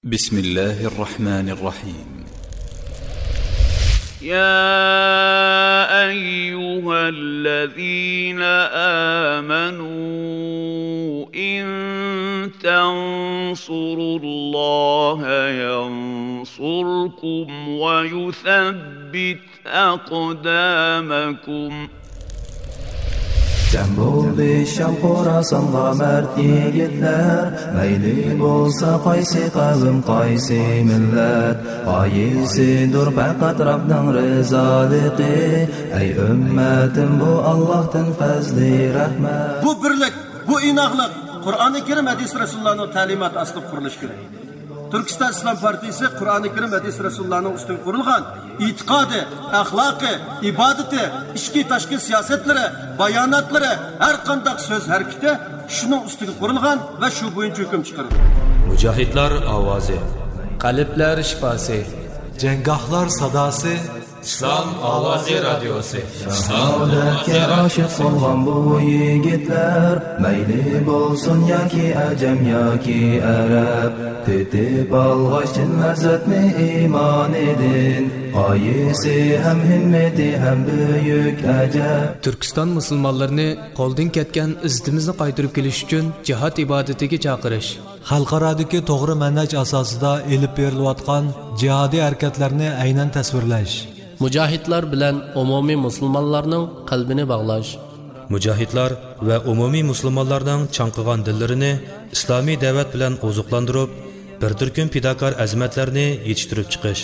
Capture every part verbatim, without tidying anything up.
بسم الله الرحمن الرحيم. يا أيها الذين آمنوا إن تنصروا الله ينصركم ويثبت أقدامكم. جەم بولدى شام خوراسانغا مەرد يىگىتلەر، مەيلى بولسا قايسى قەۋم، قايسى مىللەت، غايىسىدۇر پەقەت رەبنىڭ رىزالىقى. ئەي ئۈممەتىم، بۇ ئاللاھتىن پەزلى رەھمەت. بۇ بىرلىك، بۇ ئىناقلىق قۇرئانى كەرىم، ھەدىس رەسۇلۇللانىڭ تەلىماتى ئاستىدا قۇرۇلۇشى كېرەك. تۈركىستان ئىسلام پارتىيىسى قۇرئانى كەرىم، ھەدىس رەسۇلۇللانىڭ ئۈستىگە قۇرۇلغان ئېتىقادى، ئەخلاقى، ئىبادىتى، ئىچكى تاشقى سىياسەتلىرى، باياناتلىرى، ھەر قانداق سۆز ھەرىكىتى شۇنىڭ ئۈستىگە قۇرۇلغان ۋە شۇ بويىچە ھۆكۈم چىقىرىدۇ. مۇجاھىدلار ئاۋازى. قەلبلەر شىپاسى. جەڭگاھلار ساداسى. ئىسلام ئاۋازى رادىيوسى. شاھادەتكە ئاشىق بولغان بۇ يىگىتلەر، مەيلى بولسۇن ياكى ئەجەم ياكى ئەرەب، تېتىپ ئالغاچ چىن لەززەتنى ئىمانىدىن، غايىسى ھەم ھىممىتى ھەم بۈيۈك ئەجەب. تۈركىستان مۇسۇلمانلىرىنى قولدىن كەتكەن ئىززىتىمىزنى قايتۇرۇپ كېلىش ئۈچۈن جىھاد ئىبادىتىگە چاقىرىش. خەلقئارادىكى توغرا مەنھەج ئاساسىدا ئېلىپ بېرىلىۋاتقان جىھادىي ھەرىكەتلەرنى ئەينەن تەسۋىرلەش. مۇجاھىدلار بىلەن ئومۇمىي مۇسۇلمانلارنىڭ قەلبىنى باغلاش. مۇجاھىدلار ۋە ئومۇمىي مۇسۇلمانلارنىڭ چاڭقىغان دىللىرىنى ئىسلامىي دەۋەت بىلەن ئوزۇقلاندۇرۇپ، بىر تۈركۈم پىداكار ئەزىمەتلەرنى يېتىشتۈرۈپ چىقىش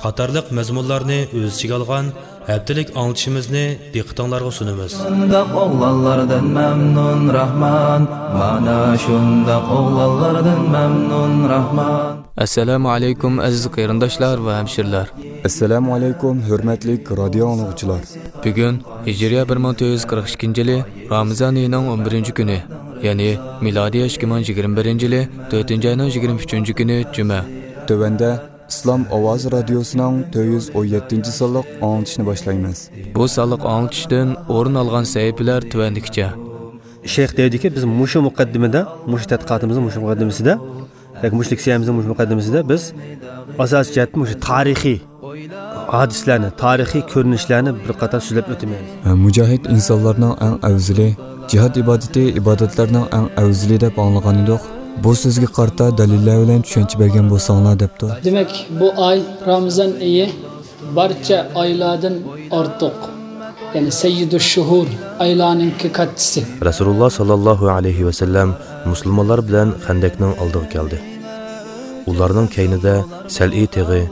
قاتارلىق مەزمۇنلارنى ئۆز ئىچىگە ئالغان ھەپتىلىك ئاڭلىتىشىمىزنى دىققىتىڭلارغا سۇنىمىز. شۇنداق ئوغلانلاردىن مەمنۇن راھمان، مانا شۇنداق ئوغلانلاردىن مەمنۇن راھمان. ئەسسالامۇ ئەلەيكۇم، ئەزىز قېرىنداشلار ۋە ھەمشىرىلەر. ئەسسالامۇ ئەلەيكۇم، ھۆرمەتلىك رادىيو ئاڭلىغۇچىلار. بۈگۈن ھىجرىيە بىر مىڭ تۆت يۈز قىرىق ئىككىنچى يىلى رامىزان ئېيىنىڭ ئون بىرىنچى كۈنى، يەنى مىلادىيە ئىككى مىڭ يىگىرمە بىرىنچى يىلى تۆتىنچى ئاينىڭ يىگىرمە ئۈچىنچى كۈنى جۈمە. تۆۋەندە ئىسلام ئاۋازى رادىيوسىنىڭ تۆت يۈز ئون يەتتىنچى سانلىق ئاڭلىتىشنى باشلايمىز. بۇ سانلىق ئاڭلىتىشتىن ئورۇن ئالغان سەھىپىلەر تۆۋەندىكىچە. شەيخ دەيدىكى، بىز مۇشۇ مۇقەددىمىدە، مۇشۇ تەتقىقاتىمىزنىڭ مۇشۇ مۇقەددىمىسىدە، ياكى مۇشۇ لېكسىيەمىزنىڭ مۇشۇ مۇقەددىمىسىدە بىز ئاساسىي جەھەتتىن مۇشۇ تارىخىي ھادىسىلەرنى، تارىخىي كۆرۈنۈشلەرنى بىر قاتار سۆزلەپ ئۆتىمىز. مۇجاھىد ئىنسانلارنىڭ ئەڭ ئەۋزىلى، جىھاد ئىبادىتى ئىبادەتلەرنىڭ ئەڭ ئەۋزىلى دەپ ئاڭلىغانىدۇق. بۇ سۆزگە قارىتا دەلىللەر بىلەن چۈشەنچە بەرگەن بولساڭلار دەپتۇ. دېمەك، بۇ ئاي رامىزان ئېيى بارچە ئايلاردىن ئارتۇق، يەنى سەييىدۇش شۇھۇر، ئايلارنىڭكى كاتتىسى. رەسۇلۇللا ساللاللاھۇ ئەلەيھى ۋەسەللەم مۇسۇلمانلار بىلەن خەندەكنىڭ ئالدىغا كەلدى. ئۇلارنىڭ كەينىدە سەلئى تېغى،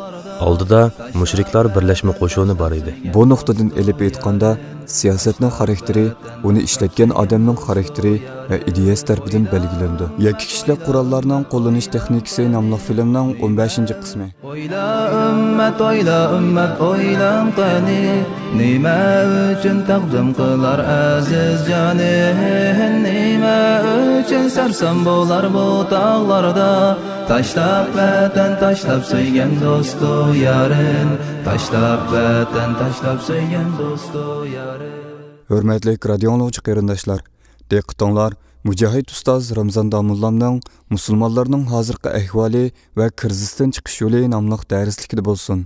ئالدىدا مۇشرىكلار بىرلەشمە قوشۇنى بار ئىدى. بۇ نۇقتىدىن ئېلىپ ئېيتقاندا، سىياسەتنىڭ خاراكتېرى، ئۇنى ئىشلەتكەن ئادەمنىڭ خاراكتېرى ۋە ئىدىيەسى تەرىپىدىن بەلگىلىنىدۇ. يەككە كىشىلىك قوراللارنىڭ قوللىنىش تېخنىكىسى ناملىق فىلىمنىڭ ئون بەشىنچى قىسمى. ئويلا ئۈممەت، ئويلا ئۈممەت، ئويلاڭ قېنى، نېمە ئۈچۈن تەقدىم قىلار ئەزىز جانى؟ نېمە ئۈچۈن سەرسان بولار بۇ تاغلاردا؟ تاشلاپ ۋەتەن، تاشلاپ سۆيگەن دوستۇ يارىن، تاشلاپ ۋەتەن، تاشلاپ سۆيگەن دوستۇ يارىن. ھۆرمەتلىك رادىيو ئاڭلىغۇچى قېرىنداشلار، دىققىتىڭلار مۇجاھىد ئۇستاز رامزان داموللامنىڭ مۇسۇلمانلارنىڭ ھازىرقى ئەھۋالى ۋە كىرىزىستىن چىقىش يولى ناملىق دەرسلىكىدە بولسۇن.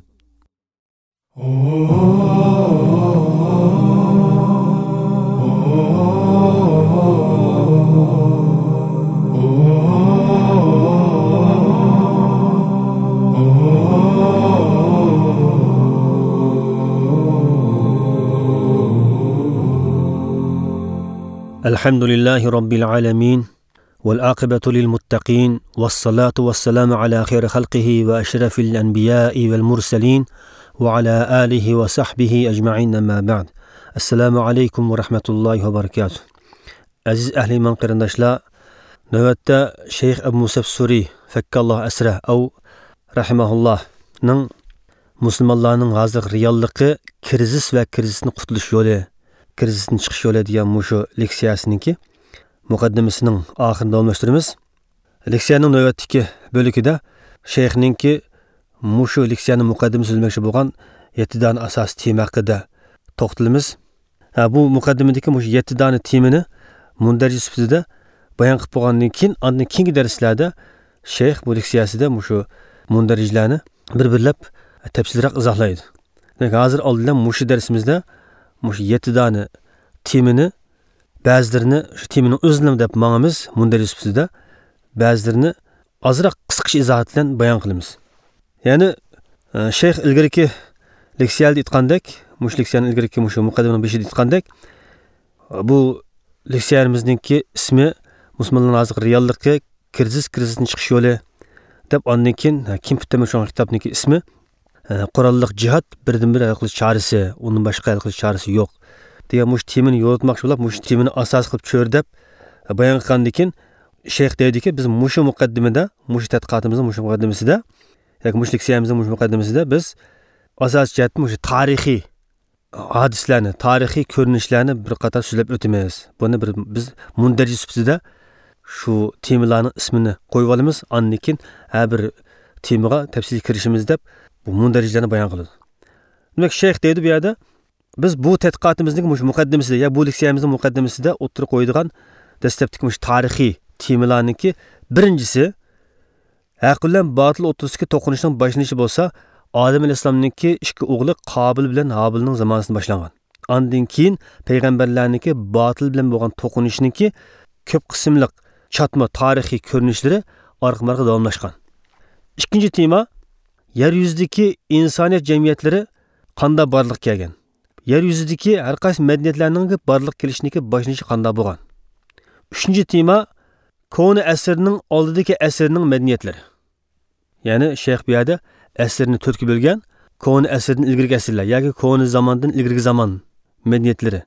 الحمد لله رب العالمين، والعاقبة للمتقين، والصلاة والسلام على خير خلقه وأشرف الأنبياء والمرسلين، وعلى آله وصحبه أجمعين، أما بعد. السلام عليكم ورحمة الله وبركاته. ئەزىز ئەھلى ئىمان قېرىنداشلار، نۆۋەتتە شەيخ ئەبۇ مۇسەب سۈرى، فەككاللاھ ئەسرەھ، ئەۋ رەھىمەھۇللاھنىڭ مۇسۇلمانلارنىڭ ھازىرقى رېئاللىقى، كىرىزىس ۋە كىرىزىستىن قۇتۇلۇش يولى، كىرىزىستىن چىقىش يولى دېگەن مۇشۇ لېكسىيەسىنىڭكى مۇقەددىمىسىنىڭ ئاخىرىنى داۋاملاشتۇرىمىز. لېكسىيەنىڭ نۆۋەتتىكى بۆلىكىدە شەيخنىڭكى مۇشۇ لېكسىيەنىڭ مۇقەددىمىسى سۆزلىمەكچى بولغان يەتتە دانە ئاساسىي تېما ھەققىدە توختىلىمىز. ھە، بۇ مۇقەددىمىدىكى مۇشۇ يەتتە دانە تېمىنى مۇندەرىجە سۈپىتىدە بايان قىلىپ بولغاندىن كېيىن، ئاندىن كېيىنكى دەرسلەردە شەيخ بۇ لېكسىيەسىدە مۇشۇ مۇندەرىجلەرنى بىر-بىرلەپ تەپسىلىيراق ئىزاھلايدۇ. دېمەك، ھازىر ئالدى بىلەن مۇشۇ دەرسىمىزدە مۇشۇ يەتتە دانە تېمىنى، بەزىلىرىنى شۇ تېمىنىڭ ئۆزىنى دەپ ماڭىمىز، مۇندەرىج سۈپىتىدە بەزىلىرىنى ئازراق قىسقىچە ئىزاھات بىلەن بايان قىلىمىز. يەنى، ئە، شەيخ ئىلگىرىكى لېكسىيەلەردە ئېيتقاندەك، مۇشۇ لېكسىيەنىڭ ئىلگىرىكى مۇشۇ مۇقەددىمىنىڭ بېشىدا ئېيتقاندەك، بۇ لېكسىيەمىزنىڭكى ئىسمى مۇسۇلمانلارنىڭ ھازىرقى رېئاللىقى، كىرىزىس، كىرىزىستىن چىقىش يولى دەپ، ئاندىن كېيىن، ھە، كىم پۈتتەمە شۇڭا كىتابنىڭكى ئىسمى، ھە، قوراللىق جىھاد، بىردىنبىر ھەل قىلىش چارىسى، ئۇندىن باشقا ھەل قىلىش چارىسى يوق دېگەن مۇشۇ تېمىنى يورۇتماقچى بولۇپ، مۇشۇ تېمىنى ئاساس قىلىپ چۆرىدەپ، ھە، بايان قىلغاندىن كېيىن، شەيخ دەيدىكى، بىز مۇشۇ مۇقەددىمىدە، مۇشۇ تەتقىقاتىمىزنىڭ مۇشۇ مۇقەددىمىسىدە، ياكى مۇشۇ لېكسىيەمىزنىڭ مۇشۇ مۇقەددىمىسىدە بىز ئاساسىي جەھەتتىن مۇشۇ تارىخىي ھادىسىلەرنى، تارىخىي كۆرۈنۈشلەرنى بىر قاتار سۆزلەپ ئۆتىمىز. بۇنى بىر، بىز مۇندەرىجە سۈپىتىدە شۇ تېمىلارنىڭ ئىسمىنى قويۇۋالىمىز، ئاندىن كېيىن ھەر بىر تېمىغا تەپسىلىي كىرىشىمىز دەپ، بۇ مۇندەرىجىلەرنى بايان قىلىدۇ. دېمەك، شەيخ دەيدۇ بۇ يەردە، بىز بۇ تەتقىقاتىمىزنىڭ مۇشۇ مۇقەددىمىسىدە، يا بۇ لېكسىيەمىزنىڭ مۇقەددىمىسىدە ئوتتۇرىغا قويىدىغان دەسلەپتىكى مۇشۇ تارىخىي تېمىلارنىڭكى بىرىنچىسى، ھەق بىلەن باتىل ئوتتۇرىسىدىكى توقۇنۇشنىڭ باشلىنىشى بولسا، ئادەم ئەلەيھىسسالامنىڭكى ئىككى ئوغلى قابىل بىلەن ھابىلنىڭ زامانىسىدا باشلانغان. ئاندىن كېيىن پەيغەمبەرلەرنىڭكى باتىل بىلەن بولغان توقۇنۇشنىڭكى كۆپ قىسىملىق چاتما تارىخىي كۆرۈنۈشلىرى ئارقىمۇ ئارقا داۋاملاشقان. ئىككىنچى تېما، يەر يۈزىدىكى ئىنسانىيەت جەمئىيەتلىرى قانداق بارلىققا كەلگەن؟ يەر يۈزىدىكى ھەر قايسى مەدەنىيەتلەرنىڭ بارلىققا كېلىشىنىڭكى باشلىنىشى قانداق بولغان؟ ئۈچىنچى تېما، كونا ئەسىرنىڭ ئالدىدىكى ئەسىرنىڭ مەدەنىيەتلىرى. يەنى شەيخ بۇ يەردە ئەسىرنى تۆتكە بۆلگەن، كونا ئەسىردىن ئىلگىرىكى ئەسىرلەر ياكى كونا زاماندىن ئىلگىرىكى زامان مەدەنىيەتلىرى.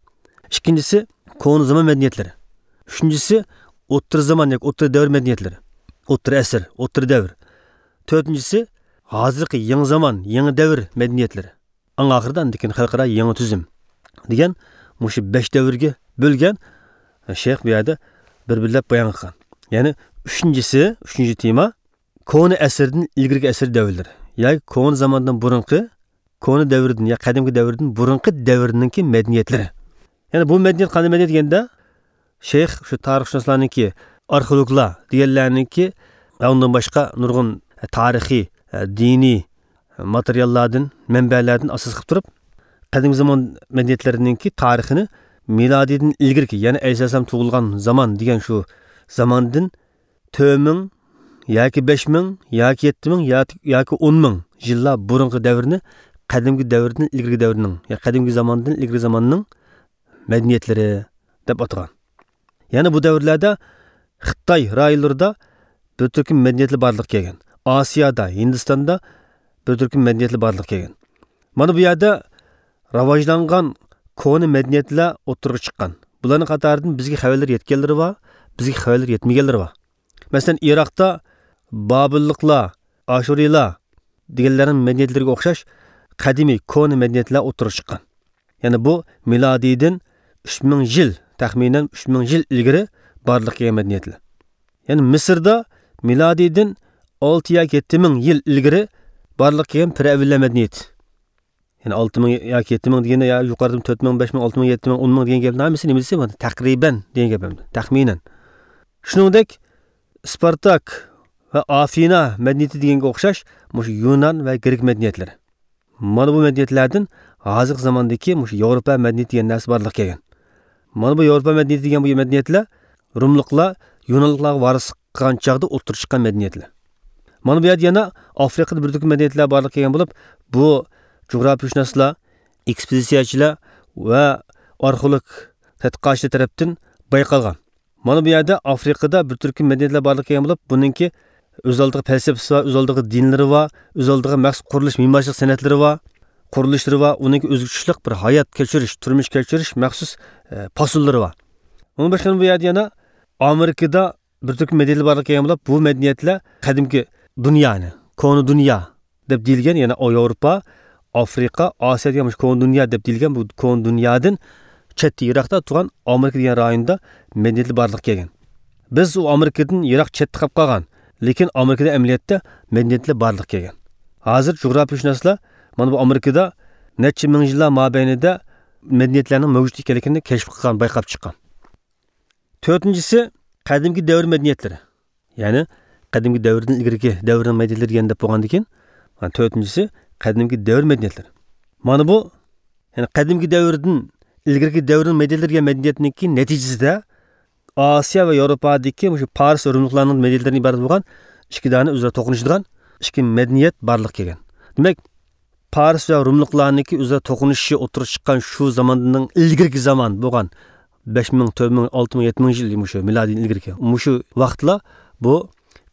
ئىككىنچىسى، كونا زامان مەدەنىيەتلىرى. ئۈچىنچىسى، ئوتتۇرا زامان ياكى ئوتتۇرا دەۋر مەدەنىيەتلىرى. ئوتتۇرا ئەسىر، ئوتتۇرا دەۋر. تۆتىنچىسى، ھازىرقى يېڭى زامان، يېڭى دەۋر مەدەنىيەتلىرى. ئەڭ ئاخىرىدا ئاندىن كېيىن خەلقئارا يېڭى تۈزۈم دېگەن مۇشۇ بەش دەۋرگە بۆلگەن شەيخ بۇ يەردە بىر-بىرلەپ بايان قىلغان. يەنى ئۈچىنچىسى، ئۈچىنچى تېما، كونا ئەسىردىن ئىلگىرىكى ئەسىر دەۋرلىرى. ياكى كونا زاماندىن بۇرۇنقى، كونا دەۋردىن يا قەدىمكى دەۋردىن بۇرۇنقى دەۋرنىڭكى مەدەنىيەتلىرى. يەنى بۇ مەدەنىيەت قانداق مەدەنىيەت دېگەندە، شەيخ شۇ تارىخشۇناسلارنىڭكى، ئارخېئولوگلار دېگەنلەرنىڭكى، ئۇندىن باشقا نۇرغۇن تارىخىي، دىنىي ماتېرىياللاردىن، مەنبەلەردىن ئاساس قىلىپ تۇرۇپ، قەدىم زامان مەدەنىيەتلىرىنىڭكى تارىخىنى مىلادىيدىن ئىلگىرىكى، يەنى ئەلەيھىسسالام تۇغۇلغان زامان دېگەن شۇ زاماندىن تۆت مىڭ ياكى بەش مىڭ ياكى يەتتە مىڭ ياكى، ياكى ئون مىڭ يىللار بۇرۇنقى دەۋرنى قەدىمكى دەۋردىن ئىلگىرىكى دەۋرنىڭ، يا قەدىمكى زاماندىن ئىلگىرىكى زاماننىڭ مەدەنىيەتلىرى دەپ ئاتىغان. يەنە بۇ دەۋرلەردە خىتاي رايونلىرىدا بىر تۈركۈم مەدەنىيەتلەر بارلىققا كەلگەن. ئاسىيادا، ھىندىستاندا بىر تۈركۈم مەدەنىيەتلەر بارلىققا كەلگەن. مانا بۇ يەردە راۋاجلانغان كونا مەدەنىيەتلەر ئوتتۇرىغا چىققان. بۇلارنىڭ قاتارىدىن بىزگە خەۋەرلەر يەتكەنلىرى بار، بىزگە خەۋەرلەر يەتمىگەنلىرى بار. مەسىلەن، ئىراقتا بابىللىقلار، ئاشۇرىيلار دېگەنلەرنىڭ مەدەنىيەتلىرىگە ئوخشاش قەدىمىي كونا مەدەنىيەتلەر ئوتتۇرىغا چىققان. يەنى بۇ مىلادىيدىن ئۈچ مىڭ يىل، تەخمىنەن ئۈچ مىڭ يىل ئىلگىرى بارلىققا كەلگەن مەدەنىيەتلەر. يەنى مىسىردا مىلادىيدىن ئالتە ياكى يەتتە مىڭ يىل ئىلگىرى بارلىققا كەلگەن پىرئەۋنلەر مەدەنىيىتى. يەنى ئالتە مىڭ ياكى يەتتە مىڭ دېگەندە، يا يۇقىرىدىمۇ تۆت مىڭ، بەش مىڭ، ئالتە مىڭ، يەتتە مىڭ، ئون مىڭ دېگەن گەپنىڭ ھەممىسى نېمە دېسە، تەقرىبەن دېگەن گەپ ئەمدى، تەخمىنەن. شۇنىڭدەك، سپارتاك ۋە ئافىنا مەدەنىيىتى دېگەنگە ئوخشاش مۇشۇ يۇنان ۋە گرېك مەدەنىيەتلىرى. مانا بۇ مەدەنىيەتلەردىن ھازىرقى زاماندىكى مۇشۇ ياۋروپا مەدەنىيىتى دېگەن نەرسە بارلىققا كەلگەن. مانا بۇ ياۋروپا مەدەنىيىتى دېگەن بۇ مەدەنىيەتلەر روملۇقلار يۇنانلىقلارغا ۋارىسلىق قىلغان چاغدا ئوتتۇرىغا چىققان مەدەنىيەتلەر. مانا بۇ يەردە يەنە ئافرىقىدا بىر تۈركۈم مەدەنىيەتلەر بارلىققا كەلگەن بولۇپ، بۇ جۇغراپىيەشۇناسلار، ئېكسپېدىتسىيەچىلەر ۋە ئارخېئولوگ تەتقىقاتچىلار تەرەپتىن بايقالغان. مانا بۇ يەردە ئافرىقىدا بىر تۈركۈم مەدەنىيەتلەر بارلىققا كەلگەن بولۇپ، بۇنىڭكى ئۆز ئالدىغا پەلسەپىسى بار، ئۆز ئالدىغا دىنلىرى بار، ئۆز ئالدىغا مەخسۇس قۇرۇلۇش مىمارچىلىق سەنئەتلىرى بار، قۇرۇلۇشلىرى بار، ئۇنىڭكى ئۆزگىچىلىك بىر ھايات كەچۈرۈش، تۇرمۇش كەچۈرۈش مەخسۇس، ئە، پاسونلىرى بار. ئۇنىڭ باشقا بۇ يەردە يەنە ئامېرىكىدا بىر تۈركۈم مەدەنىيەتلەر بارلىققا كەلگەن بولۇپ، بۇ مەدەنىيەتلەر قەدىمكى دۇنيانى، كونا دۇنيا دەپ دېيىلگەن، يەنى ياۋروپا، ئافرىقا، ئاسىيا دېگەن مۇشۇ كونا دۇنيا دەپ دېيىلگەن بۇ كونا دۇنيادىن چەتتە، يىراقتا تۇرغان ئامېرىكا دېگەن رايوندا مەدەنىيەتلەر بارلىققا كەلگەن. بىز ئۇ ئامېرىكىدىن يىراق چەتتە قېلىپ قالغان، لېكىن ئامېرىكىدا ئەمەلىيەتتە مەدەنىيەتلەر بارلىققا كەلگەن. ھازىر جۇغراپىيەشۇناسلار مانا بۇ ئامېرىكىدا نەچچە مىڭ يىللار مابەينىدە مەدەنىيەتلەرنىڭ مەۋجۇت ئىكەنلىكىنى كەشىپ قىلغان، بايقاپ چىققان. تۆتىنچىسى، قەدىمكى دەۋر مەدەنىيەتلىرى. يەنى قەدىمكى دەۋردىن ئىلگىرىكى دەۋرنىڭ مەدەنىيەتلىرى دېگەن دەپ بولغاندىن كېيىن، مانا تۆتىنچىسى قەدىمكى دەۋر مەدەنىيەتلىرى. مانا بۇ، يەنى قەدىمكى دەۋردىن ئىلگىرىكى دەۋرنىڭ مەدەنىيەتلىرى دېگەن مەدەنىيەتنىڭكى نەتىجىسىدە ئاسىيا ۋە ياۋروپادىكى مۇشۇ پارس ۋە رۇملۇقلارنىڭ مەدەنىيەتلىرىدىن ئىبارەت بولغان ئىككى دانە ئۆزئارا توقۇنۇشىدىغان ئىككى مەدەنىيەت بارلىققا كەلگەن. دېمەك، پارس ۋە رۇملۇقلارنىڭكى ئۆزئارا توقۇنۇشۇشى ئوتتۇرىغا چىققان شۇ زاماندىن ئىلگىرىكى زامان بولغان بەش مىڭ، تۆت مىڭ، ئالتە مىڭ، يەتتە مىڭ يىل، مۇشۇ مىلادىيدىن ئىلگىرىكى مۇشۇ ۋاقىتلار بۇ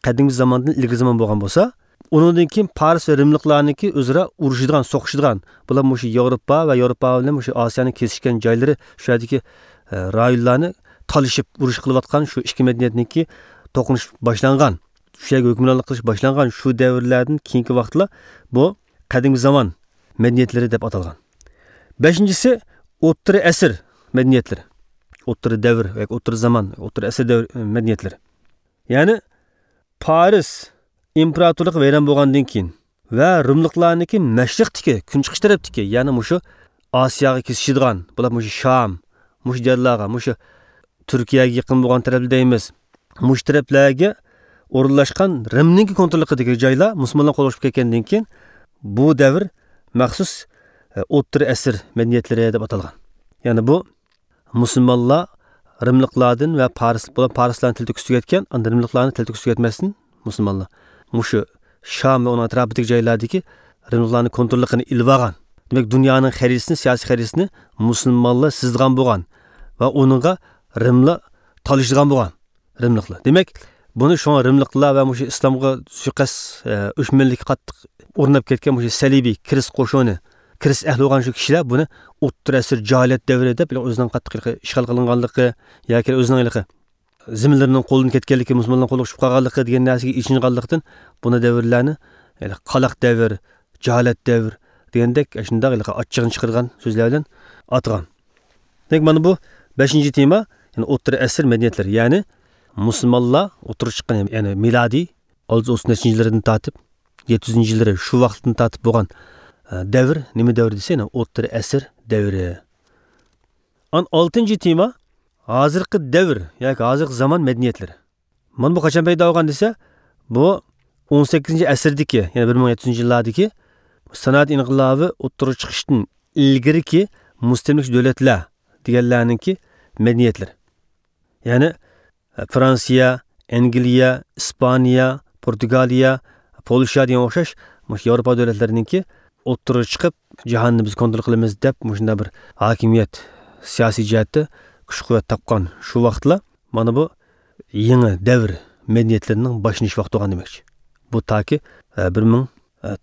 قەدىمكى زاماندىن ئىلگىرى زامان بولغان بولسا، ئۇنىڭدىن كېيىن پارس ۋە رىملىقلارنىڭكى ئۆزئارا ئۇرۇشىدىغان، سوقۇشىدىغان، بۇلار مۇشۇ ياۋروپا ۋە ياۋروپا بىلەن مۇشۇ ئاسىيانىڭ كېسىشكەن جايلىرى، شۇ يەردىكى، ئە، رايونلارنى تالىشىپ ئۇرۇش قىلىۋاتقان شۇ ئىككى مەدەنىيەتنىڭكى توقۇنۇش باشلانغان، شۇ يەرگە ھۆكۈمرانلىق قىلىش باشلانغان شۇ دەۋرلەردىن كېيىنكى ۋاقىتلار بۇ قەدىمكى زامان مەدەنىيەتلىرى دەپ ئاتالغان. بەشىنچىسى، ئوتتۇرا ئەسىر مەدەنىيەتلىرى. ئوتتۇرا دەۋر ياكى ئوتتۇرا زامان، ئوتتۇرا ئەسىر دەۋر، ئە، مەدەنىيەتلىرى. يەنى پارس ئىمپېراتورلۇقى ۋەيران بولغاندىن كېيىن ۋە رۇملۇقلارنىڭكى مەشرىقتىكى، كۈنچىقىش تەرەپتىكى، يەنى مۇشۇ ئاسىياغا كېسىشىدىغان، بۇلار مۇشۇ شام، مۇشۇ جايلارغا، مۇشۇ تۈركىيەگە يېقىن بولغان تەرەپلەر دەيمىز، مۇشۇ تەرەپلەرگە ئورۇنلاشقان رىمنىڭكى كونتروللۇقىدىكى جايلار مۇسۇلمانلار قولىغا چۈشۈپ كەتكەندىن كېيىن، بۇ دەۋر مەخسۇس، ئە، ئوتتۇرا ئەسىر مەدەنىيەتلىرى دەپ ئاتالغان. يەنى بۇ مۇسۇلمانلار رىملىقلاردىن ۋە پارس، بۇلار پارسلارنى تەلتۆكۈس تۈگەتكەن، ئاندىن رىملىقلارنى تەلتۆكۈس تۈگەتمەستىن مۇسۇلمانلار مۇشۇ شام ۋە ئۇنىڭ ئەتراپىدىكى جايلاردىكى رىملىقلارنىڭ كونتروللۇقىنى ئېلىۋالغان. دېمەك، دۇنيانىڭ خەرىتىسىنى، سىياسىي خەرىتىسىنى مۇسۇلمانلار سىزىدىغان بولغان ۋە ئۇنىڭغا رىملار تالىشىدىغان بولغان. رىملىقلار. دېمەك، بۇنى شۇڭا رىملىقلار ۋە مۇشۇ ئىسلامغا سۇيىقەست، ئە، ئۆچمەنلىككە قاتتىق ئورناپ كەتكەن مۇشۇ سەلىبىي كىرىست قوشۇنى، كىرىست ئەھلى بولغان شۇ كىشىلەر بۇنى ئوتتۇرا ئەسىر جاھىلىيەت دەۋرى دەپ، ئۆزىنىڭ قاتتىق ھېلىقى ئىشغال قىلىنغانلىقى ياكى ئۆزىنىڭ ھېلىقى زېمىنلىرىنىڭ قولدىن كەتكەنلىكى، مۇسۇلمانلارنىڭ قولىغا چۈشۈپ قالغانلىقى دېگەن نەرسىگە ئېچىنغانلىقتىن، بۇنى دەۋرلەرنى، يەنى قالاق دەۋر، جاھالەت دەۋر دېگەندەك، ئاشۇنداق ھېلىقى ئاچچىقىنى چىقىرغان سۆزلەر بىلەن ئاتىغان. دېمەك، مانا بۇ بەشىنچى تېما، يەنى ئوتتۇرا ئەسىر مەدەنىيەتلىرى، يەنى مۇسۇلمانلار ئوتتۇرىغا چىققان، يەنى مىلادىي ئالتە يۈز ئوتتۇز نەچچىنچى يىللىرىدىن تارتىپ، يەتتە يۈزىنچى يىللىرى، شۇ ۋاقىتتىن تارتىپ بولغان، ئە، دەۋر نېمە دەۋر دېسە، يەنى ئوتتۇرا ئەسىر دەۋرى. ئان ئالتىنچى تېما، ھازىرقى دەۋر ياكى ھازىرقى زامان مەدەنىيەتلىرى. مانا بۇ قاچان پەيدا بولغان دېسە، بۇ ئون سەككىزىنچى ئەسىردىكى، يەنى بىر مىڭ يەتتە يۈزىنچى يىللاردىكى سانائەت ئىنقىلابى ئوتتۇرىغا چىقىشتىن ئىلگىرىكى مۇستەملىكىچى دۆلەتلەر دېگەنلەرنىڭكى مەدەنىيەتلىرى. يەنى، ئە، فرانسىيە، ئەنگلىيە، ئىسپانىيە، پورتۇگالىيە، پولشا دېگەن ئوخشاش مۇشۇ ياۋروپا دۆلەتلىرىنىڭكى ئوتتۇرىغا چىقىپ، جاھاننى بىز كونترول قىلىمىز دەپ، مۇشۇنداق بىر ھاكىمىيەت سىياسىي جەھەتتە كۈچ-قۇۋۋەت تاپقان شۇ ۋاقىتلار، مانا بۇ يېڭى دەۋر مەدەنىيەتلىرىنىڭ باشلىنىش ۋاقتى بولغان دېمەكچى. بۇ تاكى، ئە، بىر مىڭ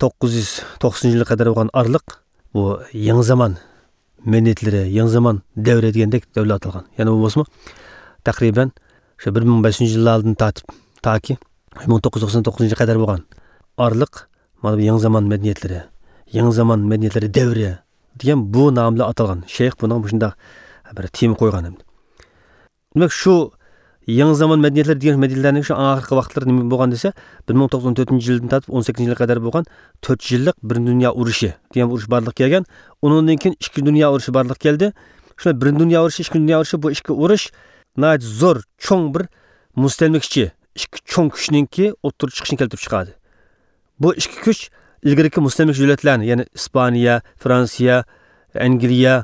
توققۇز يۈز توقسىنىنچى يىلغا قەدەر بولغان ئارىلىق بۇ يېڭى زامان مەدەنىيەتلىرى، يېڭى زامان دەۋرى دېگەندەك دەۋرلەر ئاتالغان. يەنى بۇ بولسىمۇ تەقرىبەن شۇ بىر مىڭ بەش يۈزىنچى يىللاردىن تارتىپ تاكى بىر مىڭ توققۇز يۈز توقسان توققۇزىنچى يىلغا قەدەر بولغان ئارىلىق، مانا بۇ يېڭى زامان مەدەنىيەتلىرى، يېڭى زامان مەدەنىيەتلىرى دەۋرى دېگەن بۇ نام بىلەن ئاتالغان. شەيخ بۇنىڭغا مۇشۇنداق بىر تېما قويغان ئەمدى. دېمەك، شۇ يېڭى زامان مەدەنىيەتلىرى دېگەن مەدەنىيەتلەرنىڭ شۇ ئاخىرقى ۋاقىتلىرى نېمە بولغان دېسە، بىر مىڭ توققۇز يۈز ئون تۆتىنچى يىلدىن تارتىپ ئون سەككىزىنچى يىلغا قەدەر بولغان تۆت يىللىق بىرىنچى دۇنيا ئۇرۇشى دېگەن بىر ئۇرۇش بارلىققا كەلگەن. ئۇنىڭدىن كېيىن ئىككىنچى دۇنيا ئۇرۇشى بارلىققا كەلدى. شۇ بىرىنچى دۇنيا ئۇرۇشى، ئىككىنچى دۇنيا ئۇرۇشى، بۇ ئىككى ئۇرۇش ناھايىتى زور، چوڭ بىر مۇستەملىكىچى ئىككى چوڭ كۈچنىڭكى ئوتتۇرىغا چىقىشىنى كەلتۈرۈپ چىقاردى. بۇ ئىككى كۈچ ئىلگىرىكى مۇستەملىكىچى دۆلەتلەرنى، يەنى ئىسپانىيە، فرانسىيە، ئەنگلىيە،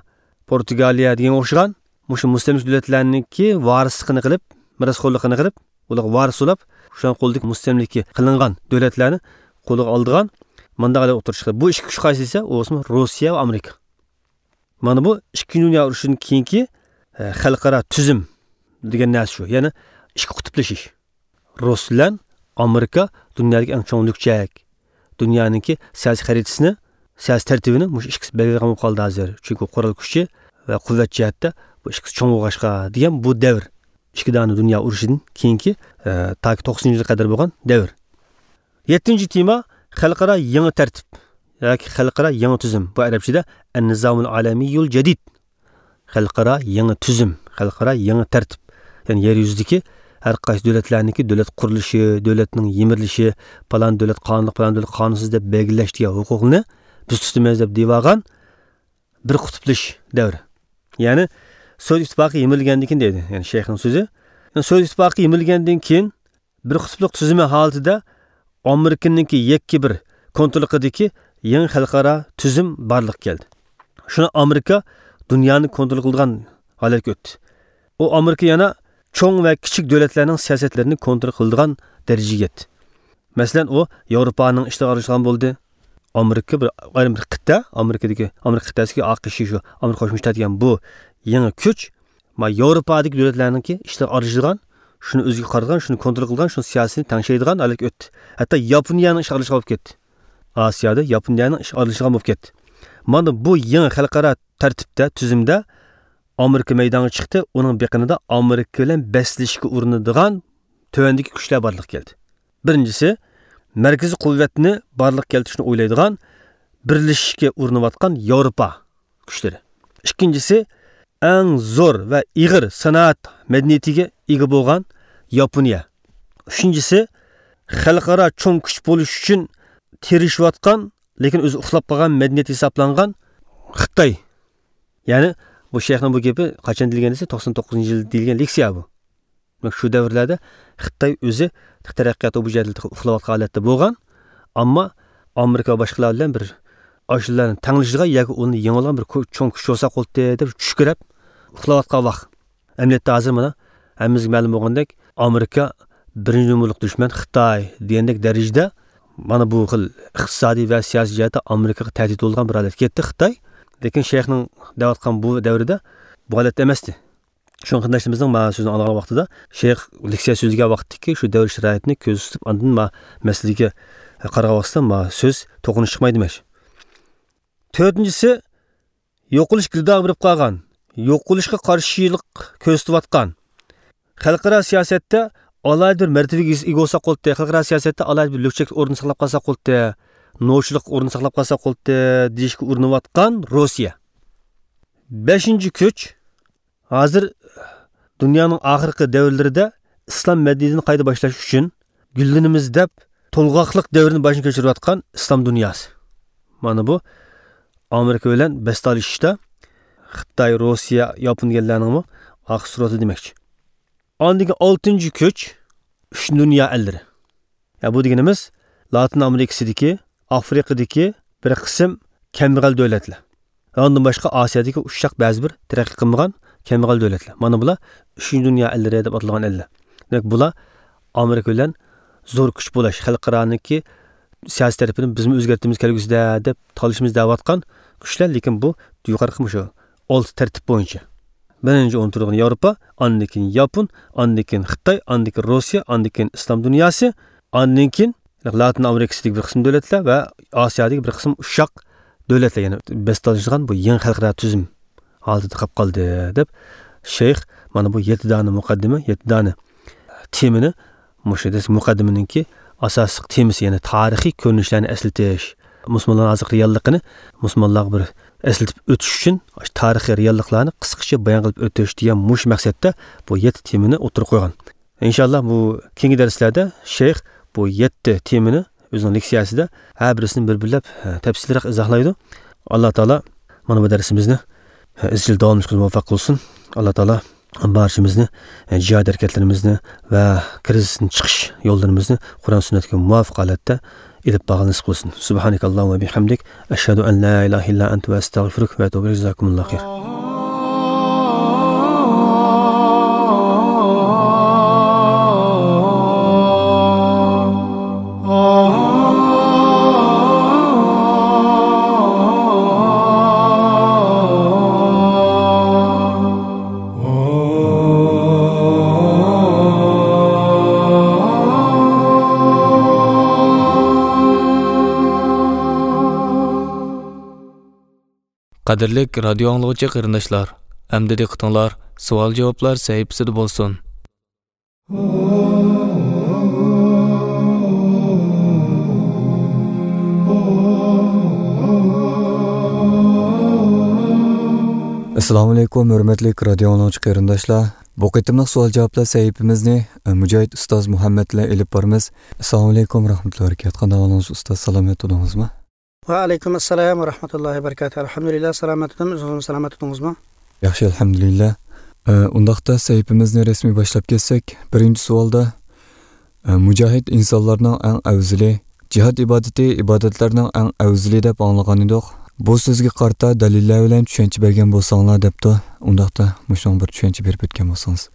پورتۇگالىيە دېگەنگە ئوخشىغان مۇشۇ مۇستەملىكىچى دۆلەتلەرنىڭكى ۋارىسلىقىنى قىلىپ، مىراسخورلۇقىنى قىلىپ، ئۇلارغا ۋارىس بولاپ، شۇلارنىڭ قولىدىكى مۇستەملىكە قىلىنغان دۆلەتلەرنى قولىغا ئالىدىغان مۇنداق ئوتتۇرىغا چىقتى. بۇ ئىككى كۈچ قايسى دېسە، ئۇ بولسىمۇ روسىيە ۋە ئامېرىكا. مانا بۇ ئىككىنچى دۇنيا ئۇرۇشىدىن كېيىنكى، ئە، خەلقئارا تۈزۈم دېگەن نەرسە شۇ. يەنى ئىككى قۇتۇپلىشىش. رۇس بىلەن ئامېرىكا دۇنيادىكى ئەڭ چوڭ لۈكچەك. دۇنيانىڭكى سىياسىي خەرىتىسىنى، سىياسىي تەرتىپىنى مۇشۇ ئىككىسى بەلگىلەيدىغان بولۇپ قالدى ھازىر. چۈنكى قورال كۈچى ۋە قۇۋۋەت جەھەتتە بۇ ئىككىسى چوڭ بولغاچقا دېگەن بۇ دەۋر. ئىككى دانە دۇنيا ئۇرۇشىدىن كېيىنكى، ئە، تاكى توقسىنىنچى يىلغا قەدەر بولغان دەۋر. يەتتىنچى تېما، خەلقئارا يېڭى تەرتىپ ياكى خەلقئارا يېڭى تۈزۈم. بۇ ئەرەبچىدە ئەن-نىزامۇل ئالەمىيۇل جەدىد. خەلقئارا يېڭى تۈزۈم، خەلقئارا يېڭى تەرتىپ. يەنى يەر يۈزىدىكى ھەر قايسى دۆلەتلەرنىڭكى دۆلەت قۇرۇلۇشى، دۆلەتنىڭ يىمىرىلىشى، پالان دۆلەت قانۇنلۇق، پالان دۆلەت قانۇنسىز دەپ بەلگىلەش دېگەن ھوقۇقنى بىز تۇتىمىز دەپ دېيىۋالغان بىر قۇتۇپلىشىش دەۋرى. يەنى سوۋېت ئىتتىپاقى يىمىرىلگەندىن كېيىن دەيدۇ، يەنى شەيخنىڭ سۆزى. يەنى سوۋېت ئىتتىپاقى يىمىرىلگەندىن كېيىن بىر قۇتۇپلۇق تۈزۈمى ھالىتىدە ئامېرىكىنىڭكى يەككە بىر كونتروللۇقىدىكى يېڭى خەلقئارا تۈزۈم بارلىققا كەلدى. شۇنى ئامېرىكا دۇنيانى كونترول قىلىدىغان ھالەتكە ئۆتتى. ئۇ ئامېرىكا يەنە چوڭ ۋە كىچىك دۆلەتلەرنىڭ سىياسەتلىرىنى كونترول قىلىدىغان دەرىجىگە يەتتى. مەسىلەن، ئۇ ياۋروپانىڭ ئىشلىرىغا ئارىلىشىدىغان بولدى. ئامېرىكا بىر ئايرىم بىر قىتئە، ئامېرىكىدىكى، ئامېرىكا قىتئەسىدىكى ئاقىشى شۇ ئامېرىكا قوشما شتات دېگەن بۇ يېڭى كۈچ، ما ياۋروپادىكى دۆلەتلەرنىڭكى ئىشلىرىغا ئارىلىشىدىغان، شۇنى ئۆزىگە قارىتىدىغان، شۇنى كونترول قىلىدىغان، شۇنىڭ سىياسىتىنى تەڭشەيدىغان ھالەتكە ئۆتتى. ھەتتا ياپونىيەنىڭ ئىشىغا ئارىلىشىدىغان بولۇپ كەتتى. ئاسىيادا ياپونىيەنىڭ ئىشىغا ئارىلىشىدىغان بولۇپ كەتتى. مانا بۇ يېڭى خەلقئارا تەرتىپتە، تۈزۈمدە ئامېرىكا مەيدانغا چىقتى، ئۇنىڭ بېقىنىدا ئامېرىكا بىلەن بەسلىشىشكە ئۇرۇنىدىغان تۆۋەندىكى كۈچلەر بارلىققا كەلدى. بىرىنچىسى، مەركىزىي قۇۋۋەتنى بارلىققا كەلتۈرۈشنى ئويلايدىغان، بىرلىشىشكە ئۇرۇنۇۋاتقان ياۋروپا كۈچلىرى. ئىككىنچىسى، ئەڭ زور ۋە ئېغىر سانائەت مەدەنىيىتىگە ئىگە بولغان ياپونىيە. ئۈچىنچىسى، خەلقئارا چوڭ كۈچ بولۇش ئۈچۈن تىرىشىۋاتقان، لېكىن ئۆزى ئۇخلاپ قالغان مەدەنىيەت ھېسابلانغان خىتاي. يەنى بۇ شەيخنىڭ بۇ گېپى قاچان دېيىلگەن دېسە، توقسان توققۇزىنچى يىل دېيىلگەن لېكسىيە بۇ. دېمەك، شۇ دەۋرلەردە خىتاي ئۆزى تەرەققىياتتا بۇ جەھەتتە ئۇخلاۋاتقان ھالەتتە بولغان، ئەمما ئامېرىكا ۋە باشقىلار بىلەن بىر ئاشۇلارنى تەڭلىشىدىغان ياكى ئۇنى يېڭىۋالغان بىر كو-، چوڭ كۈچ بولساق بولدى دەپ چۈشكۈرەپ ئۇخلاۋاتقان ۋاق. ئەمەلىيەتتە ھازىر مانا ھەممىمىزگە مەلۇم بولغاندەك، ئامېرىكا بىرىنچى نومۇرلۇق دۈشمەن خىتاي دېگەندەك دەرىجىدە مانا بۇ خىل ئىقتىسادىي ۋە سىياسىي جەھەتتە ئامېرىكىغا تەھدىت بولغان بىر ھالەتكە يەتتى خىتاي. لېكىن شەيخنىڭ دەۋاتقان بۇ دەۋرىدە بۇ ھالەتتە ئەمەستى. شۇڭا قېرىنداشلىرىمىزنىڭ ما سۆزىنى ئاڭلىغان ۋاقتىدا، شەيخ لېكسىيە سۆزلىگەن ۋاقىتتىكى شۇ دەۋر شارائىتىنى كۆزدە تۇتۇپ، ئاندىن ما مەسىلىگە قارىغان ۋاقتىدا ما سۆز توقۇنۇش چىقمايدۇ دېمەكچى. تۆتىنچىسى، يوقىلىش گىردابىغا بېرىپ قالغان، يوقىلىشقا قارشىلىق كۆرسىتىۋاتقان، خەلقئارا سىياسەتتە ئالاھىدە بىر مەرتىۋىگە ئىگە بولساق بولدى، خەلقئارا سىياسەتتە ئالاھىدە بىر لۈكچەك ئورۇن ساقلاپ قالساق بولدى، نوچىلىق ئورۇن ساقلاپ قالساق بولدى دېيىشكە ئۇرۇنۇۋاتقان روسىيە. بەشىنچى كۈچ، ھازىر دۇنيانىڭ ئاخىرقى دەۋرلىرىدە ئىسلام مەدەنىيىتىنى قايتا باشلاش ئۈچۈن گۈللىنىمىز دەپ تولغاقلىق دەۋرىنى باشتىن كەچۈرۈۋاتقان ئىسلام دۇنياسى. مانا بۇ ئامېرىكا بىلەن بەستە ئېلىشىشتا خىتاي، روسىيە، ياپون دېگەنلەرنىڭمۇ ئارقا سۈرئىتى دېمەكچى. ئاندىن كېيىن ئالتىنچى كۈچ، ئۈچ دۇنيا ئەللىرى. يا، بۇ دېگىنىمىز لاتىن ئامېرىكىسىدىكى، ئافرىقىدىكى بىر قىسىم كەمبەغەل دۆلەتلەر. ئاندىن باشقا ئاسىيادىكى ئۇششاق بەزى بىر تەرەققىي قىلمىغان كەمبەغەل دۆلەتلەر. مانا بۇلار ئۈچىنچى دۇنيا ئەللىرى دەپ ئاتالغان ئەللەر. دېمەك، بۇلار ئامېرىكا بىلەن زور كۈچ بولاش، خەلقئارانىڭكى سىياسىي تەرىپىنى بىزمۇ ئۆزگەرتىمىز كەلگۈسىدە دەپ تالىشىمىز دەۋاتقان كۈچلەر، لېكىن بۇ يۇقىرىقى مۇشۇ ئالتە تەرتىپ بويىچە. بىرىنچى ئورۇندا تۇرىدىغىنى ياۋروپا، ئاندىن كېيىن ياپون، ئاندىن كېيىن خىتاي، ئاندىن كېيىن روسىيە، ئاندىن كېيىن ئىسلام دۇنياسى، ئاندىن كېيىن لاتىن ئامېرىكىسىدىكى بىر قىسىم دۆلەتلەر ۋە ئاسىيادىكى بىر قىسىم ئۇششاق دۆلەتلەر، يەنى بەستە ئېلىشىدىغان بۇ يېڭى خەلقئارا تۈزۈم ھالىتىدە قاپ قالدى، دەپ شەيخ مانا بۇ يەتتە دانە مۇقەددىمە، يەتتە دانە تېمىنى، مۇشۇ دېسە مۇقەددىمىنىڭكى ئاساسلىق تېمىسى، يەنى تارىخىي كۆرۈنۈشلەرنى ئەسلىتىش، مۇسۇلمانلارنىڭ ھازىرقى رېئاللىقىنى مۇسۇلمانلارغا بىر ئەسلىتىپ ئۆتۈش ئۈچۈن تارىخىي رېئاللىقلارنى قىسقىچە بايان قىلىپ ئۆتۈش دېگەن مۇشۇ مەقسەتتە بۇ يەتتە تېمىنى ئوتتۇرىغا قويغان. ئىنشاللا بۇ كېيىنكى دەرسلەردە شەيخ بۇ يەتتە تېمىنى ئۆزىنىڭ لېكسىيەسىدە ھەر بىرسىنى بىر-بىرلەپ، ھە، تەپسىلىيرەك ئىزاھلايدۇ. ئاللا تائالا مانا بۇ دەرسىمىزنى، ھە، ئىزچىل داۋاملىشىشىمىزگە مۇۋەپپەق قىلسۇن. ئاللا تائالا بارچىمىزنى، ھە، جىھاد ھەرىكەتلىرىمىزنى ۋە كىرىزىستىن چىقىش يوللىرىمىزنى قۇرئان سۈننەتكە مۇۋاپىق ھالەتتە ئېلىپ بارغىلى نېسىپ قىلسۇن. سۇبھانەكەللاھۇممە ۋە بىھەمدىك، ئەشھەدۇ ئەن لا ئىلاھە ئىللا ئەنتە ۋە ئەستەغفىرۇك ۋە ئەتۇبۇ ئىلەيك. جازاكۇمۇللاھۇ خەير. قەدىرلىك رادىيو ئاڭلىغۇچى قېرىنداشلار، ئەمدى دىققىتىڭلار سوئال-جاۋابلار سەھىپىسىدە بولسۇن. ئەسسالامۇئەلەيكۇم، ھۆرمەتلىك رادىيو ئاڭلىغۇچى قېرىنداشلار. بۇ قېتىملىق سوئال-جاۋابلار سەھىپىمىزنى، ئە، مۇجاھىد ئۇستاز مۇھەممەد بىلەن ئېلىپ بارىمىز. ئەسسالامۇئەلەيكۇم ۋە رەھمەتۇللاھى ۋە بەرىكاتۇھ. قانداق ئەھۋالىڭىز ئۇستاز، سالامەت تۇردىڭىزمۇ؟ ۋەئەلەيكۇم ئەسسالام ۋە رەھمەتۇللاھى ۋە بەرىكاتۇھ. ئەلھەمدۇلىللا، سالامەت تۇردۇم. ئۆزىڭىزمۇ سالامەت تۇردىڭىزمۇ؟ ياخشى، ئەلھەمدۇلىللا. ئە، ئۇنداقتا سەھىپىمىزنى رەسمىي باشلاپ كەتسەك، بىرىنچى سوئالدا، ئە، مۇجاھىد ئىنسانلارنىڭ ئەڭ ئەۋزىلى، جىھاد ئىبادىتى ئىبادەتلەرنىڭ ئەڭ ئەۋزىلى دەپ ئاڭلىغان ئىدۇق. بۇ سۆزگە قارىتا دەلىللەر بىلەن چۈشەنچە بەرگەن بولساڭلار دەپتۇ. ئۇنداقتا مۇشۇنىڭ بىر چۈشەنچە بېرىپ ئۆتكەن بولسىڭىز.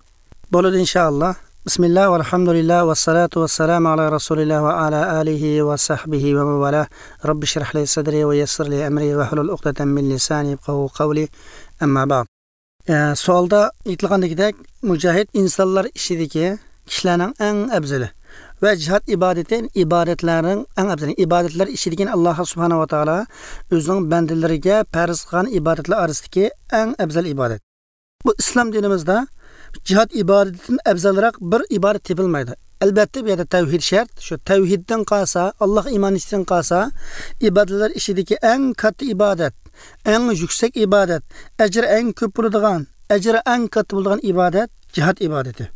بولىدۇ، ئىنشائاللا. بىسمىللا، ۋەلھەمدۇلىللا، ۋەسسالاتۇ ۋەسسالامۇ ئالا رەسۇلىللا ۋە ئالا ئالىھى ۋە سەھبىھى ۋە مەن ۋالا. رەببىشرەھ لى سەدرى ۋە يەسسىر لى ئەمرى ۋەھلۇل ئۇقدەتەن مىن لىسانى يەپقەھۇ قەۋلى. ئەمما بەئد. ئە، سوئالدا ئېيتىلغاندىكىدەك، مۇجاھىد ئىنسانلار ئىچىدىكى كىشىلەرنىڭ ئەڭ ئەۋزىلى ۋە جىھاد ئىبادىتى ئىبادەتلەرنىڭ ئەڭ ئەۋزىلى. ئىبادەتلەر ئىچىدىكى ئاللا سۇبھانەھۇ ۋە تائالا ئۆزىنىڭ بەندىلىرىگە پەرز قىلغان ئىبادەتلەر ئارىسىدىكى ئەڭ ئەۋزەل ئىبادەت. بۇ ئىسلام دىنىمىزدا جىھاد ئىبادىتىدىن ئەۋزەلرەك بىر ئىبادەت تېپىلمايدۇ. ئەلبەتتە، بۇ يەردە تەۋھىد شەرت. شۇ تەۋھىدتىن قالسا، ئاللاغا ئىمان ئېيتىشتىن قالسا، ئىبادەتلەر ئىچىدىكى ئەڭ كاتتا ئىبادەت، ئەڭ يۈكسەك ئىبادەت، ئەجرى ئەڭ كۆپ بولىدىغان، ئەجرى ئەڭ كاتتا بولىدىغان ئىبادەت جىھاد ئىبادىتى.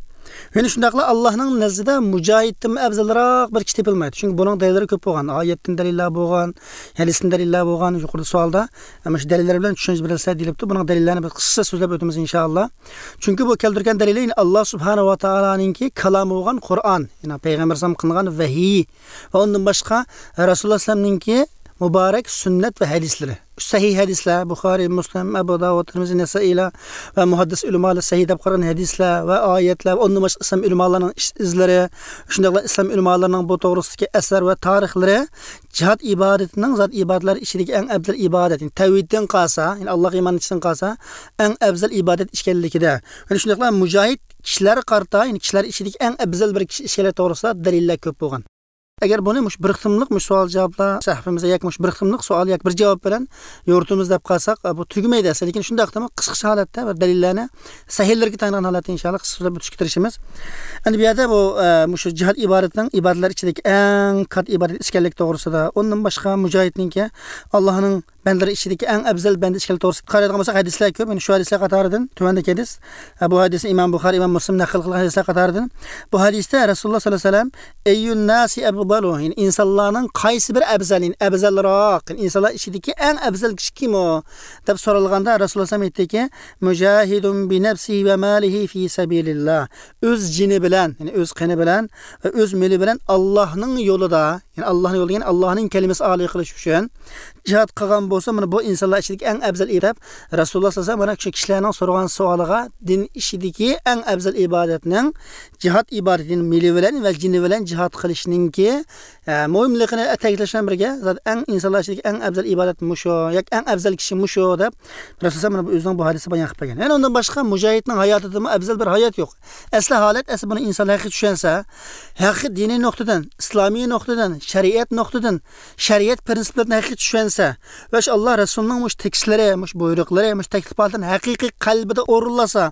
يەنە شۇنداقلا ئاللاھنىڭ نەزدىدە مۇجاھىدتىنمۇ ئەۋزەلرەك بىر كىشى تېپىلمايدۇ. چۈنكى بۇنىڭ دەلىللىرى كۆپ بولغان. ئايەتتىن دەلىللەر بولغان، ھەدىستىن دەلىللەر بولغان. يۇقىرىدا سوئالدا، ئە، مۇشۇ دەلىللەر بىلەن چۈشەنچە بېرىلسە دېيىلىپتۇ. بۇنىڭ دەلىللەرنى بىز قىسقىچە سۆزلەپ ئۆتىمىز، ئىنشائاللا. چۈنكى بۇ كەلتۈرگەن دەلىلى، يەنى ئاللا سۇبھانەھۇ ۋە تائالانىڭكى كالامى بولغان قۇرئان، يەنى پەيغەمبەر ئەلەيھىسسالام قىلغان ۋەھىي ۋە ئۇندىن باشقا رەسۇلۇللا ئەلەيھىسسالامنىڭكى مۇبارەك سۈننەت ۋە ھەدىسلىرى. سەھىھ ھەدىسلەر، بۇخارىي، مۇسلىم، ئەبۇ داۋۇد، تىرمىزى، نەسائىيلار ۋە مۇھەددىس ئۆلىمالار سەھىھ دەپ قارىغان ھەدىسلەر ۋە ئايەتلەر ۋە ئۇندىن باشقا ئىسلام ئۆلىمالارنىڭ ئىش ئىزلىرى، شۇنداقلا ئىسلام ئۆلىمالىرىنىڭ بۇ توغرىسىدىكى ئەسەر ۋە تارىخلىرى جىھاد ئىبادىتىنىڭ زات ئىبادەتلەر ئىچىدىكى ئەڭ ئەۋزەل ئىبادەت، يەنى تەۋھىدتىن قالسا، يەنى ئاللاغا ئىمان ئېيتىشتىن قالسا، ئەڭ ئەۋزەل ئىبادەت ئىكەنلىكىدە، يەنى شۇنداقلا مۇجاھىد كىشىلەرگە قارىتا، يەنى كىشىلەر ئىچىدىكى ئەڭ ئەۋزەل بىر كىشى ئىكەنلىكى توغرىسىدا دەلىللەر كۆپ بولغان. ئەگەر بۇنى مۇشۇ بىر قېتىملىق مۇشۇ سوئال جاۋابلار سەھىپىمىزدە ياكى مۇشۇ بىر قېتىملىق سوئال ياكى بىر جاۋاب بىلەن يورۇتىمىز دەپ قالساق، بۇ تۈگىمەيدۇ ئەسلى. لېكىن شۇنداقتىمۇ قىسقىچە ھالەتتە بىر دەلىللەرنى سەھىھلىرىگە تايىنغان ھالەتتە ئىنشائاللا قىسقا سۆزلەپ ئۆتۈشكە تىرىشىمىز. ئەمدى بۇ يەردە بۇ، ئە، مۇشۇ جىھاد ئىبادىتىنىڭ ئىبادەتلەر ئىچىدىكى ئەڭ كاتتا ئىبادەت ئىكەنلىكى توغرىسىدا، ئۇندىن باشقا مۇجاھىدنىڭكى ئاللاھنىڭ بەندىلىرى ئىچىدىكى ئەڭ ئەۋزەل بەندە ئىكەنلىكى توغرىسىدا قارايدىغان بولساق، ھەدىسلەر كۆپ. يەنى شۇ ھەدىسلەر قاتارىدىن تۆۋەندىكى ھەدىس. ئە، بۇ ھەدىسنى ئىمام بۇخارى، ئىمام مۇسلىم نەقىل قىلغان ھەدىسلەر قاتارىدىن. بۇ ھەدىستە رەسۇلۇللا سەللەللاھۇ ئەلەيھى ۋەسەللەم، ئەييۇن ناسى ئەفضەلۇ، يەنى ئىنسانلارنىڭ قايسى بىر ئەۋزەل، يەنى ئەۋزەلراق، يەنى ئىنسانلار ئىچىدىكى ئەڭ ئەۋزەل كىشى كىم ئۇ؟ دەپ سورالغاندا، رەسۇلۇللا ئەلەيھىسسالام ئېيتتىكى، مۇجاھىدۇن بىنەفسىھى ۋە مالىھى فى سەبىلىللا. ئۆز جېنى بىلەن، يەنى ئۆز قېنى بىلەن ۋە ئۆز مېلى بىلەن ئاللاھنىڭ يولىدا، يەنى ئاللاھنىڭ يولىدا، يەنى ئاللاھنىڭ كەلىمىسى ئالىي قىلىش ئۈچۈن جىھاد قىلغان بولسا، مانا بۇ ئىنسانلار ئىچىدىكى ئەڭ ئەۋزەل ئىبادەت دەپ رەسۇلۇللا سەللەللاھۇ ئەلەيھى ۋەسەللەم مانا شۇ كىشىلەرنىڭ سورىغان سوئالىغا، دىن ئىچىدىكى ئەڭ ئەۋزەل ئىبادەتنىڭ جىھاد ئىبادىتىنى مېلى بىلەن ۋە جېنى بىلەن جىھاد قىلىشنىڭكى، ئە، مۇھىملىقىنى تەكىتلەش بىلەن بىرگە، زادى ئەڭ ئىنسانلار ئىچىدىكى ئەڭ ئەۋزەل ئىبادەت مۇشۇ ياكى ئەڭ ئەۋزەل كىشى مۇشۇ دەپ رەسۇلۇللا مانا بۇ ئۆزىنىڭ بۇ ھەدىسى بايان قىلىپ بەرگەن. يەنە ئۇندىن باشقا مۇجاھىدنىڭ ھاياتىدىمۇ ئەۋزەل بىر ھايات يوق. ئەسلى ھالەت، ئەسلى بۇنى ئىنسان ھەقىقىي چۈشەنسە، ھەقىقىي دىنىي نۇقتىدىن، ئىسلامىي نۇقتىدىن، شەرىئەت نۇقتىدىن، شەرىئەت پىرىنسىپلىرىنى ھەقىقىي چۈشەنسە ۋە شۇ ئاللا رەسۇلىنىڭ مۇشۇ تېكىستلىرى، مۇشۇ بۇيرۇقلىرى، مۇشۇ تەكلىپاتلىرىنى ھەقىقىي قەلبىدە ئورۇنلاشسا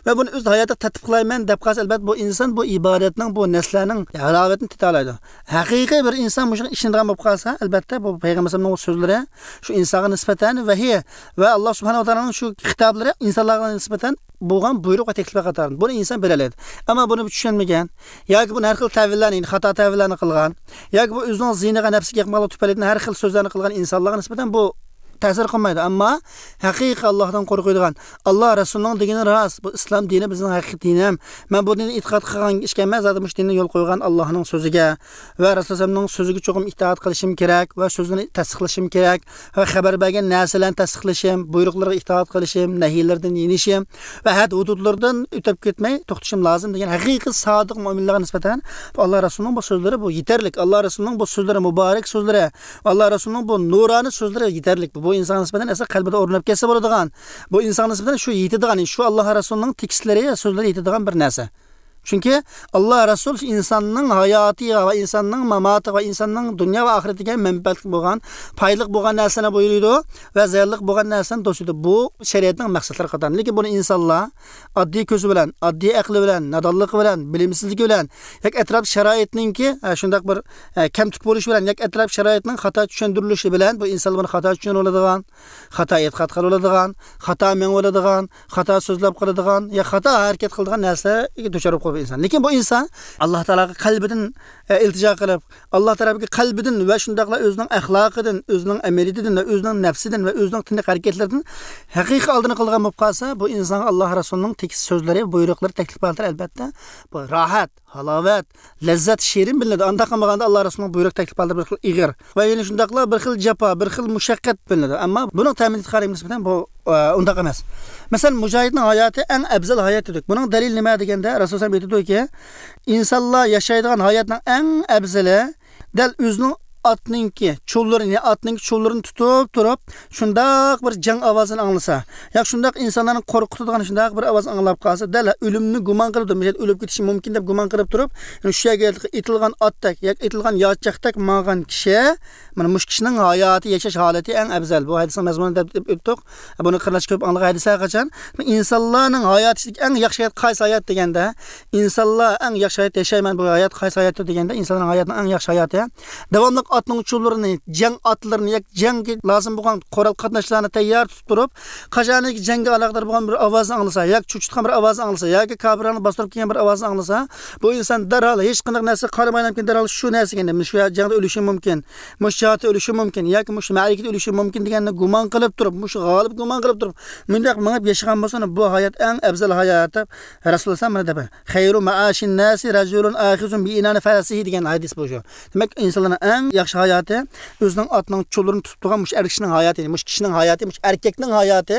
ۋە بۇنى ئۆز ھاياتىغا تەتبىق قىلايمەن دەپ قالسا، ئەلبەتتە بۇ ئىنسان بۇ ئىبادەتنىڭ بۇ نەرسىلەرنىڭ ھالاۋىتىنى تېتىيالايدۇ. ھەقىقىي بىر ئىنسان مۇشۇنى ئىشىنىدىغان بولۇپ قالسا، ئەلبەتتە بۇ پەيغەمبەر ئەلەيھىسسالامنىڭ سۆزلىرى شۇ ئىنسانغا نىسبەتەن ۋەھىي ۋە ئاللا سۇبھانەھۇ ۋە تائالانىڭ شۇ خىتابلىرى ئىنسانلارغا نىسبەتەن بولغان بۇيرۇق ۋە تەكلىپلەر قاتارىدىن. بۇنى ئىنسان بىلەلەيدۇ. ئەمما بۇنى چۈشەنمىگەن ياكى بۇنى ھەر خىل تەۋىللەرنى، خاتا تەۋىللەرنى قىلغان ياكى بۇ ئۆزىنىڭ زىيىنىغا، نەپسىگە يېقىنلىق تۈپەيلىدىن ھەر خىل سۆزلەرنى قىلغان ئىنسانلارغا نىسبەتەن بۇ تەسىر قىلمايدۇ. ئەمما ھەقىقىي ئاللاھتىن قورقىدىغان، ئاللا رەسۇلىنىڭ دېگىنى راست، بۇ ئىسلام دىنى بىزنىڭ ھەقىقىي دىنىم، مەن بۇ دىننى ئېتىقاد قىلغان ئىكەنمەن، زادى مۇشۇ دىننى يول قويغان ئاللاھنىڭ سۆزىگە ۋە رەسۇلۇللانىڭ سۆزىگە چوقۇم ئىتائەت قىلىشىم كېرەك ۋە سۆزىنى تەستىقلىشىم كېرەك ۋە خەۋەر بەرگەن نەرسىلەرنى تەستىقلىشىم، بۇيرۇقلىرىغا ئىتائەت قىلىشىم، نەھىيلىرىدىن يېنىشىم ۋە ھەد ھۇدۇدلىرىدىن ئۆتۈپ كەتمەي توختىشىم لازىم دېگەن ھەقىقىي سادىق مۆمىنلەرگە نىسبەتەن بۇ ئاللا رەسۇلىنىڭ بۇ سۆزلىرى بۇ يېتەرلىك. ئاللا رەسۇلىنىڭ بۇ سۆزلىرى، مۇبارەك سۆزلىرى، ئاللا رەسۇلىنىڭ بۇ نۇرانە سۆزلىرى يېتەرلىك. بۇ، بۇ ئىنسانغا نىسبەتەن ئەسلى قەلبىدە ئورناپ كەتسە بولىدىغان، بۇ ئىنسانغا نىسبەتەن شۇ يېتىدىغان، شۇ ئاللا رەسۇلىنىڭ تېكىستلىرى، سۆزلىرى يېتىدىغان بىر نەرسە. چۈنكى ئاللا رەسۇل شۇ ئىنساننىڭ ھاياتىغا ۋە ئىنساننىڭ ماماتىغا ۋە ئىنساننىڭ دۇنيا ۋە ئاخىرىتىگە مەنپەئەتلىك بولغان، پايدىلىق بولغان نەرسىلەرنى بۇيرۇيدۇ ۋە زىيانلىق بولغان نەرسىلەرنى توسىدۇ. بۇ شەرىئەتنىڭ مەقسەتلىرى قاتارىدىن. لېكىن بۇنى ئىنسانلار ئاددىي كۆزى بىلەن، ئاددىي ئەقلى بىلەن، نادانلىقى بىلەن، بىلىمسىزلىكى بىلەن ياكى ئەتراپ شارائىتنىڭكى، ئە، شۇنداق بىر، ئە، كەمتۈك بولۇشى بىلەن ياكى ئەتراپ شارائىتنىڭ خاتا چۈشەندۈرۈلۈشى بىلەن بۇ ئىنسانلار بۇنى خاتا چۈشىنىۋالىدىغان، خاتا ئېتىقاد قىلىۋالىدىغان، خاتا مېڭىۋالىدىغان، خاتا سۆزلەپ قالىدىغان يا خاتا ھەرىكەت قىلىدىغان نەرسىلەرگە دۇچار بولۇپ قالىدۇ. بۇ ئىنسان. لېكىن بۇ ئىنسان ئاللا تائالاغا قەلبىدىن، ئە، ئىلتىجا قىلىپ، ئاللا تائالاغا قەلبىدىن ۋە شۇنداقلا ئۆزىنىڭ ئەخلاقىدىن، ئۆزىنىڭ ئەمەلىيىتىدىن ۋە ئۆزىنىڭ نەپسىدىن ۋە ئۆزىنىڭ تىنىق ھەرىكەتلىرىدىن ھەقىقىي ئالدىنى قىلغان بولۇپ قالسا، بۇ ئىنسانغا ئاللا رەسۇلىنىڭ تېكىست سۆزلىرى، بۇيرۇقلىرى، تەكلىپ ھالەتلىرى، ئەلبەتتە، بۇ راھەت، ھالاۋەت، لەززەت شېرىن بىلىنىدۇ. ئانداق قىلمىغاندا ئاللا رەسۇلىنىڭ بۇيرۇق، تەكلىپ ھالەتلىرى بىر خىل ئېغىر ۋە يەنە شۇنداقلا بىر خىل جاپا، بىر خىل مۇشەققەت بىلىنىدۇ. ئەمما بۇنىڭ تەمىنات خارىجىگە نىسبەتەن بۇ، ئە، ئۇنداق ئەمەس. مەسىلەن، مۇجاھىدنىڭ ھاياتى ئەڭ ئەۋزەل ھايات دېدۇق. بۇنىڭ دەلىلى نېمە دېگەندە، رەسۇلۇللاھ ئېيتىدۇكى، ئىنسانلار ياشايدىغان ھاياتنىڭ ئەڭ ئەۋزىلى دەل ئۆزىنىڭ ئاتنىڭكى چۇللىرىنى، ئاتنىڭكى چۇللىرىنى تۇتۇپ تۇرۇپ، شۇنداق بىر جەڭ ئاۋازىنى ئاڭلىسا، ياكى شۇنداق ئىنسانلارنى قورقۇتىدىغان شۇنداق بىر ئاۋاز ئاڭلاپ قالسا، دەل ئۆلۈمنى گۇمان قىلىپ، مۇشۇ يەردە ئۆلۈپ كېتىشى مۇمكىن دەپ گۇمان قىلىپ تۇرۇپ، شۇ يەرگە ئېتىلغان ئاتتەك ياكى ئېتىلغان ياچاقتەك ماڭغان كىشى، مانا مۇشۇ كىشىنىڭ ھاياتى، ياشاش ھالىتى ئەڭ ئەۋزەل. بۇ ھەدىسنىڭ مەزمۇنى دەپ ئۆتتۇق. بۇنى قېرىنداش كۆپ ئاڭلىغان ھەدىسلەر قاچان؟ ئىنسانلارنىڭ ھاياتى ئىچىدىكى ئەڭ ياخشى ھايات قايسى ھايات دېگەندە، ئىنسانلار ئەڭ ياخشى ھايات ياشايمەن، بۇ ھايات قايسى ھاياتتۇر دېگەندە، ئىنسانلارنىڭ ھاياتىنىڭ ئەڭ ياخشى ھاياتى داۋاملىق ئاتنىڭ چۇللىرىنى، جەڭ ئاتلىرىنى ياكى جەڭگە لازىم بولغان قورال قاتناشلارنى تەييار تۇتۇپ تۇرۇپ، قاچانكى جەڭگە ئالاقىدار بولغان بىر ئاۋازنى ئاڭلىسا ياكى چۆچۈتكەن بىر ئاۋازنى ئاڭلىسا ياكى كاپىرلارنى باستۇرۇپ كەلگەن بىر ئاۋازنى ئاڭلىسا، بۇ ئىنسان دەرھال ھېچقانداق نەرسىگە قارىمايلا دەرھال شۇ نەرسىگە، مەن شۇ جەڭدە ئۆلۈشۈم مۇمكىن، مۇشۇ جىھادتا ئۆلۈشۈم مۇمكىن ياكى مۇشۇ مەرىكىدە ئۆلۈشۈم مۇمكىن دېگەننى گۇمان قىلىپ تۇرۇپ، مۇشۇ غالىب گۇمان قىلىپ تۇرۇپ، مۇنداق مېڭىپ ياشىغان بولسا، بۇ ھايات ئەڭ ئەۋزەل ھايات دەپ رەسۇلۇللاھ مانا دەپ، «خەيرۇ مائاشىن ناسى رەجۇلۇن ئاخىزۇن بىئىنانى فەرەسىھى» دېگەن ھەدىس بۇ شۇ. دېمەك، ئىنسانلارنىڭ ئەڭ ياخشى ھاياتى ئۆزىنىڭ ئاتىنىڭ چۇللىرىنى تۇتۇپ تۇرغان مۇشۇ ئەر كىشىنىڭ ھاياتى، مۇشۇ كىشىنىڭ ھاياتى، مۇشۇ ئەركەكنىڭ ھاياتى،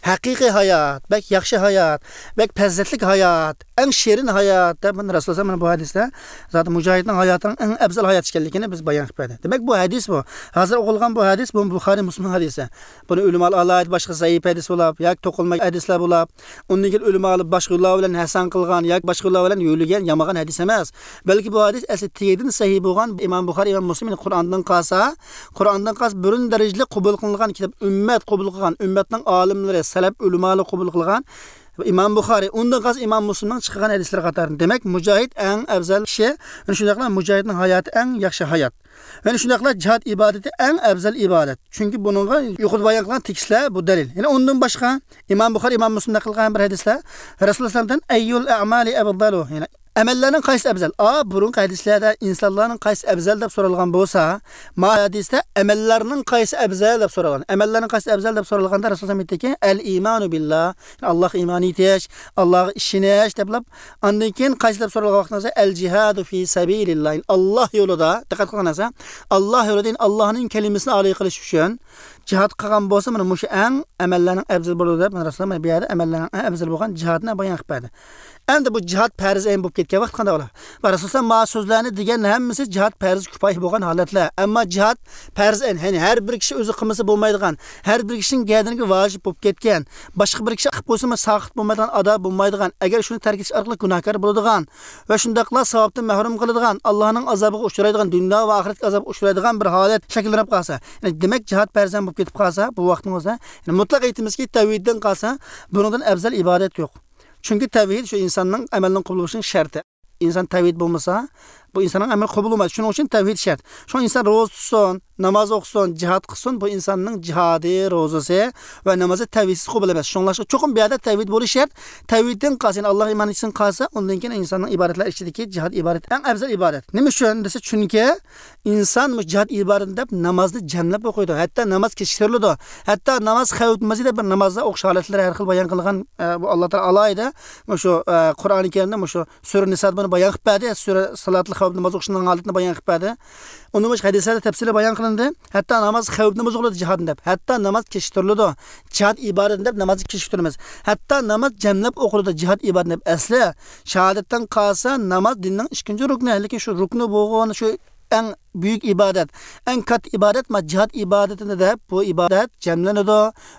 ھەقىقىي ھايات، بەك ياخشى ھايات، بەك پەزىلەتلىك ھايات، ئەڭ شېرىن ھايات دەپ مانا رەسۇلۇللاھ مانا بۇ ھەدىستە زادى مۇجاھىدنىڭ ھاياتىنىڭ ئەڭ ئەۋزەل ھايات ئىكەنلىكىنى بىز بايان قىلىپ بەردى. دېمەك، بۇ ھەدىس بۇ. ھازىر ئوقۇلغان بۇ ھەدىس، بۇ بۇخارىي مۇسلىمنىڭ ھەدىسى. بۇنى ئۆلىمالار ئالاھىدە باشقا زەئىپ ھەدىس بولاپ ياكى توقۇلما ھەدىسلەر بولاپ، ئۇندىن كېيىن ئۆلىمالار باشقا يوللار بىلەن ھەسەن قىلغان ياكى باشقا يوللار بىلەن يۆلىگەن يامىغان ھەدىس ئەمەس. بەلكى بۇ ھەدىس ئەسلى تېگىدىن سەھىھ بولغان ئىمام بۇخارىي، ئىمام مۇسلىم قۇرئاندىن قالسا، قۇرئاندىن قالسا بىرىنچى دەرىجىلىك قوبۇل قىلىنغان كىتاب، ئۈممەت قوبۇل قىلغان، ئۈممەتنىڭ ئالىملىرى، سەلەپ ئۆلىمالىرى قوبۇل قىلغان ئىمام بۇخارىي، ئۇندىن قالسا ئىمام مۇسلىمنىڭ چىقارغان ھەدىسلىرى قاتارىدىن. دېمەك، مۇجاھىد ئەڭ ئەۋزەل كىشى، شۇنداقلا مۇجاھىدنىڭ ھاياتى ئەڭ ياخشى ھايات. يەنە شۇنداقلا جىھاد ئىبادىتى ئەڭ ئەۋزەل ئىبادەت. چۈنكى بۇنىڭغا يۇقىرىدا بايان قىلغان تېكىستلەر بۇ دەلىل. يەنە ئۇندىن باشقا ئىمام بۇخارى، ئىمام مۇسلىم نەقىل قىلغان بىر ھەدىسلەر، رەسۇلۇللاھ ئەييۇل ئەمالى ئەفضەلۇ؟ يەنى ئەمەللەرنىڭ قايسى ئەۋزەل؟ ئا، بۇرۇنقى ھەدىسلەردە ئىنسانلارنىڭ قايسى ئەۋزەل دەپ سورالغان بولسا، ما ھەدىستە ئەمەللەرنىڭ قايسى ئەۋزەل دەپ سورالغان. ئەمەللەرنىڭ قايسى ئەۋزەل دەپ سورالغاندا رەسۇلۇللاھ ئېيتتىكى، ئەل ئىمانۇ بىللا، ئاللاھقا ئىمان ئېيتىش، ئاللاھقا ئىشىنىش دەپلا. ئاندىن كېيىن قايسى دەپ سورالغان ۋاقتىڭىزدا، ئەل جىھادۇ فى سەبىلىللا، ئاللاھ يولىدا، دىققەت قىلغان نەرسە، ئاللاھ يولىدا، يەنى ئاللاھنىڭ كەلىمىسىنى ئالىي قىلىش ئۈچۈن جىھاد قىلغان بولسا، مانا مۇشۇ ئەڭ ئەمەللەرنىڭ ئەۋزىلى بولىدۇ دەپ، مانا رەسۇلۇللاھ بۇ يەردە ئەمەللەرنىڭ ئەڭ ئەۋزىلى بولغان جىھادنى بايان قىلىپ بەردى. ئەمدى بۇ جىھاد پەرز ئەين بولۇپ كەتكەن ۋاقىت قانداق بولار؟ ۋە رەسۇلۇللاھ ما سۆزلەرنى دېگەن ھەممىسى جىھاد پەرز كۇپايە بولغان ھالەتلەر. ئەمما جىھاد پەرز ئەين، يەنى ھەر بىر كىشى ئۆزى قىلمىسا بولمايدىغان، ھەر بىر كىشىنىڭ گەدىنىگە ۋاجىپ بولۇپ كەتكەن، باشقا بىر كىشى قىلىپ قويسىمۇ ساقىت بولمايدىغان، ئادا بولمايدىغان، ئەگەر شۇنى تەرك ئېتىش ئارقىلىق گۇناھكار بولىدىغان، ۋە شۇنداقلا ساۋابتىن مەھرۇم قىلىدىغان، ئاللاھنىڭ ئازابىغا ئۇچرايدىغان، دۇنيا ۋە ئاخىرەتتىكى ئازابقا ئۇچرايدىغان بىر ھالەت شەكىللىنىپ قالسا، يەنى دېمەك، جىھاد پەرز ئەين بولۇپ كېتىپ قالسا، بۇ ۋاقىتنىڭ ئۆزىدە، يەنى مۇتلەق ئېيتىمىزكى، تەۋھىدتىن قالسا، بۇنىڭدىن ئەۋزەل ئىبادەت يوق. چۈنكى تەۋھىد شۇ ئىنساننىڭ ئەمەلنىڭ قوبۇل بولۇشىنىڭ شەرتى. ئىنسان تەۋھىد بولمىسا، بۇ ئىنساننىڭ ئەمەلى قوبۇل بولمايدۇ. شۇنىڭ ئۈچۈن تەۋھىد شەرت. شۇڭا ئىنسان روزا تۇتسۇن، ناماز ئوقۇسۇن، جىھاد قىلسۇن، بۇ ئىنساننىڭ جىھادى، روزىسى ۋە نامازى تەۋھىدسىز قوبۇل ئەمەس. شۇڭلاشقا چوقۇم بۇ يەردە تەۋھىد بولۇشى شەرت. تەۋھىدتىن قالسا، يەنى ئاللاھقا ئىمان ئېيتسۇن قالسا، ئۇندىن كېيىن ئىنساننىڭ ئىبادەتلەر ئىچىدىكى جىھاد ئىبادىتى ئەڭ ئەۋزەل ئىبادەت. نېمە ئۈچۈن دېسە، چۈنكى ئىنسان مۇشۇ جىھاد ئىبادىتى دەپ نامازنى جەملەپ ئوقۇيدۇ. ھەتتا ناماز كېچىكتۈرۈلىدۇ. ھەتتا ناماز خەۋپ نامىزى دەپ بىر نامازلار ئوقۇش ھالەتلىرى ھەر خىل بايان قىلغان، ئە، بۇ ئاللا تائالا ئالاھىدە مۇشۇ، ئە، قۇرئانى كەرىمدە مۇشۇ سۈرە نىسادا بۇنى بايان قىلىپ بەردى. سۈرە سالاتۇل خەۋپ ناماز ئوقۇشنىڭ ھالىتىنى بايان قىلىپ بەردى. ئۇنىڭ باشقا ھەدىسلەردە تەپسىلىي بايان قىلىندى. ھەتتا ناماز خەۋپ ناماز قىلىدۇ جىھادنى دەپ. ھەتتا ناماز كېچىكتۈرۈلىدۇ. جىھاد ئىبادىتىنى دەپ نامازنى كېچىكتۈرىمىز. ھەتتا ناماز جەملەپ ئوقۇلىدۇ جىھاد ئىبادىتىنى دەپ. ئەسلى شاھادەتتىن قالسا ناماز دىننىڭ ئىككىنچى رۇكنى. لېكىن شۇ رۇكنى بولغان شۇ ئەڭ بۈيۈك ئىبادەت، ئەڭ كاتتا ئىبادەت، ما جىھاد ئىبادىتىنى دەپ، بۇ ئىبادەت جەملىنىدۇ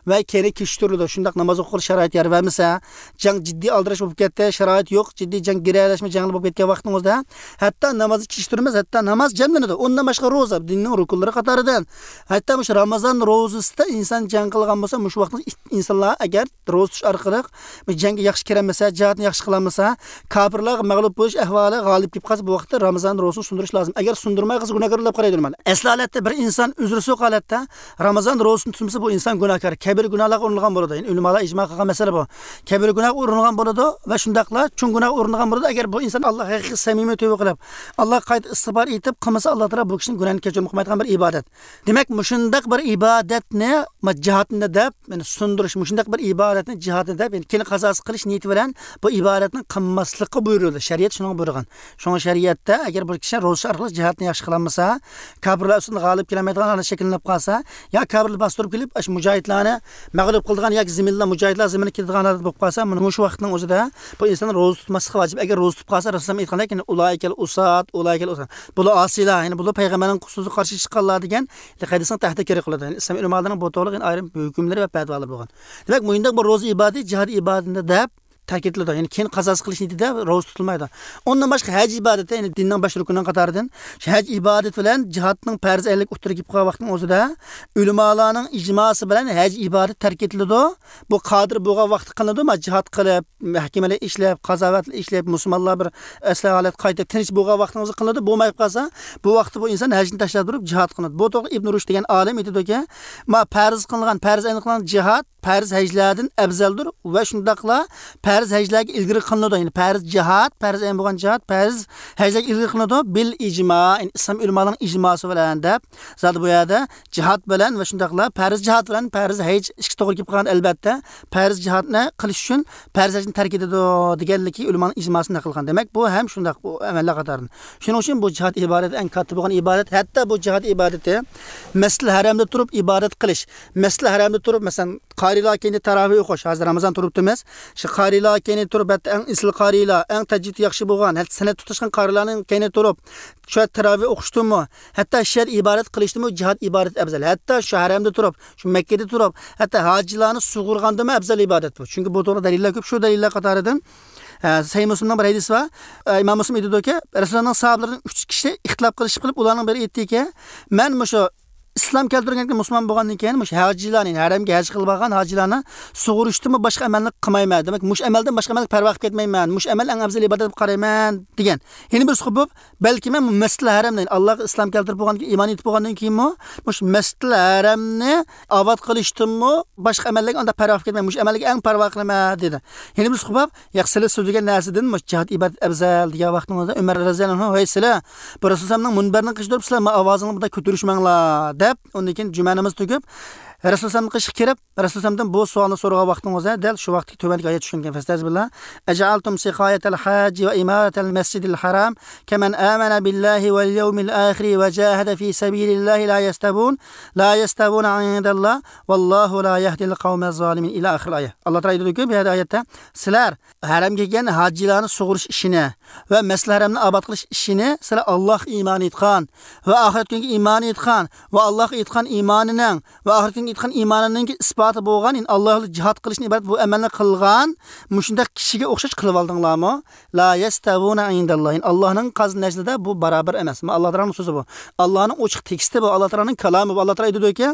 ۋە كېيىن كېچىكتۈرۈلىدۇ. شۇنداق ناماز ئوقۇغىلى شارائىت يار بەرمىسە، جەڭ جىددىي ئالدىراش بولۇپ كەتتى، شارائىت يوق، جىددىي جەڭ گىرەلەشمە جەڭلەر بولۇپ كەتكەن ۋاقتىڭىزدا، ھەتتا نامازنى كېچىكتۈرىمىز، ھەتتا ناماز جەملىنىدۇ. ئۇندىن باشقا روزا، دىننىڭ رۇكۇنلىرى قاتارىدىن. ھەتتا مۇشۇ رامىزان روزىسىدا ئىنسان جەڭ قىلغان بولسا، مۇشۇ ۋاقىتتا ئىنسانلار ئەگەر روزا تۇتۇش ئارقىلىق بۇ جەڭگە ياخشى كىرەلمىسە، جىھادنى ياخشى قىلالمىسا، كاپىرلارغا مەغلۇپ بولۇش ئەھۋالى غالىب كېلىپ قالسا، بۇ ۋاقىتتا رامىزان روزىسىنى سۇندۇرۇش لازىم. ئەگەر سۇندۇرماي قالسا، گۇناھكار دەپ قارايدۇ ئۆلىمالار. ئەسلى ھالەتتە بىر ئىنسان ئۆزرىسى يوق ھالەتتە رامىزان روزىسىنى تۇتمىسا، بۇ ئىنسان گۇناھكار، كەبىرە گۇناھلارغا ئۇرۇنغان بولىدۇ. يەنى ئۆلىمالار ئىجما قىلغان مەسىلە بۇ. كەبىرە گۇناھقا ئۇرۇنغان بولىدۇ ۋە شۇنداقلا چوڭ گۇناھقا ئۇرۇنغان بولىدۇ. ئەگەر بۇ ئىنسان ئاللاغا ھەقىقىي سەمىمىي تۆۋە قىلىپ، ئاللاغا قايتا ئىستىغپار ئېيتىپ قىلمىسا، ئاللا تائالا بۇ كىشىنىڭ گۇناھىنى كەچۈرۈم قىلمايدىغان بىر ئىبادەت. دېمەك، مۇشۇنداق بىر ئىبادەتنى، ما، جىھادنى دەپ، يەنى سۇندۇرۇش، مۇشۇنداق بىر ئىبادەتنى جىھادنى دەپ، يەنى كېيىن قازاسى قىلىش نىيىتى بىلەن بۇ ئىبادەتنى قىلماسلىققا بۇيرۇلدى. شەرىئەت شۇنىڭغا بۇيرۇغان. شۇڭا شەرىئەتتە ئەگەر بىر كىشى روزا ئارقىلىق جىھادنى ياخشى قىلالمىسا، كاپىرلار ئۈستىدىن غالىب كېلەلمەيدىغان ھالەت شەكىللىنىپ قالسا، يا كاپىرلار باستۇرۇپ كېلىپ، ئاشۇ مۇجاھىدلارنى مەغلۇپ قىلىدىغان ياكى زىممىلار مۇجاھىدلار زىممىسىگە كېتىدىغان ھالەت بولۇپ قالسا، مۇنۇ مۇشۇ ۋاقىتنىڭ ئۆزىدە بۇ ئىنسان روزا تۇتماسلىقى ۋاجىپ. ئەگەر روزا تۇتۇپ قالسا، رەسۇلۇللا ئېيتقاندەك، يەنى ئۇلائىكەل ئۇسات، ئۇلائىكەل ئۇسات. بۇلار ئاسىيلار، يەنى بۇلار پەيغەمبەرنىڭ سۆزىگە قارشى چىققانلار دېگەن قەيدىسىنى تەھدىت كېرەك قىلىدۇ. يەنى ئىسلام ئۆلىمالىرىنىڭ بۇ توغرىلىق يەنە ئايرىم ھۆكۈملىرى ۋە پەتىۋالىرى بولغان. دېمەك، مۇشۇنداق بىر روزا ئىبادىتى جىھاد ئىبادىتىدە دەپ تەكىتلىدى. يەنى كېيىن قازاسى قىلىش نىيىتىدە روزا تۇتۇلمايدۇ. ئۇندىن باشقا ھەج ئىبادىتى، يەنى دىننىڭ بەش رۇكنىنىڭ قاتارىدىن شۇ ھەج ئىبادىتى بىلەن جىھادنىڭ پەرز ئەينلىك ئوتتۇرىغا كېلىپ قالغان ۋاقىتنىڭ ئۆزىدە ئۆلىمالارنىڭ ئىجماسى بىلەن ھەج ئىبادىتى تەرك ئېتىلىدۇ. بۇ قادىر بولغان ۋاقتى قىلىنىدۇ، ما جىھاد قىلىپ، مەھكىمىلەر ئىشلەپ، قازاۋەتلەر ئىشلەپ، مۇسۇلمانلار بىر ئەسلى ھالەت قايتا تىنچ بولغان ۋاقتىڭىزدا قىلىنىدۇ. بولماي قالسا، بۇ ۋاقىتتا بۇ ئىنسان ھەجنى تاشلاپ تۇرۇپ جىھاد قىلىنىدۇ. بۇ توغرىدا ئىبن رۇشد دېگەن ئالىم ئېيتىدۇكى، ما پەرز قىلىنغان، پەرز ئەينلىك قىلىنغان جىھاد پەرز ھەجلەردىن ئەۋزەلدۇر ۋە شۇنداقلا پەرز ھەجلەرگە ئىلگىرى قىلىنىدۇ. يەنى پەرز جىھاد، پەرز ئەين بولغان جىھاد، پەرز ھەجلەرگە ئىلگىرى قىلىنىدۇ. بىل ئىجما، يەنى ئىسلام ئۆلىمالارنىڭ ئىجماسى بىلەن دەپ، زادى بۇ يەردە جىھاد بىلەن ۋە شۇنداقلا پەرز جىھاد بىلەن پەرز ھەج ئىككى توغرا كېلىپ قالغان. ئەلبەتتە، پەرز جىھادنى قىلىش ئۈچۈن پەرز ھەجنى تەرك ئېتىدۇ دېگەنلىكى ئۆلىمانىڭ ئىجماسىنى نەقىل قىلغان. دېمەك، بۇ ھەم شۇنداق، بۇ ئەمەللەر قاتارىدىن. شۇنىڭ ئۈچۈن بۇ جىھاد ئىبادىتى ئەڭ كاتتا بولغان ئىبادەت. ھەتتا بۇ جىھاد ئىبادىتى مەسجىدىل ھەرەمدە تۇرۇپ ئىبادەت قىلىش، مەسجىدىل ھەرەمدە تۇرۇپ، مەسىلەن، قارىيلار كەينىدە تاراۋىھ ئوقۇش، ھازىر رامىزان تۇرۇپتىمىز. شۇ قارىيلار كەينىدە تۇرۇپ، ھەتتا ئەڭ ئېسىل قارىيلار، ئەڭ تەجۋىدى ياخشى بولغان، ھەتتا سەنەد تۇتاشقان قارىيلارنىڭ كەينىدە تۇرۇپ، شۇ تاراۋىھ ئوقۇشتىنمۇ، ھەتتا شۇ يەردە ئىبادەت قىلىشتىنمۇ جىھاد ئىبادىتى ئەۋزەل. ھەتتا شۇ ھەرەمدە تۇرۇپ، شۇ مەككىدە تۇرۇپ، ھەتتا ھاجىلارنى سۇغۇرغاندىنمۇ ئەۋزەل ئىبادەت بۇ. چۈنكى بۇ توغرىدا دەلىللەر كۆپ. شۇ دەلىللەر قاتارىدىن، ئە، سەھىھ مۇسلىمنىڭ بىر ھەدىسى بار. ئە، ئىمام مۇسلىم ئېيتىدۇكى، رەسۇلۇللانىڭ ساھابىلىرىدىن ئۈچ كىشى ئىختىلاپ قىلىشىپ قېلىپ، ئۇلارنىڭ بىرى ئېيتتىكى، مەن مۇشۇ ئىسلام كەلتۈرگەن، مۇسۇلمان بولغاندىن كېيىن مۇشۇ ھاجىلارنى، ھەرەمگە ھەج قىلىپ بارغان ھاجىلارنى سۇغۇرۇشتىنمۇ باشقا ئەمەلنى قىلمايمەن. دېمەك، مۇشۇ ئەمەلدىن باشقا ئەمەلگە پەرۋا قىلىپ كەتمەيمەن. مۇشۇ ئەمەل ئەڭ ئەۋزەل ئىبادەت دەپ قارايمەن، دېگەن. يەنە بىرسى قوپۇپ، بەلكى مەن مەسجىدىل ھەرەمنى، ئاللاغا ئىسلام كەلتۈرۈپ بولغاندىن كېيىن، ئىمان ئېيتىپ بولغاندىن كېيىنمۇ، مۇشۇ مەسجىدىل ھەرەمنى ئاۋات قىلىشتىنمۇ باشقا ئەمەللەرگە ئانداق پەرۋا قىلىپ كەتمەيمەن. مۇشۇ ئەمەلگە ئەڭ پەرۋا قىلىمەن، دېدى. يەنە بىرسى قوپۇپ، ياق، سىلەر سۆزلىگەن نەرسىدىن مۇشۇ جىھاد ئىبادەت ئەۋزەل دېگەن ۋاقتىڭىزدا ئۆمەر رەزىياللاھۇ ئەنھۇ، ھەي سىلەر، بۇ رەسۇلۇللانىڭ مۇنبىرىنىڭ قېشىدا تۇرۇپ، سىلەر ما ئاۋازىڭلارنى بۇنداق كۆتۈرۈشمەڭلار، دەپ، ئۇندىن كېيىن جۈمە نامىزى تۈگۈپ، رەسۇلۇللانىڭ قېشىغا كىرىپ، رەسۇلۇللاھتىن بۇ سوئالنى سورىغان ۋاقتىڭىزدا دەل شۇ ۋاقىتتىكى تۆۋەندىكى ئايەت چۈشكەنكەن. فەستەزبىللا. أجعلتم سقاية الحاج وإمارة المسجد الحرام كمن آمن بالله واليوم الآخر وجاهد في سبيل الله لا يستوون، لا يستوون عند الله والله لا يهدي القوم الظالمين. إلى آخر الآية. ئاللا تائالا ئېيتىدۇكى، بۇ يەردە ئايەتتە، سىلەر ھەرەمگە كەلگەن ھاجىلارنى سۇغۇرۇش ئىشىنى ۋە مەسجىدىل ھەرەمنى ئاباد قىلىش ئىشىنى سىلەر ئاللاھقا ئىمان ئېيتقان ۋە ئاخىرەت كۈنىگە ئىمان ئېيتقان ۋە ئاللاھقا ئېيتقان ئىمانىنىڭ ۋە ئاخىرەت كۈنىگە ئېيتقان ئىمانىنىڭكى ئىسپاتى بولغان، يەنى ئاللا يولىدا جىھاد قىلىشتىن ئىبارەت بۇ ئەمەلنى قىلغان مۇشۇنداق كىشىگە ئوخشاش قىلىۋالدىڭلارمۇ؟ لا يەستەۋۇنە ئىندەللا. يەنى ئاللانىڭ قازىنىشىدا بۇ باراۋەر ئەمەس. مانا ئاللا تائالانىڭ سۆزى بۇ. ئاللانىڭ ئوچۇق تېكىستى بۇ. ئاللا تائالانىڭ كالامى بۇ. ئاللا تائالا ئېيتىدۇكى،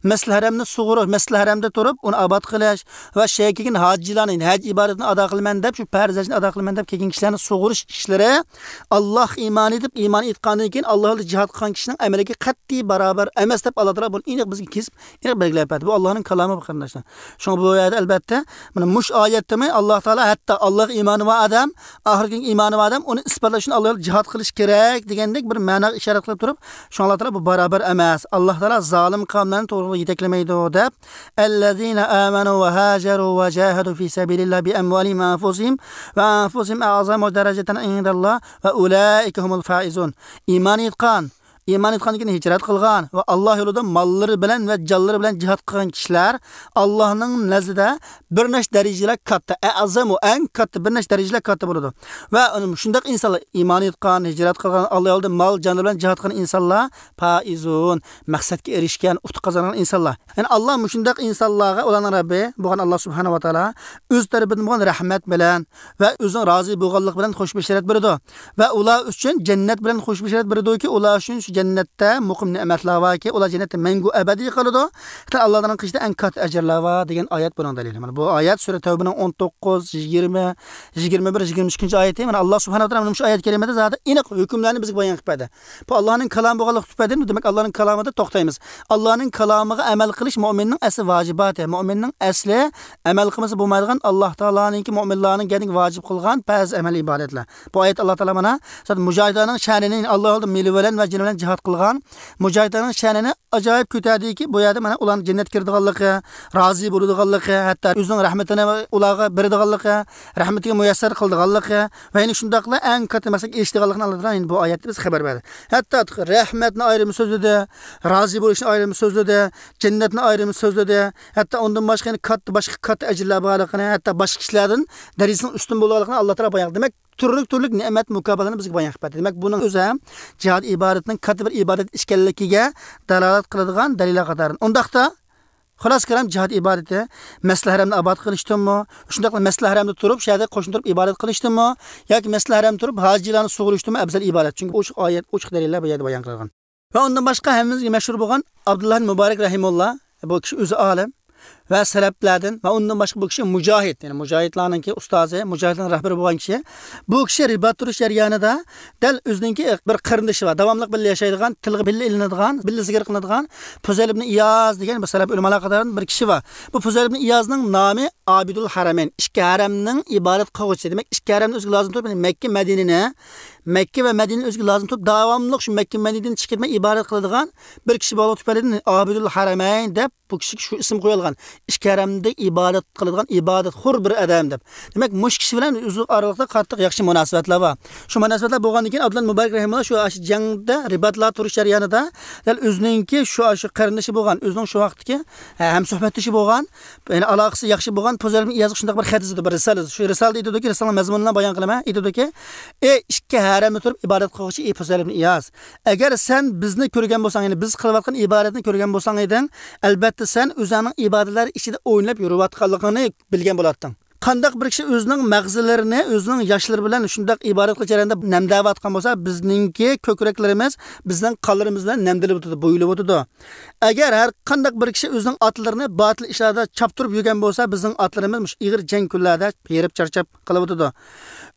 مەسجىدىل ھەرەمنى سۇغۇرۇش، مەسجىدىل ھەرەمدە تۇرۇپ، ئۇنى ئاباد قىلىش ۋە شۇ يەرگە كەلگەن ھاجىلارنى، ھەج ئىبادىتىنى ئادا قىلىمەن دەپ، شۇ پەرز ھەجنى ئادا قىلىمەن دەپ كەلگەن كىشىلەرنى سۇغۇرۇش ئىشلىرى ئاللاھقا ئىمان ئېيتىپ، ئىمان ئېيتقاندىن كېيىن ئاللا يولىدا جىھاد قىلغان كىشىنىڭ ئەمەلىگە قەتئىي باراۋەر ئەمەس دەپ ئاللا تائالا بۇنى ئېنىق بىزگە كېسىپ ئېنىق بەلگىلەپ بەردى. بۇ ئاللانىڭ كالامى بۇ، قېرىنداشلار. شۇڭا بۇ يەردە ئەلبەتتە، مانا مۇشۇ ئايەتتىمۇ ئاللا تائالا ھەتتا ئاللاغا ئىمانى بار ئادەم، ئاخىرەتكە ئىمانى بار ئادەم، ئۇنى ئىسپاتلاش ئۈچۈن ئاللا يولىدا جىھاد قىلىش كېرەك دېگەندەك بىر مەناغا ئىشارەت قىلىپ تۇرۇپ، شۇڭا ئاللا تائالا بۇ باراۋەر ئەمەس. ئاللا تائالا زالىم قەۋملەرنى توغرا يولغا يېتەكلىمەيدۇ دەپ، الذين آمنوا وهاجروا وجاهدوا في سبيل الله بأموالهم وأنفسهم، وأنفسهم أعظم درجة عند الله وأولئك هم الفائزون. ئىمان ئېيتقان، ئىمان ئېيتقاندىن كېيىن ھىجرەت قىلغان ۋە ئاللا يولىدا ماللىرى بىلەن ۋە جانلىرى بىلەن جىھاد قىلغان كىشىلەر ئاللانىڭ نەزىدە بىر نەچچە دەرىجىلەر كاتتا، ئەزەمۇ، ئەڭ كاتتا، بىر نەچچە دەرىجىلەر كاتتا بولىدۇ. ۋە شۇنداق ئىنسانلار، ئىمان ئېيتقان، ھىجرەت قىلغان، ئاللا يولىدا مال، جانى بىلەن جىھاد قىلغان ئىنسانلار، فائزون، مەقسەتكە ئېرىشكەن، ئۇتۇق قازانغان ئىنسانلار. يەنى ئاللا مۇشۇنداق ئىنسانلارغا، ئۇلارنىڭ رەببى بولغان ئاللا سۇبھانەھۇ ۋە تائالا ئۆز تەرىپىدىن بولغان رەھمەت بىلەن ۋە ئۆزىنىڭ رازى بولغانلىقى بىلەن خۇش بېشارەت بېرىدۇ. ۋە ئۇلار ئۈچۈن جەننەت بىلەن خۇش بېشارەت بېرىدۇكى، ئۇلار ئۈچۈن شۇ جەننەتتە مۇقىم نېمەتلەر باركى، ئۇلار جەننەتتە مەڭگۈ ئەبەدىي قالىدۇ. ھەتتا ئاللانىڭ قېشىدا ئەڭ كاتتا ئەجىرلەر بار دېگەن ئايەت بۇنىڭ دەلىلى. مانا بۇ ئايەت سۈرە تەۋبىنىڭ ئون توققۇز، يىگىرمە، يىگىرمە بىر، يىگىرمە ئىككىنچى ئايىتى. مانا ئاللا سۇبھانەھۇ ۋە تائالا مانا شۇ ئايەت كەرىمىدە زادى ئېنىق ھۆكۈملەرنى بىزگە بايان قىلىپ بەردى. بۇ ئاللانىڭ كالامى بولغانلىقى تۈپەيلىدىن، دېمەك، ئاللانىڭ كالامىدا توختايمىز. ئاللانىڭ كالامىغا ئەمەل قىلىش مۆمىننىڭ ئەسلى ۋاجىباتى، مۆمىننىڭ ئەسلى ئەمەل قىلمىسا بولمايدىغان، ئاللا تائالانىڭكى مۆمىنلارنىڭ كەينىگە ۋاجىپ قىلغان پەرز ئەمەلىي ئىبادەتلەر. بۇ ئايەت ئاللا تائالا مانا زادى مۇجاھىدلارنىڭ شەنىنى، ئاللا يولىدا مېلى بىلەن ۋە جېنى بىلەن جىھاد قىلغان مۇجاھىدلارنىڭ شەنىنى ئاجايىپ كۆتەردىكى، بۇ يەردە مانا ئۇلارنىڭ جەننەتكە كىرىدىغانلىقى، رازى بولىدىغانلىقى، ھەتتا ئۆزىنىڭ رەھمىتىنى ئۇلارغا بېرىدىغانلىقى، رەھمىتىگە مۇيەسسەر قىلىدىغانلىقى ۋە يەنە شۇنداقلا ئەڭ كاتتا مەقسەتكە ئېرىشىدىغانلىقىنى ئاللا تائالا بۇ ئايەتتە بىزگە خەۋەر بەردى. ھەتتا رەھمەتنى ئايرىم سۆزلىدى، رازى بولۇشنى ئايرىم سۆزلىدى، جەننەتنى ئايرىم سۆزلىدى. ھەتتا ئۇندىن باشقا يەنە كاتتا، باشقا كاتتا ئەجىرلەر بارلىقىنى، ھەتتا باشقا كىشىلەردىن دەرىجىسىنىڭ ئۈستۈن بولغانلىقىنى ئاللا تائالا بايان قىلدى. دېمەك، تۈرلۈك تۈرلۈك نېمەت مۇكاپاتلارنى بىزگە بايان قىلىپ بەردى. دېمەك، بۇنىڭ ئۆزى ھەم جىھاد ئىبادىتىنىڭ كاتتا بىر ئىبادەت ئىكەنلىكىگە دالالەت قىلىدىغان دەلىللەر قاتارىدىن. ئۇنداقتا، خۇلاسە كالام، جىھاد ئىبادىتى مەسجىدىل ھەرەمنى ئاباد قىلىشتىنمۇ، شۇنداقلا مەسجىدىل ھەرەمدە تۇرۇپ، شۇ يەردە قوشنا تۇرۇپ ئىبادەت قىلىشتىنمۇ ياكى مەسجىدىل ھەرەمدە تۇرۇپ ھاجىلارنى سۇغۇرۇشتىنمۇ ئەۋزەل ئىبادەت؟ چۈنكى ئوچۇق ئايەت، ئوچۇق دەلىللەر بۇ يەردە بايان قىلغان. ۋە ئۇندىن باشقا ھەممىمىزگە مەشھۇر بولغان ئابدۇللا مۇبارەك رەھىمۇللا، بۇ كىشى ئۆزى ئالىم ۋە سەلەپلەردىن ۋە ئۇندىن باشقا بۇ كىشى مۇجاھىد، يەنى مۇجاھىدلارنىڭكى ئۇستازى، مۇجاھىدلارنىڭ رەھبىرى بولغان كىشى. بۇ كىشى رىبات تۇرۇش جەريانىدا دەل ئۆزىنىڭكى بىر قېرىندىشى بار، داۋاملىق بىللە ياشايدىغان، تىلغا بىللە ئېلىنىدىغان، بىللە زىكىر قىلىنىدىغان پۇزەيل ئىبن ئىياز دېگەن بىر سەلەپ ئۆلىمالار قاتارىدىن بىر كىشى بار. بۇ پۇزەيل ئىبن ئىيازنىڭ نامى ئابىدۇل ھەرەمەين، ئىككى ھەرەمنىڭ ئىبادەت قىلغۇچىسى. دېمەك، ئىككى ھەرەمنى ئۆزىگە لازىم تۇتۇپ، يەنى مەككە، مەدىنىنى، مەككە ۋە مەدىنىنى ئۆزىگە لازىم تۇتۇپ، داۋاملىق شۇ مەككە، مەدىنىدىن چىقىپ كەتمەي ئىبادەت قىلىدىغان بىر كىشى بولغانلىقى تۈپەيلىدىن ئابىدۇل ھەرەمەين دەپ بۇ كىشىگە شۇ ئىسىم قويۇلغان. ئىككى ھەرەمدە ئىبادەت قىلىدىغان ئىبادەتخور بىر ئادەم دەپ. دېمەك، مۇشۇ كىشى بىلەن ئۆزى ئارىلىقتا قاتتىق ياخشى مۇناسىۋەتلەر بار. شۇ مۇناسىۋەتلەر بولغاندىن كېيىن، ئابدۇللا مۇبارەك رەھىمۇللا شۇ، شۇ جەڭدە رىباتلار تۇرۇش جەريانىدا دەل ئۆزىنىڭكى شۇ، شۇ قېرىندىشى بولغان، ئۆزىنىڭ شۇ ۋاقىتتىكى، ھە، ھەم سۆھبەتدىشى بولغان، يەنى ئالاقىسى ياخشى بولغان پۇزەيل ئىبن ئىيازغا شۇنداق بىر خەت يېزىدۇ، بىر رىسالە يېزىدۇ. شۇ رىسالىدە ئېيتىدۇكى، رىسالىنىڭ مەزمۇنىنى بايان قىلىمەن. ئېيتىدۇكى، ئى ئىككى ھەرەمدە تۇرۇپ ئىبادەت قىلغۇچى، ئى پۇزەيل ئىبن ئىياز، ئەگەر سەن بىزنى كۆرگەن بولساڭ، يەنى بىز قىلىۋاتقان ئىبادەتنى كۆرگەن بولساڭ ئىدىڭ، ئەلبەتتە سەن ئۆزۈڭنىڭ ئىبادەتلەر ئىچىدە ئويناپ يۈرۈۋاتقانلىقىڭنى بىلگەن بولاتتىڭ. قانداق بىر كىشى ئۆزىنىڭ مەغزىلىرىنى ئۆزىنىڭ ياشلىرى بىلەن شۇنداق ئىبادەت قىلىش جەريانىدا نەمدەۋاتقان بولسا، بىزنىڭكى كۆكرەكلىرىمىز، بىزنىڭ قانلىرىمىز بىلەن نەمدىلىۋاتىدۇ، بويىلىۋاتىدۇ. ئەگەر ھەر قانداق بىر كىشى ئۆزىنىڭ ئاتلىرىنى باتىل ئىشلاردا چاپتۇرۇپ يۈرگەن بولسا، بىزنىڭ ئاتلىرىمىز مۇشۇ ئېغىر جەڭ كۈنلەردە ھېرىپ چارچاپ قېلىۋاتىدۇ.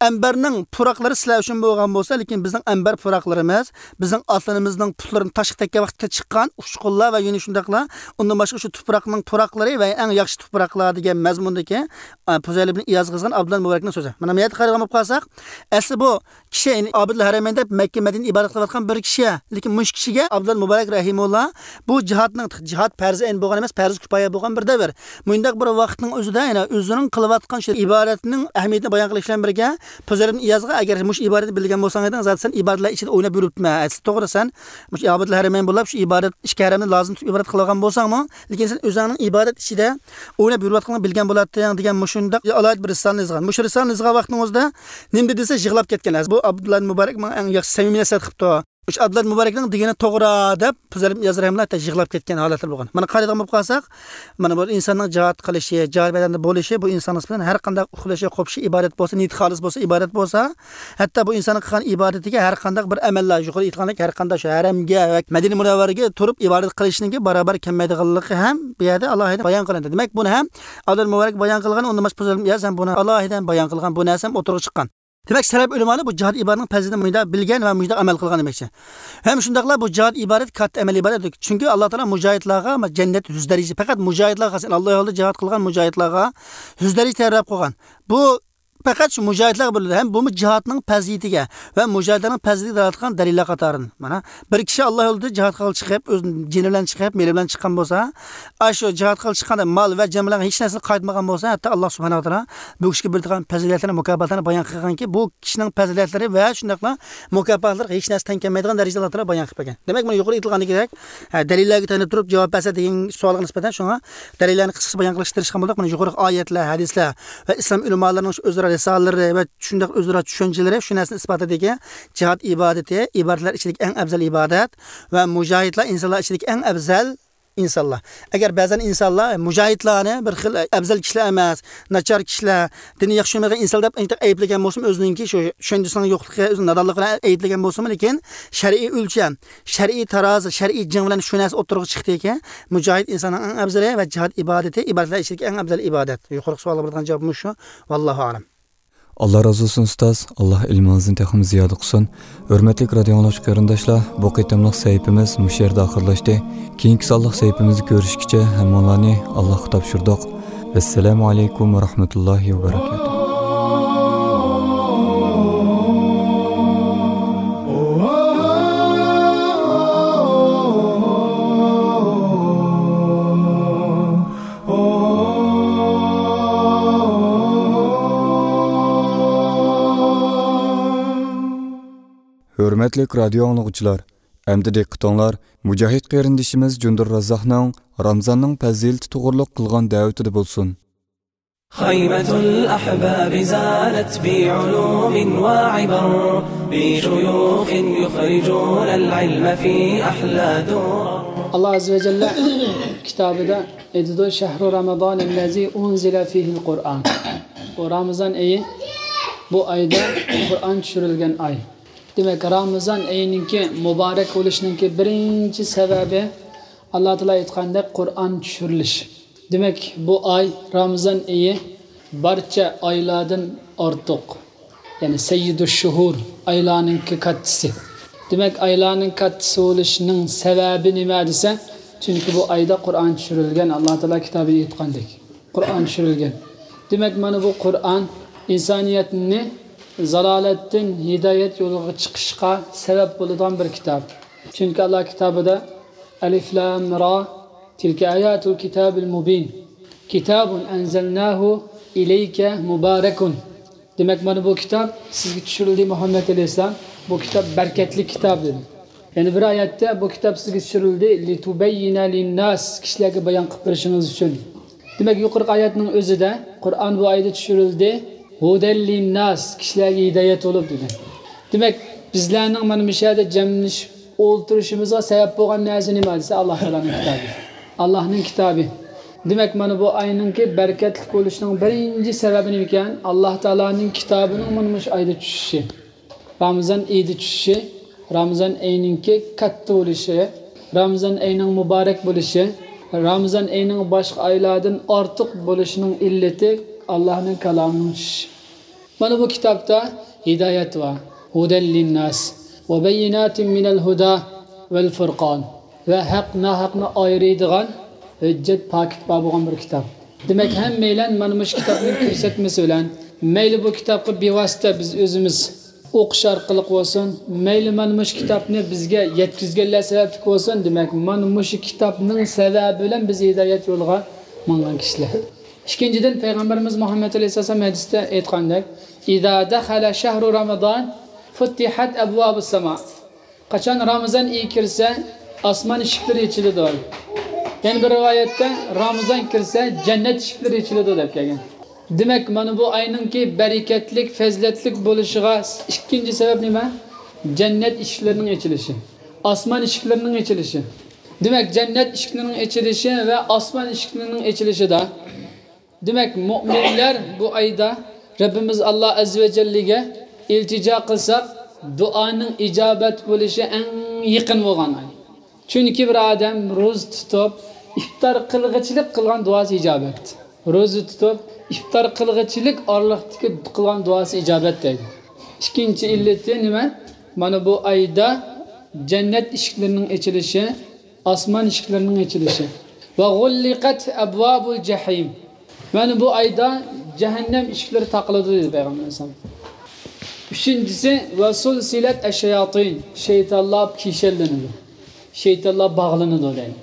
ئەمبەرنىڭ پۇراقلىرى سىلەر ئۈچۈن بولغان بولسا، لېكىن بىزنىڭ ئەمبەر پۇراقلىرىمىز، بىزنىڭ ئاتلىرىمىزنىڭ پۇتلىرىنى تاشقا تەگكەن ۋاقىتتا چىققان ئۇچقۇنلار ۋە يەنە شۇنداقلا ئۇندىن باشقا شۇ تۇپراقنىڭ پۇراقلىرى ۋە ئەڭ ياخشى تۇپراقلار دېگەن مەزمۇندىكى، ئە، پۇزەيل ئىبن ئىياز يېزغان ئابدۇللا مۇبارەكنىڭ سۆزى. مانا بۇ يەردە قارىغان بولۇپ قالساق، ئەسلى بۇ كىشى، يەنى ئابىدۇل ھەرەمەين دەپ مەككە، مەدىنە ئىبادەت قىلىۋاتقان بىر كىشى. لېكىن مۇشۇ كىشىگە ئابدۇللا مۇبارەك رەھىمۇللا بۇ جىھادنىڭ، جىھاد پەرزى ئەين بولغان ئەمەس، پەرزى كۇپايە بولغان بىر دەۋر. مۇنداق بىر ۋاقىتنىڭ ئۆزىدە يەنە ئۆزىنىڭ قىلىۋاتقان شۇ ئىبادەتنىڭ ئەھمىيىتىنى بايان قىلىش بىلەن بىرگە، پۇزەيل ئىبن ئىيازغا، ئەگەر مۇشۇ ئىبادەتنى بىلگەن بولساڭ ئىدىڭ، زادى سەن ئىبادەتلەر ئىچىدە ئويناپ يۈرۈپتىمەن. ئەسلى توغرا، سەن مۇشۇ ئابىدۇل ھەرەمەين بولۇپ، شۇ ئىبادەت، ئىككى ھەرەمنى لازىم تۇتۇپ ئىبادەت قىلىۋالغان بولساڭمۇ، لېكىن سەن ئۆزۈڭنىڭ ئىبادەت ئىچىدە ئويناپ يۈرۈۋاتقىنىڭنى بىلگەن بولاتتىڭ دېگەن مۇشۇنداق ئالاھىدە بىر رىسالىنى يازغان. مۇشۇ رىسالىنى يازغان ۋاقتىنىڭ ئۆزىدە نېمە دېدى دېسە، يىغلاپ كەتكەن. بۇ ئابدۇللا مۇبارەك ماڭا ئەڭ ياخشى سەمىمىي نەسىھەت قىپتۇ. مۇشۇ ئابدۇللا مۇبارەكنىڭ دېگىنى توغرا دەپ پۇزەيل ئىبن ئىياز رەھىمۇللا ھەتتا يىغلاپ كەتكەن ھالەتلەر بولغان. مانا قارايدىغان بولۇپ قالساق، مانا بۇ ئىنساننىڭ جىھاد قىلىشى، جىھاد مەيدانىدا بولۇشى، بۇ ئىنساننىڭ نىسبەتەن ھەر قانداق ئۇخلىشى، قوپۇشى، ئىبادەت بولسا، نىيىتى خالىس بولسا، ئىبادەت بولسا، ھەتتا بۇ ئىنساننىڭ قىلغان ئىبادىتىگە ھەر قانداق بىر ئەمەللەر، يۇقىرىدا ئېيتقاندەك، ھەر قانداق شۇ ھەرەمگە ۋە مەدىنە مۇنەۋۋەرىگە تۇرۇپ ئىبادەت قىلىشنىڭكى باراۋەر كەلمەيدىغانلىقى ھەم بۇ يەردە ئالاھىدە بايان قىلىندى. دېمەك، بۇنى ھەم ئابدۇللا مۇبارەك بايان قىلغان، ئۇندىن باشقا پۇزەيل ئىبن ئىياز ھەم بۇنى ئالاھىدە بايان قىلغان، بۇ نەرسە ھەم ئوتتۇرىغا چىققان. دېمەك، سەلەپ ئۆلىمالار بۇ جىھاد ئىبادىتىنىڭ پەزىلىتىنى مۇنداق بىلگەن ۋە مۇنداق ئەمەل قىلغان دېمەكچى. ھەم شۇنداقلا بۇ جىھاد ئىبادەت كاتتا ئەمەلىي ئىبادەت. چۈنكى ئاللا تائالا مۇجاھىدلارغا جەننەت يۈز دەرىجە، پەقەت مۇجاھىدلارغا، ئاللا يولىدا جىھاد قىلغان مۇجاھىدلارغا يۈز دەرىجە تەييارلاپ قويغان. بۇ پەقەت شۇ مۇجاھىدلارغا بېرىلىدۇ. ھەم بۇمۇ جىھادنىڭ پەزىلىتىگە ۋە مۇجاھىدلارنىڭ پەزىلىتىگە دالالەت قىلغان دەلىللەر قاتارىدىن. مانا، بىر كىشى ئاللا يولىدا جىھادقا چىقىپ، ئۆز جېنى بىلەن چىقىپ، مېلى بىلەن چىققان بولسا، ئاشۇ جىھادقا چىققاندا مال ۋە جان بىلەن ھېچ نەرسىنى قايتمىغان بولسا، ھەتتا ئاللا سۇبھانەھۇ ۋە تائالا بۇ كىشىگە بېرىدىغان پەزىلەتلەرنى، مۇكاپاتلارنى بايان قىلغانكى، بۇ كىشىنىڭ پەزىلەتلىرى ۋە شۇنداقلا مۇكاپاتلىرىغا ھېچ نەرسە تەڭ كەلمەيدىغان دەرىجىدە ئاللا تائالا بايان قىلىپ بەرگەن. دېمەك، مانا يۇقىرىدا ئېيتىلغاندىكىدەك، ھە، دەلىللەرگە تايىنىپ تۇرۇپ جاۋاب بەرسە دېگەن سوئالغا نىسبەتەن شۇڭا دەلىللەرنى قىسقىچە بايان قىلىشقا تىرىشقان بولدۇق. مانا يۇقىرىقى ئايەتلەر، ھەدىسلەر ۋە ئىسلام ئۆلىمالىرىنىڭ شۇ ئۆزئارا رىسالىلىرى ۋە شۇنداق ئۆزئارا چۈشەنچىلىرى شۇ نەرسىنى ئىسپاتلىدىكى، جىھاد ئىبادىتى ئىبادەتلەر ئىچىدىكى ئەڭ ئەۋزەل ئىبادەت ۋە مۇجاھىدلار ئىنسانلار ئىچىدىكى ئەڭ ئەۋزەل ئىنسانلار. ئەگەر بەزەن ئىنسانلار مۇجاھىدلارنى بىر خىل ئەۋزەل كىشىلەر ئەمەس، ناچار كىشىلەر، دىنى ياخشى چۈشەنمەيدىغان ئىنسان دەپ ئەيتىپ ئەيىبلىگەن بولسىمۇ، ئۆزىنىڭكى شۇ چۈشەندۈرۈشنىڭ يوقلۇقى، ئۆزىنىڭ نادانلىقى بىلەن ئەيىبلىگەن بولسىمۇ، لېكىن شەرئىي ئۆلچەم، شەرئىي تارازا، شەرئىي جىڭ بىلەن شۇ نەرسە ئوتتۇرىغا چىقتىكى، مۇجاھىد ئىنساننىڭ ئەڭ ئەۋزىلى ۋە جىھاد ئىبادىتى، ئىبادەتلەر ئىچىدىكى ئەڭ ئەۋزەل ئىبادەت. يۇقىرىقى سوئالغا بېرىدىغان جاۋابىمىز شۇ. ۋاللاھۇ ئەلەم. ئاللا رازى بولسۇن ئۇستاز، ئاللا ئىلمىڭىزنى تېخىمۇ زىيادە قىلسۇن. ھۆرمەتلىك رادىئو ئاڭلىغۇچى قېرىنداشلار، بۇ قېتىملىق سەھىپىمىز مۇشۇ يەردە ئاخىرلاشتى. كېيىنكى سانلىق سەھىپىمىزدە كۆرۈشكىچە ھەممىڭلارنى ئاللاغا تاپشۇردۇق. ۋەسسالامۇ ئەلەيكۇم ۋە رەھمەتۇللاھى ۋە بەرەكاتۇھ. ھۆرمەتلىك رادىئو ئاڭلىغۇچىلار، ئەمدى دىققىتىڭلار مۇجاھىد قېرىندىشىمىز جۇندۇر رازاقنىڭ رامزاننىڭ پەزىلىتى توغرۇلۇق قىلغان دەۋىتىدە بولسۇن. خيمة الأحباب زانت بعلوم وعبر، بشيوخ يخرجون العلم في أحلى درر. ئاللا ئەززە ۋە جەللە كىتابىدا ئېيتىدۇ، شەھرۇ رامازان ئەللەزى ئۇنزىلە فىھىل قۇرئان. بۇ رامىزان ئېيى، بۇ ئايدا قۇرئان چۈشۈرۈلگەن ئاي. دېمەك، رامىزان ئېيىنىڭكى مۇبارەك بولۇشىنىڭكى بىرىنچى سەۋەبى، ئاللا تائالا ئېيتقاندەك، قۇرئان چۈشۈرۈلۈش. دېمەك، بۇ ئاي، رامىزان ئېيى، بارچە ئايلاردىن ئارتۇق، يەنى سەييىدۇش شۇھۇر، ئايلارنىڭكى كاتتىسى. دېمەك، ئايلارنىڭ كاتتىسى بولۇشىنىڭ سەۋەبى نېمە دېسە، چۈنكى بۇ ئايدا قۇرئان چۈشۈرۈلگەن، ئاللا تائالا كىتابىدا ئېيتقاندەك، قۇرئان چۈشۈرۈلگەن. دېمەك، مانا بۇ قۇرئان ئىنسانىيەتنى زالالەتتىن ھىدايەت يولىغا چىقىشقا سەۋەب بولىدىغان بىر كىتاب. چۈنكى ئاللا كىتابىدا، ئەلىف لام را، تىلكە ئاياتۇل كىتابىل مۇبىن، كىتابۇن ئەنزەلناھۇ ئىلەيكە مۇبارەكۇن. دېمەك، مانا بۇ كىتاب سىزگە چۈشۈرۈلدى، مۇھەممەد ئەلەيھىسسالام. بۇ كىتاب بەرىكەتلىك كىتاب، دېدى. يەنە بىر ئايەتتە، بۇ كىتاب سىزگە چۈشۈرۈلدى، لىتۇبەييىنە لىنناس، كىشىلەرگە بايان قىلىپ بېرىشىڭىز ئۈچۈن. دېمەك، يۇقىرىقى ئايەتنىڭ ئۆزىدە، قۇرئان بۇ ئايدا چۈشۈرۈلدى، ھۇدەل لىنناس، كىشىلەرگە ھىدايەت بولۇپ، دېدى. دېمەك، بىزلەرنىڭ مانا مۇشۇ يەردە جەملىشىپ ئولتۇرۇشىمىزغا سەۋەب بولغان نەرسە نېمە دېسە، ئاللا تائالانىڭ كىتابى. ئاللانىڭ كىتابى. دېمەك، مانا بۇ ئاينىڭكى بەرىكەتلىك بولۇشىنىڭ بىرىنچى سەۋەبى نېمىكەن؟ ئاللا تائالانىڭ كىتابىنىڭ مانا مۇشۇ ئايدا چۈشۈشى. رامىزان ئېيىدا چۈشۈشى، رامىزان ئېيىنىڭكى كاتتا بولۇشى، رامىزان ئېيىنىڭ مۇبارەك بولۇشى، رامىزان ئېيىنىڭ باشقا ئايلاردىن ئارتۇق بولۇشىنىڭ ئىللىتى ئاللانىڭ كالامىنىڭ چۈشۈشى. مانا بۇ كىتابتا ھىدايەت بار. ھۇدەل لىنناس ۋە بەييىناتىن مىنەل ھۇدا ۋەل فۇرقان. ۋە ھەق ناھەقنى ئايرىيدىغان ھۆججەت پاكىت بار بولغان بىر كىتاب. دېمەك، ھەممەيلەن مانا مۇشۇ كىتابنىڭ كۆرسەتمىسى بىلەن مەيلى بۇ كىتابقا بىۋاسىتە بىز ئۆزىمىز ئوقۇش ئارقىلىق بولسۇن، مەيلى مانا مۇشۇ كىتابنى بىزگە يەتكۈزگەنلەر سەۋەبلىك بولسۇن، دېمەك، مانا مۇشۇ كىتابنىڭ سەۋەبى بىلەن بىز ھىدايەت يولىغا ماڭغان كىشىلەر. ئىككىنچىدىن، پەيغەمبىرىمىز مۇھەممەد ئەلەيھىسسالام ھەدىستە ئېيتقاندەك، ئىزا دەخەلە شەھرۇ رامىزان فۇتتىھەت ئەبۋابۇس ساما. قاچان رامىزان ئېيى كىرسە، ئاسمان ئىشىكلىرى ئېچىلىدۇ. يەنە بىر رىۋايەتتە، رامىزان كىرسە، جەننەت ئىشىكلىرى ئېچىلىدۇ، دەپ كەلگەن. دېمەك، مانا بۇ ئاينىڭكى بەرىكەتلىك، پەزىلەتلىك بولۇشىغا ئىككىنچى سەۋەب نېمە؟ جەننەت ئىشىكلىرىنىڭ ئېچىلىشى، ئاسمان ئىشىكلىرىنىڭ ئېچىلىشى. دېمەك، جەننەت ئىشىكلىرىنىڭ ئېچىلىشى ۋە ئاسمان ئىشىكلىرىنىڭ ئېچىلىشىدا، دېمەك، مۆمىنلەر بۇ ئايدا رەببىمىز ئاللا ئەززە ۋە جەللىگە ئىلتىجا قىلساق، دۇئانىڭ ئىجابەت بولۇشى ئەڭ يېقىن بولغان ئاي. چۈنكى بىر ئادەم روزا تۇتۇپ، ئىپتار قىلغىچىلىك قىلغان دۇئاسى ئىجابەت. روزا تۇتۇپ، ئىپتار قىلغىچىلىك ئارىلىقتىكى قىلغان دۇئاسى ئىجابەت دەيدۇ. ئىككىنچى ئىللىتى نېمە؟ مانا بۇ ئايدا جەننەت ئىشىكلىرىنىڭ ئېچىلىشى، ئاسمان ئىشىكلىرىنىڭ ئېچىلىشى. ۋە غۇللىقەت ئەبۋابۇل جەھىم. مانا بۇ ئايدا جەھەننەم ئىشىكلىرى تاقىلىدۇ، دېدى پەيغەمبەر ئەلەيھىسسالام. ئۈچىنچىسى، ۋە سۇلسىلەت ئەششەياتىن، شەيتانلار كىشەنلىنىدۇ، شەيتانلار باغلىنىدۇ، دەيدۇ.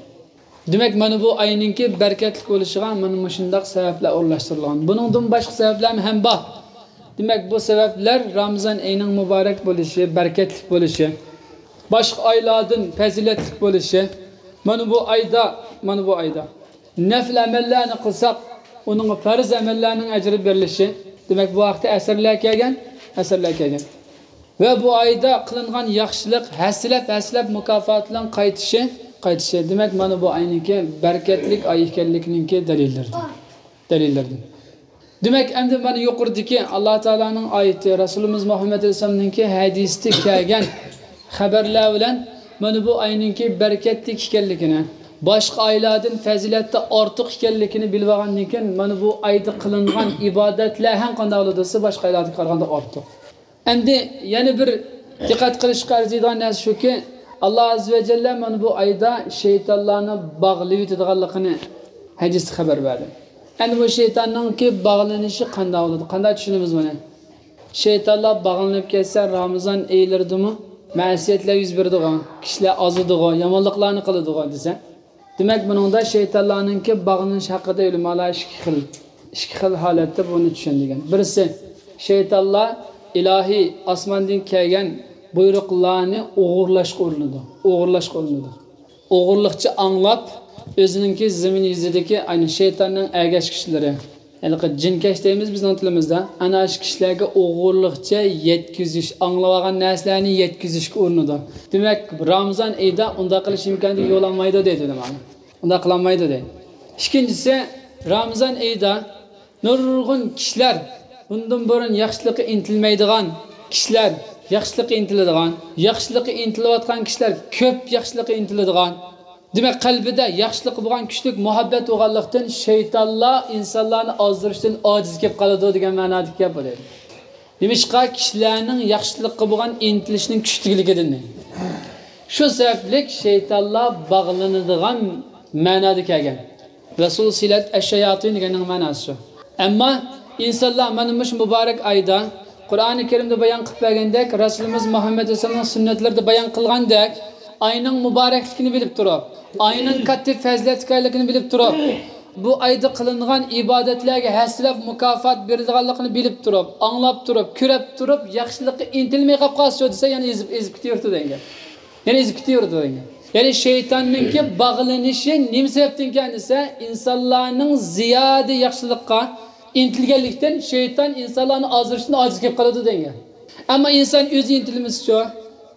دېمەك، مانا بۇ ئاينىڭكى بەرىكەتلىك بولۇشىغا مانا مۇشۇنداق سەۋەبلەر ئورۇنلاشتۇرۇلغان. بۇنىڭدىن باشقا سەۋەبلەرمۇ ھەم بار. دېمەك، بۇ سەۋەبلەر رامىزان ئېيىنىڭ مۇبارەك بولۇشى، بەرىكەتلىك بولۇشى، باشقا ئايلاردىن پەزىلەتلىك بولۇشى، مانا بۇ ئايدا، مانا بۇ ئايدا نەپلى ئەمەللەرنى قىلساق، ئۇنىڭغا پەرز ئەمەللەرنىڭ ئەجرى بېرىلىشى. دېمەك، بۇ ھەقتە ئەسەرلەر كەلگەن، ئەسەرلەر كەلگەن. ۋە بۇ ئايدا قىلىنغان ياخشىلىق ھەسسىلەپ-ھەسسىلەپ مۇكاپات بىلەن قايتىشى، قايتىشى. دېمەك، مانا بۇ ئاينىڭكى بەرىكەتلىك ئاي ئىكەنلىكىنىڭكى دەلىللىرىدىن. دەلىللىرىدىن. دېمەك، ئەمدى مانا يۇقىرىدىكى ئاللا تائالانىڭ ئايىتى، رەسۇلىمىز مۇھەممەد ئەلەيھىسسالامنىڭكى ھەدىسىدە كەلگەن خەۋەرلەر بىلەن مانا بۇ ئاينىڭكى بەرىكەتلىك ئىكەنلىكىنى، باشقا ئايلاردىن پەزىلەتتە ئارتۇق ئىكەنلىكىنى بىلىۋالغاندىن كېيىن، مانا بۇ ئايدا قىلىنغان ئىبادەتلەر ھەم قانداق بولىدۇ دېسە، باشقا ئايلاردىكىگە قارىغاندا ئارتۇق. ئەمدى يەنە بىر دىققەت قىلىشقا ئەرزىيدىغان نەرسە شۇكى، ئاللا ئەززە ۋە جەللە مانا بۇ ئايدا شەيتانلارنى باغلىۋېتىدىغانلىقىنى ھەدىستە خەۋەر بەردى. ئەمدى بۇ شەيتاننىڭكى باغلىنىشى قانداق بولىدۇ؟ قانداق چۈشىنىمىز بۇنى؟ شەيتانلار باغلىنىپ كەتسە، رامىزان ئېيلىرىدىمۇ مەسىيەتلەر يۈز بېرىدىغۇ، كىشىلەر ئازىدىغۇ، يامانلىقلارنى قىلىدىغۇ دېسە، دېمەك، بۇنىڭدا شەيتانلارنىڭكى باغلىنىش ھەققىدە ئۆلىمالار ئىككى خىل، ئىككى خىل ھالەتتە بۇنى چۈشەندۈرگەن. بىرسى، شەيتانلار ئىلاھىي ئاسماندىن كەلگەن بۇيرۇقلارنى ئوغرىلاشقا ئۇرۇنىدۇ، ئوغرىلاشقا ئۇرۇنىدۇ. ئوغرىلىقچە ئاڭلاپ، ئۆزىنىڭكى زېمىن يۈزىدىكى، ئەنە، شەيتاننىڭ ئەگەشكۈچىلىرى، ھېلىقى جىنكەش دەيمىز بىزنىڭ تىلىمىزدا، ئەنە شۇ كىشىلەرگە ئوغرىلىقچە يەتكۈزۈش، ئاڭلىۋالغان نەرسىلەرنى يەتكۈزۈشكە ئۇرۇنىدۇ. دېمەك، رامىزان ئېيىدا ئۇنداق قىلىش ئىمكانى يول ئالمايدۇ دەيدۇ ئۆلىمالار. ئۇنداق قىلالمايدۇ دەيدۇ. ئىككىنچىسى، رامىزان ئېيىدا نۇرغۇن كىشىلەر، بۇندىن بۇرۇن ياخشىلىققا ئىنتىلمەيدىغان كىشىلەر ياخشىلىققا ئىنتىلىدىغان، ياخشىلىققا ئىنتىلىۋاتقان كىشىلەر كۆپ ياخشىلىققا ئىنتىلىدىغان. دېمەك، قەلبىدە ياخشىلىققا بولغان كۈچلۈك مۇھەببەت بولغانلىقتىن، شەيتانلار ئىنسانلارنى ئازدۇرۇشتىن ئاجىز كېلىپ قالىدۇ دېگەن مەنادىكى گەپ بۇ دەيدۇ. نېمىشقا؟ كىشىلەرنىڭ ياخشىلىققا بولغان ئىنتىلىشىنىڭ كۈچلۈكلۈكىدىن. شۇ سەۋەبلىك شەيتانلار باغلىنىدىغان مەنادا كەلگەن. رەسۇل سىلەت ئەششاياتىن دېگەننىڭ مەناسى شۇ. ئەمما ئىنسانلار مانا مۇشۇ مۇبارەك ئايدا، قۇرئانى كەرىمدە بايان قىلىپ بەرگەندەك، رەسۇلىمىز مۇھەممەد ئەلەيھىسسالامنىڭ سۈننەتلىرىدە بايان قىلغاندەك، ئاينىڭ مۇبارەكلىكىنى بىلىپ تۇرۇپ، ئاينىڭ كاتتا پەزىلەتلىك ئىكەنلىكىنى بىلىپ تۇرۇپ، بۇ ئايدا قىلىنغان ئىبادەتلەرگە ھەسسىلەپ مۇكاپات بېرىلىدىغانلىقىنى بىلىپ تۇرۇپ، ئاڭلاپ تۇرۇپ، كۆرۈپ تۇرۇپ، ياخشىلىققا ئىنتىلمەي قاپ قالسىچۇ دېسە، يەنە ئېزىپ، ئېزىپ كېتىۋېرىدۇ دېگەن گەپ. يەنە ئېزىپ كېتىۋېرىدۇ دېگەن گەپ. يەنى شەيتاننىڭكى باغلىنىشى نېمە سەۋەبتىنكەن دېسە، ئىنسانلارنىڭ زىيادە ياخشىلىققا ئىنتىلگەنلىكتىن، شەيتان ئىنسانلارنى ئازدۇرۇشتىن ئاجىز كېلىپ قالىدۇ دېگەن گەپ. ئەمما ئىنسان ئۆزى ئىنتىلمىسىچۇ،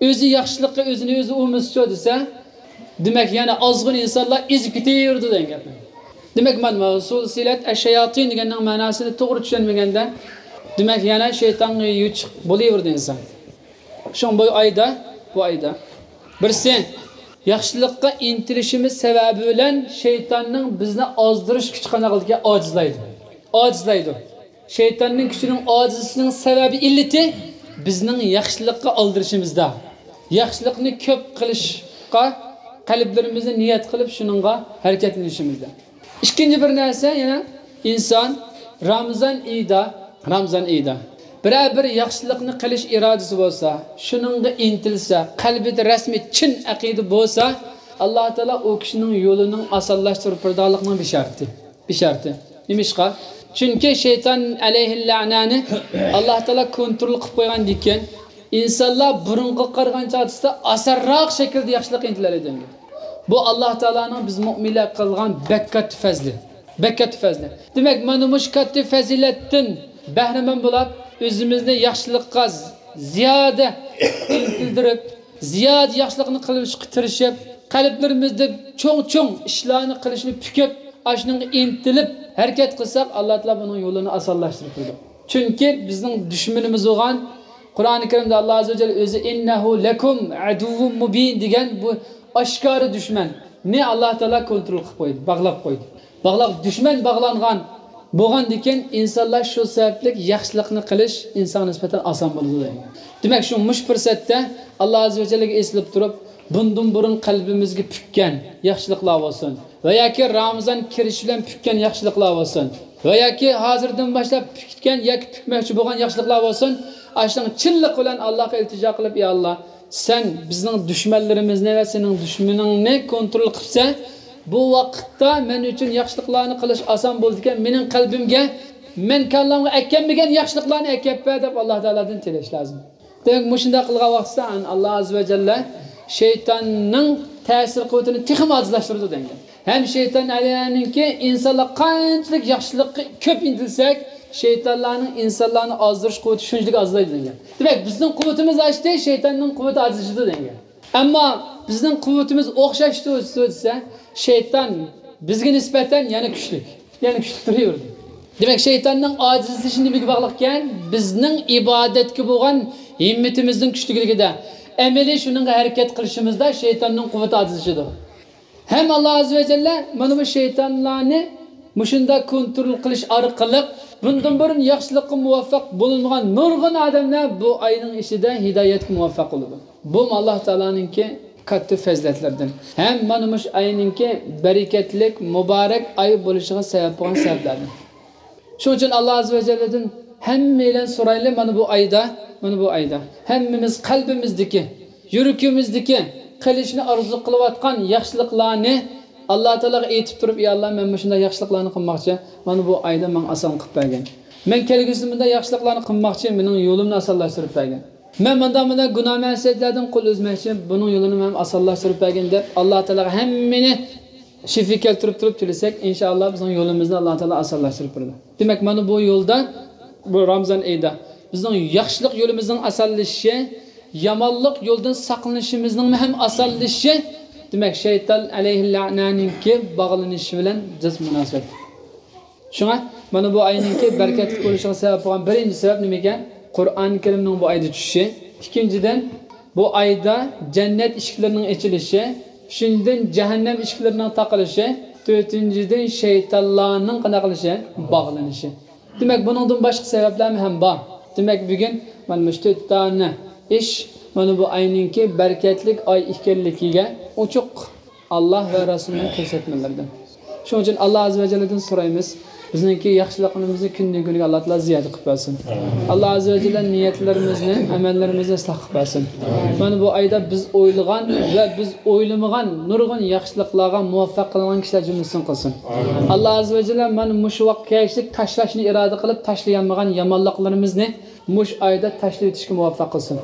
ئۆزى ياخشىلىققا ئۆزىنى ئۆزى ئۇرمىسىچۇ دېسە، دېمەك، يەنە ئازغۇن ئىنسانلار ئېزىپ كېتىۋېرىدۇ دېگەن گەپ. دېمەك، مانا سۇلسىلەت ئەششاياتىن دېگەننىڭ مەناسىنى توغرا چۈشەنمىگەندە، دېمەك، يەنە شەيتانغا يۈچۈك بولۇۋېرىدۇ ئىنسان. شۇڭا بۇ ئايدا، بۇ ئايدا، بىرسى، ياخشىلىققا ئىنتىلىشىمىز سەۋەبى بىلەن شەيتاننىڭ بىزنى ئازدۇرۇش كۈچى قانداق قىلىدىكەن؟ ئاجىزلايدۇ. ئاجىزلايدۇ. شەيتاننىڭ كۈچىنىڭ ئاجىزلىشىنىڭ سەۋەبى، ئىللىتى بىزنىڭ ياخشىلىققا ئالدىرىشىمىزدا، ياخشىلىقنى كۆپ قىلىشقا قەلبلىرىمىزنى نىيەت قىلىپ، شۇنىڭغا ھەرىكەتلىنىشىمىزدا. ئىككىنچى بىر نەرسە، يەنە ئىنسان رامىزان ئېيىدا، رامىزان ئېيىدا بىرەر بىر ياخشىلىقنى قىلىش ئىرادىسى بولسا، شۇنىڭغا ئىنتىلسە، قەلبىدە رەسمىي چىن ئەقىدە بولسا، ئاللا تائالا ئۇ كىشىنىڭ يولىنىڭ ئاسانلاشتۇرۇپ بېرىدىغانلىقىنىڭ بېشارىتى. بىشارىتى. نېمىشقا؟ چۈنكى شەيتان ئەلەيھىللەنەنى ئاللا تائالا كونترول قىلىپ قويغاندىكىن، ئىنسانلار بۇرۇنقىغا قارىغان چاغدا ئاسانراق شەكىلدە ياخشىلىققا ئىنتىلەلەيدۇ. بۇ ئاللا تائالانىڭ بىز مۆمىنلەرگە قىلغان بەك كاتتا پەزلى. بەك كاتتا پەزلى. دېمەك، مانا مۇشۇ كاتتا پەزىلەتتىن بەھرىمەن بولاپ، ئۆزىمىزنى ياخشىلىققا زىيادە ئىنتىلدۈرۈپ، زىيادە ياخشىلىقنى قىلىشقا تىرىشىپ، قەلبلىرىمىزدە چوڭ-چوڭ ئىشلارنى قىلىشنى پۈكۈپ، ئاشۇنىڭغا ئىنتىلىپ ھەرىكەت قىلساق، ئاللا تائالا بۇنىڭ يولىنى ئاسانلاشتۇرۇپ بېرىدۇ. چۈنكى بىزنىڭ دۈشمىنىمىز بولغان، قۇرئانى كەرىمدە ئاللا ئەززە ۋە جەللە ئۆزى «ئىننەھۇ لەكۇم ئەدۇۋۋۇم مۇبىن» دېگەن بۇ ئاشكارا دۈشمەننى ئاللا تائالا كونترول قىلىپ قويدى، باغلاپ قويدى. باغلاپ، دۈشمەن باغلانغان بولغاندىكىن، ئىنسانلار شۇ سەۋەبلىك ياخشىلىقنى قىلىش ئىنسانغا نىسبەتەن ئاسان بولىدۇ دەيدۇ. دېمەك، شۇ مۇشۇ پۇرسەتتە ئاللا ئەززە ۋە جەللەگە ئېسىلىپ تۇرۇپ، بۇندىن بۇرۇن قەلبىمىزگە پۈككەن ياخشىلىقلار بولسۇن ۋە ياكى رامىزان كىرىشى بىلەن پۈككەن ياخشىلىقلار بولسۇن ۋە ياكى ھازىردىن باشلاپ پۈككەن ياكى پۈكمەكچى بولغان ياخشىلىقلار بولسۇن، ئاشۇنىڭ چىنلىق بىلەن ئاللاغا ئىلتىجا قىلىپ، يا ئاللا، سەن بىزنىڭ دۈشمەنلىرىمىزنى ۋە سېنىڭ دۈشمىنىڭنى كونترول قىلسا، بۇ ۋاقىتتا مەن ئۈچۈن ياخشىلىقلارنى قىلىش ئاسان بولىدىكەن، مېنىڭ قەلبىمگە مەن كاللامغا ئەكەلمىگەن ياخشىلىقلارنى ئەكەپ بەر دەپ ئاللا تائالادىن تىلەش لازىم. دېمەك، مۇشۇنداق قىلغان ۋاقتىدا ئاللا ئەززە ۋە جەللە شەيتاننىڭ تەسىر قۇۋۋىتىنى تېخىمۇ ئاجىزلاشتۇرىدۇ دەيدۇ. ھەم شەيتان ئەلەيھىنىڭكى ئىنسانلار قانچىلىك ياخشىلىققا كۆپ ئىنتىلسەك، شەيتانلارنىڭ ئىنسانلارنى ئازدۇرۇش قۇۋۋىتى شۇنچىلىك ئازلايدۇ دەيدۇ. دېمەك، بىزنىڭ قۇۋۋىتىمىز ئاشتى، شەيتاننىڭ قۇۋۋىتى ئاجىزلىشىدۇ دەيدۇ. ئەمما بىزنىڭ قۇۋۋىتىمىز ئوخشاش تۇرسا دېسە، شەيتان بىزگە نىسبەتەن يەنە كۈچلۈك، يەنە كۈچلۈك تۇرۇۋېرىدۇ. دېمەك، شەيتاننىڭ ئاجىزلىشى نېمىگە باغلىقكەن؟ بىزنىڭ ئىبادەتكە بولغان ھىممىتىمىزنىڭ كۈچلۈكلۈكىدە. ئەمەلىي شۇنىڭغا ھەرىكەت قىلىشىمىزدا شەيتاننىڭ قۇۋۋىتى ئاجىزلىشىدۇ. ھەم ئاللا ئاززە ۋە جەللە مانا بۇ شەيتانلارنى مۇشۇنداق كونترول قىلىش ئارقىلىق بۇندىن بۇرۇن ياخشىلىققا مۇۋەپپەق بولۇنمىغان نۇرغۇن ئادەملەر بۇ ئاينىڭ ئىچىدە ھىدايەتكە مۇۋەپپەق بولىدۇ. بۇمۇ ئاللا تائالانىڭكى كاتتا پەزىلەتلىرىدىن ھەم مانا مۇشۇ ئاينىڭكى بەرىكەتلىك، مۇبارەك ئاي بولۇشىغا سەۋەب بولغان سەۋەبلەردىن. شۇنىڭ ئۈچۈن ئاللا ئاززە ۋە جەللىدىن ھەممەيلەن سورايلى، مانا بۇ ئايدا، مانا بۇ ئايدا ھەممىمىز قەلبىمىزدىكى، يۈرىكىمىزدىكى قىلىشنى ئارزۇ قىلىۋاتقان ياخشىلىقلارنى ئاللا تائالاغا ئېيتىپ تۇرۇپ، يا ئاللا، مەن مۇشۇنداق ياخشىلىقلارنى قىلماقچى، مانا بۇ ئايدا ماڭا ئاسان قىلىپ بەرگىن. مەن كەلگۈسىدە مۇنداق ياخشىلىقلارنى قىلماقچى، مېنىڭ يولۇمنى ئاسانلاشتۇرۇپ بەرگىن. مەن مۇنداق، مۇنداق گۇناھ مەسىيەتلەردىن قول ئۈزمەكچى، بۇنىڭ يولىنى مەن ئاسانلاشتۇرۇپ بەرگىن دەپ، ئاللا تائالاغا ھەممىنى شىفا كەلتۈرۈپ تۇرۇپ تىلىسەك، ئىنشائاللا بىزنىڭ يولىمىزنى ئاللا تائالا ئاسانلاشتۇرۇپ بېرىدۇ. دېمەك، مانا بۇ يولدا، بۇ رامزان ئېيىدا بىزنىڭ ياخشىلىق يولىمىزنىڭ ئاسانلىشىشى، يامانلىق يولدىن ساقلىنىشىمىزنىڭمۇ ھەم ئاسانلىشىشى، دېمەك، شەيتان ئەلەيھىللەئنەنىڭكى باغلىنىشى بىلەن جىق مۇناسىۋەتلىك. شۇڭا مانا بۇ ئاينىڭكى بەرىكەتلىك بولۇشىغا سەۋەب بولغان بىرىنچى سەۋەب نېمە ئىكەن؟ قۇرئان كەرىمنىڭ بۇ ئايدا چۈشۈشى. ئىككىنچىدىن، بۇ ئايدا جەننەت ئىشىكلىرىنىڭ ئېچىلىشى. ئۈچىنچىدىن، جەھەننەم ئىشىكلىرىنىڭ تاقىلىشى. تۆتىنچىدىن، شەيتانلارنىڭ قانداق قىلىشى؟ باغلىنىشى. دېمەك، بۇنىڭدىن باشقا سەۋەبلەرمۇ ھەم بار. دېمەك، بۈگۈن مانا مۇشۇ تۆت دانە ئىش مانا بۇ ئاينىڭكى بەرىكەتلىك ئاي ئىكەنلىكىگە ئوچۇق ئاللا ۋە رەسۇلنىڭ كۆرسەتمىلىرىدىن. شۇنىڭ ئۈچۈن ئاللا ئاززە ۋە جەللىدىن سورايمىز، بىزنىڭكى ياخشىلىقلىرىمىزنى كۈندىن-كۈنگە ئاللا تائالا زىيادە قىلىپ بەرسۇن. ئاللا ئاززە ۋە جەللە نىيەتلىرىمىزنى، ئەمەللىرىمىزنى ئىسلاھ قىلىپ بەرسۇن. مانا بۇ ئايدا بىز ئويلىغان ۋە بىز ئويلىمىغان نۇرغۇن ياخشىلىقلارغا مۇۋەپپەق قىلىنغان كىشىلەر جۈملىسىدىن قىلسۇن. ئاللا ئاززە ۋە جەللە مانا مۇشۇ ۋاقىتقا كەچلىك تاشلاشنى ئىرادە قىلىپ تاشلىيالمىغان يامانلىقلىرىمىزنى مۇشۇ ئايدا تاشلىۋېتىشكە مۇۋەپپەق قىلسۇن.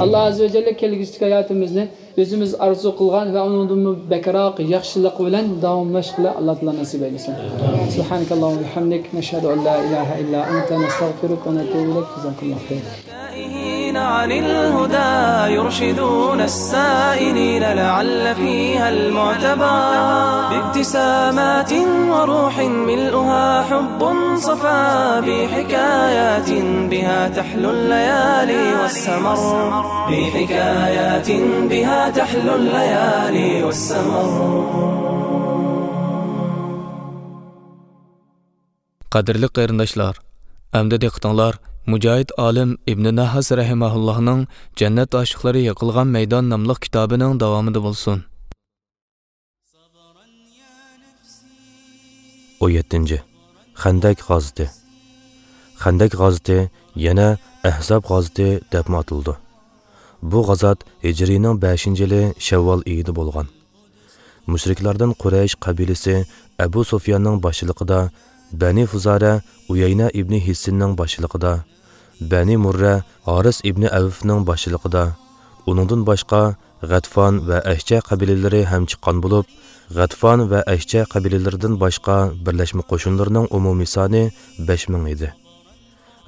ئاللا ئاززە ۋە جەللە كەلگۈسىدىكى ھاياتىمىزنى ئۆزىمىز ئارزۇ قىلغان ۋە ئۇنىڭدىنمۇ بەكرەك ياخشىلىق بىلەن داۋاملاشقىلى ئاللا تائالا نېسىپ ئەيلىسۇن. سبحانك اللهم وبحمدك، نشهد أن لا إله إلا أنت، نستغفرك ونتوب إليك. جزاكم الله خيرا. تائهين عن الهدى يرشدون السائلين لعل فيها المعتبر. بابتسامات وروح ملؤها حب صفا بحكايات بها تحلو الليالي والسمر. بحكايات بها تحلو الليالي والسمر. قەدىرلىك قېرىنداشلار، ئەمدى دىققىتىڭلار مۇجاھىد ئالىم ئىبنى نەھاس رەھىمەھۇللاھنىڭ جەننەت ئاشىقلىرى يىغىلغان مەيدان ناملىق كىتابىنىڭ داۋامىدا بولسۇن. ئون يەتتىنچى، خەندەك غازىتى. خەندەك غازىتى يەنە ئەھزاب غازىتى دەپمۇ ئاتىلىدۇ. بۇ غازات ھىجرىينىڭ بەشىنچى يىلى شەۋۋال ئېيىدا بولغان. مۇشرىكلاردىن قۇرەيش قەبىلىسى ئەبۇ سۇفياننىڭ باشچىلىقىدا، بەنى فۇزارە ئۇيەينە ئىبنى ھىسسىننىڭ باشچىلىقىدا، بەنى مۇررە ھارىس ئىبنى ئەۋفنىڭ باشچىلىقىدا، ئۇنىڭدىن باشقا غەتفان ۋە ئەشجە قەبىلىلىرى ھەم چىققان بولۇپ، غەتفان ۋە ئەشجە قەبىلىلىرىدىن باشقا بىرلەشمە قوشۇنلىرىنىڭ ئومۇمىي سانى بەش مىڭ ئىدى.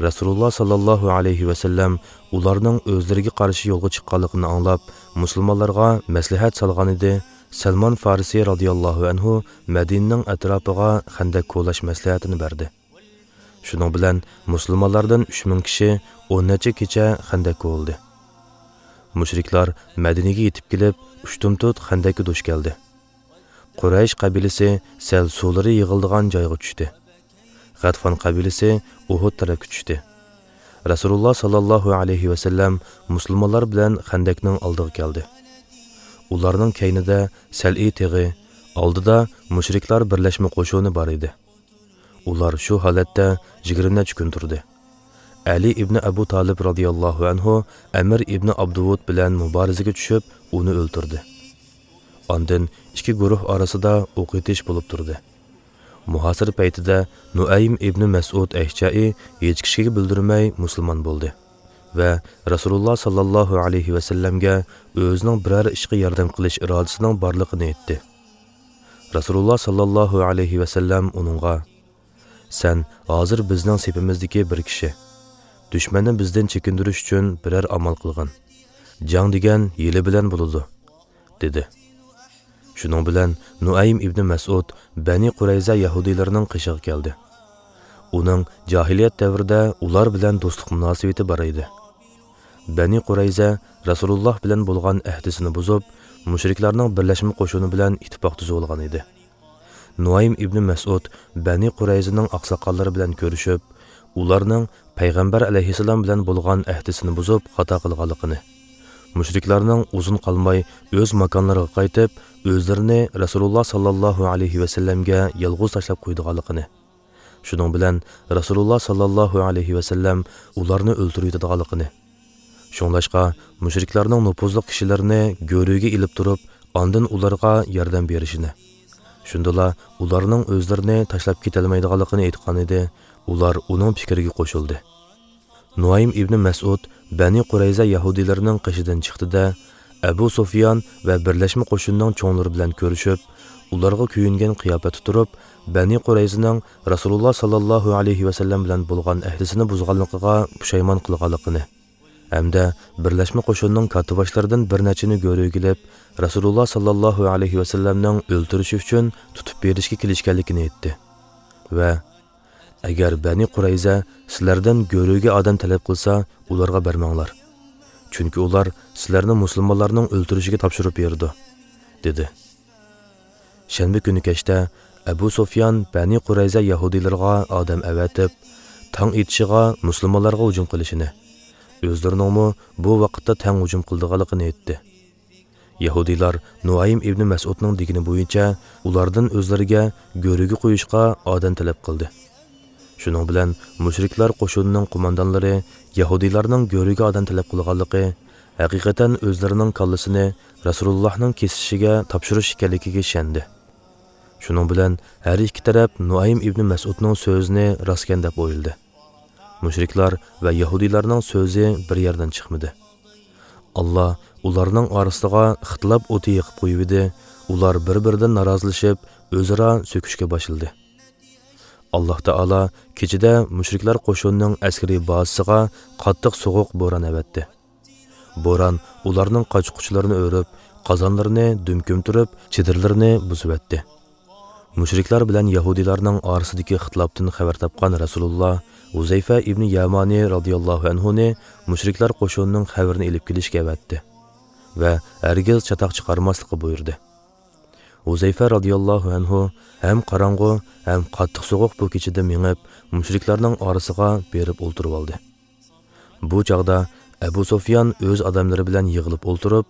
رەسۇلۇللا ساللاللاھۇ ئەلەيھى ۋەسەللەم ئۇلارنىڭ ئۆزلىرىگە قارشى يولغا چىققانلىقىنى ئاڭلاپ، مۇسۇلمانلارغا مەسلىھەت سالغانىدى، سەلمان فارسى رازىياللاھۇ ئەنھۇ مەدىنىنىڭ ئەتراپىغا خەندەك كولاش مەسلىھەتىنى بەردى. شۇنىڭ بىلەن مۇسۇلمانلاردىن ئۈچ مىڭ كىشى ئون نەچچە كېچە خەندەك كولىدى. مۇشرىكلار مەدىنىگە يېتىپ كېلىپ، ئۇشتۇمتۇت خەندەككە دۇچ كەلدى. قۇرەيش قەبىلىسى سەل سۇلىرى يىغىلىدىغان جايغا چۈشتى. غەتفان قەبىلىسى ئۇھۇد تەرەپكە چۈشتى. رەسۇلۇللا ساللاللاھۇ ئەلەيھى ۋەسەللەم مۇسۇلمانلار بىلەن خەندەكنىڭ ئالدىغا كەلدى. ئۇلارنىڭ كەينىدە سەلئى تېغى، ئالدىدا مۇشرىكلار بىرلەشمە قوشۇنى بار ئىدى. ئۇلار شۇ ھالەتتە يىگىرمە نەچچە كۈن تۇردى. ئەلى ئىبنى ئەبۇ تالىپ رازىياللاھۇ ئەنھۇ ئەمىر ئىبنى ئابدۇۋۇد بىلەن مۇبارىزىگە چۈشۈپ، ئۇنى ئۆلتۈردى. ئاندىن ئىككى گۇرۇھ ئارىسىدا ئوق ئېتىش بولۇپ تۇردى. مۇھاسىرە پەيتىدە نۇئەيم ئىبنى مەسئۇد ئەشجەئى ھېچ كىشىگە بىلدۈرمەي مۇسۇلمان بولدى ۋە رەسۇلۇللا ساللاللاھۇ ئەلەيھى ۋەسەللەمگە ئۆزىنىڭ بىرەر ئىشقا ياردەم قىلىش ئىرادىسىنىڭ بارلىقىنى ئېيتتى. رەسۇلۇللا ساللاللاھۇ ئەلەيھى ۋەسەللەم ئۇنىڭغا، سەن ھازىر بىزنىڭ سېپىمىزدىكى بىر كىشى. دۈشمەننى بىزدىن چېكىندۈرۈش ئۈچۈن بىرەر ئامال قىلغىن. جەڭ دېگەن ھىيلە بىلەن بولىدۇ. دېدى. شۇنىڭ بىلەن نۇئەيم ئىبنى مەسئۇد بەنى قۇرەيزە يەھۇدىيلىرىنىڭ قېشىغا كەلدى. ئۇنىڭ جاھىلىيەت دەۋرىدە ئۇلار بىلەن دوستلۇق مۇناسىۋىتى بار ئىدى. بەنى قۇرەيزە رەسۇلۇللاھ بىلەن بولغان ئەھدىسىنى بۇزۇپ، مۇشرىكلارنىڭ بىرلەشمە قوشۇنى بىلەن ئىتتىپاق تۈزۈۋالغان ئىدى. نۇئەيم ئىبنى مەسئۇد بەنى قۇرەيزىنىڭ ئاقساقاللىرى بىلەن كۆرۈشۈپ، ئۇلارنىڭ پەيغەمبەر ئەلەيھىسسالام بىلەن بولغان ئەھدىسىنى بۇزۇپ خاتا قىلغانلىقىنى، مۇشرىكلارنىڭ ئۇزۇن قالماي ئۆز ماكانلىرىغا قايتىپ، ئۆزلىرىنى رەسۇلۇللاھ ساللاللاھۇ ئەلەيھى ۋەسەللەمگە يالغۇز تاشلاپ قويىدىغانلىقىنى، شۇنىڭ بىلەن رەسۇلۇللاھ ساللاللاھۇ ئەلەيھى ۋەسەللەم ئۇلارنى ئۆلتۈرۈۋېتىدىغانلىقىنى، شۇڭلاشقا مۇشرىكلارنىڭ نوپۇزلۇق كىشىلىرىنى گۆرۈگە ئېلىپ تۇرۇپ، ئاندىن ئۇلارغا ياردەم بېرىشىنى، شۇندىلا ئۇلارنىڭ ئۆزلىرىنى تاشلاپ كېتەلمەيدىغانلىقىنى ئېيتقانىدى، ئۇلار ئۇنىڭ پىكرىگە قوشۇلدى. نۇئەيم ئىبنى مەسئۇد بەنى قۇرەيزە يەھۇدىيلىرىنىڭ قېشىدىن چىقتى-دە، ئەبۇ سۇفيان ۋە بىرلەشمە قوشۇننىڭ چوڭلىرى بىلەن كۆرۈشۈپ، ئۇلارغا كۆيۈنگەن قىياپەتتە تۇرۇپ، بەنى قۇرەيزىنىڭ رەسۇلۇللاھ ساللاللاھۇ ئەلەيھى ۋەسەللەم بىلەن بولغان ئەھدىسىنى بۇزغانلىقىغا پۇشايمان قىلغانلىقىنى، ھەمدە بىرلەشمە قوشۇننىڭ كاتتىباشلىرىدىن بىر نەچچىنى گۆرۈگە ئېلىپ، رەسۇلۇللاھ ساللاللاھۇ ئەلەيھى ۋەسەللەمنىڭ ئۆلتۈرۈشى ئۈچۈن تۇتۇپ بېرىشكە كېلىشكەنلىكىنى ئېيتتى ۋە «ئەگەر بەنى قۇرەيزە سىلەردىن گۆرۈگە ئادەم تەلەپ قىلسا، ئۇلارغا بەرمەڭلار. چۈنكى ئۇلار سىلەرنى مۇسۇلمانلارنىڭ ئۆلتۈرۈشىگە تاپشۇرۇپ بېرىدۇ» دېدى. شەنبە كۈنى كەچتە ئەبۇ سۇفيان بەنى قۇرەيزە يەھۇدىيلىرىغا ئادەم ئەۋەتىپ، تاڭ ئېتىشىغا مۇسۇلمانلارغا ھۇجۇم قىلىشىنى، ئۆزلىرىنىڭمۇ بۇ ۋاقىتتا تەڭ ھۇجۇم قىلىدىغانلىقىنى ئېيتتى. يەھۇدىيلار نۇئەيم ئىبنى مەسئۇدنىڭ دېگىنى بويىچە ئۇلاردىن ئۆزلىرىگە گۆرۈگە قويۇشقا ئادەم تەلەپ قىلدى. شۇنىڭ بىلەن مۇشرىكلار قوشۇنىنىڭ قوماندانلىرى يەھۇدىيلارنىڭ گۆرۈگە ئادەم تەلەپ قىلغانلىقى، ھەقىقەتەن ئۆزلىرىنىڭ كاللىسىنى رەسۇلۇللاھنىڭ كېسىشىگە تاپشۇرۇش ئىكەنلىكىگە ئىشەندى. شۇنىڭ بىلەن ھەر ئىككى تەرەپ نۇئەيم ئىبنى مەسئۇدنىڭ سۆزىنى راستكەن دەپ ئويلىدى. مۇشرىكلار ۋە يەھۇدىيلارنىڭ سۆزى بىر يەردىن چىقمىدى. ئاللا ئۇلارنىڭ ئارىسىغا ئىختىلاپ ئوتى يېقىپ قويۇۋىدى، ئۇلار بىر-بىرىدىن نارازىلىشىپ، ئۆزئارا سۆكۈشكە باشلىدى. ئاللا تائالا كېچىدە مۇشرىكلار قوشۇنىنىڭ ئەسكىرىي بازىسىغا قاتتىق سوغۇق بوران ئەۋەتتى. بوران ئۇلارنىڭ قاچا-قۇچىلىرىنى ئۆرۈپ، قازانلىرىنى دۈم كۆمتۈرۈپ، چېدىرلىرىنى بۇزۇۋەتتى. مۇشرىكلار بىلەن يەھۇدىيلارنىڭ ئارىسىدىكى ئىختىلاپتىن خەۋەر تاپقان رەسۇلۇللا ھۇزەيفە ئىبنى يامانى رازىياللاھۇ ئەنھۇنى مۇشرىكلار قوشۇنىنىڭ خەۋىرىنى ئېلىپ كېلىشكە ئەۋەتتى ۋە ھەرگىز چاتاق چىقارماسلىققا بۇيرۇدى. ھۇزەيفە رازىياللاھۇ ئەنھۇ ھەم قاراڭغۇ، ھەم قاتتىق سوغۇق بۇ كېچىدە مېڭىپ، مۇشرىكلارنىڭ ئارىسىغا بېرىپ ئولتۇرۇۋالدى. بۇ چاغدا ئەبۇ سۇفيان ئۆز ئادەملىرى بىلەن يىغىلىپ ئولتۇرۇپ،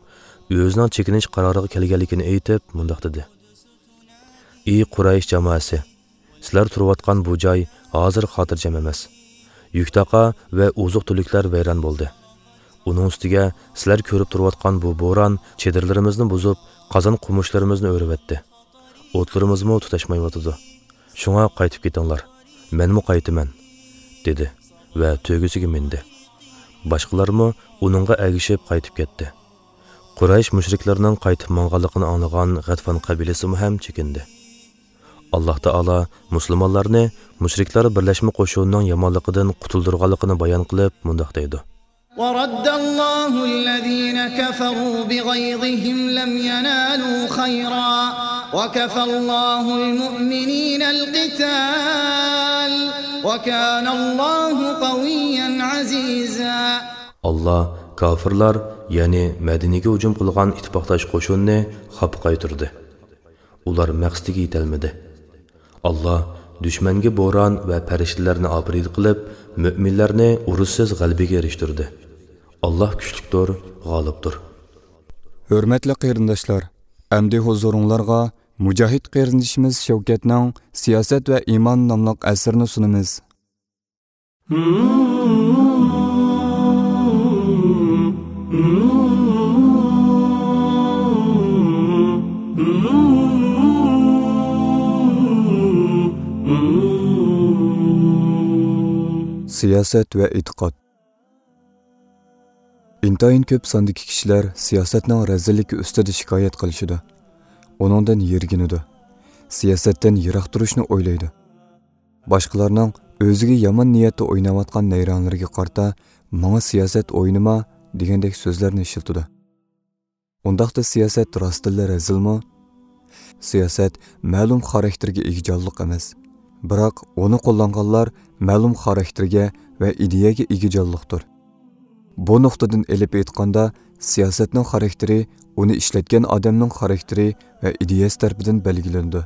ئۆزىنىڭ چېكىنىش قارارىغا كەلگەنلىكىنى ئېيتىپ، مۇنداق دېدى: «ئى قۇرەيش جامائەسى! سىلەر تۇرۇۋاتقان بۇ جاي ھازىر خاتىرجەم ئەمەس. يۈكتاقا ۋە ئوزۇق-تۈلۈكلەر ۋەيران بولدى. ئۇنىڭ ئۈستىگە سىلەر كۆرۈپ تۇرۇۋاتقان بۇ بوران چېدىرلىرىمىزنى بۇزۇپ، قازان-قومۇچلىرىمىزنى ئۆرۈۋەتتى. ئوتلىرىمىزمۇ تۇتاشمايۋاتىدۇ. شۇڭا قايتىپ كېتىڭلار، مەنمۇ قايتىمەن» دېدى ۋە تۆگىسىگە مىندى. باشقىلارمۇ ئۇنىڭغا ئەگىشىپ قايتىپ كەتتى. قۇرەيش مۇشرىكلىرىنىڭ قايتىپ ماڭغانلىقىنى ئاڭلىغان غەتفان قەبىلىسىمۇ ھەم چېكىندى. ئاللا تائالا مۇسۇلمانلارنى مۇشرىكلار بىرلەشمە قوشۇنىنىڭ يامانلىقىدىن قۇتۇلدۇرغانلىقىنى بايان قىلىپ مۇنداق دەيدۇ: ورد الله الذين كفروا بغيظهم لم ينالوا خيرا وكفى الله المؤمنين القتال وكان الله قويا عزيزا. ئاللا كافىرلار، يەنى مەدىنىگە ھۇجۇم قىلغان ئىتتىپاقداش قوشۇننى خاپا قايتۇردى. ئۇلار مەقسىتىگە يېتەلمىدى. ئاللا دۈشمەنگە بوران ۋە پەرىشتىلەرنى ئاپىرىدە قىلىپ، مۆمىنلەرنى ئۇرۇشسىز غەلىبىگە ئېرىشتۈردى. ئاللا كۈچلۈكتۇر، غالىبتۇر. ھۆرمەتلىك قېرىنداشلار، ئەمدى ھۇزۇرۇڭلارغا مۇجاھىد قېرىندىشىمىز شەۋكەتنىڭ سىياسەت ۋە ئىمان ناملىق ئەسىرىنى سۇنىمىز. سىياسەت ۋە ئېتىقاد. ئىنتايىن كۆپ ساندىكى كىشىلەر سىياسەتنىڭ رەزىللىكى ئۈستىدە شىكايەت قىلىشىدۇ، ئۇنىڭدىن يىرگىنىدۇ، سىياسەتتىن يىراق تۇرۇشنى ئويلايدۇ. باشقىلارنىڭ ئۆزىگە يامان نىيەتتە ئويناۋاتقان نەيرەڭلىرىگە قارىتا، «ماڭا سىياسەت ئوينىما» دېگەندەك سۆزلەرنى ئىشلىتىدۇ. ئۇنداقتا سىياسەت راستتىنلا رەزىلمۇ؟ سىياسەت مەلۇم خاراكتېرگە ئىگە جانلىق ئەمەس، بىراق ئۇنى قوللانغانلار مەلۇم خاراكتېرگە ۋە ئىدىيەگە ئىگە جانلىقتۇر. بۇ نۇقتىدىن ئېلىپ ئېيتقاندا، سىياسەتنىڭ خاراكتېرى ئۇنى ئىشلەتكەن ئادەمنىڭ خاراكتېرى ۋە ئىدىيەسى تەرىپىدىن بەلگىلىنىدۇ.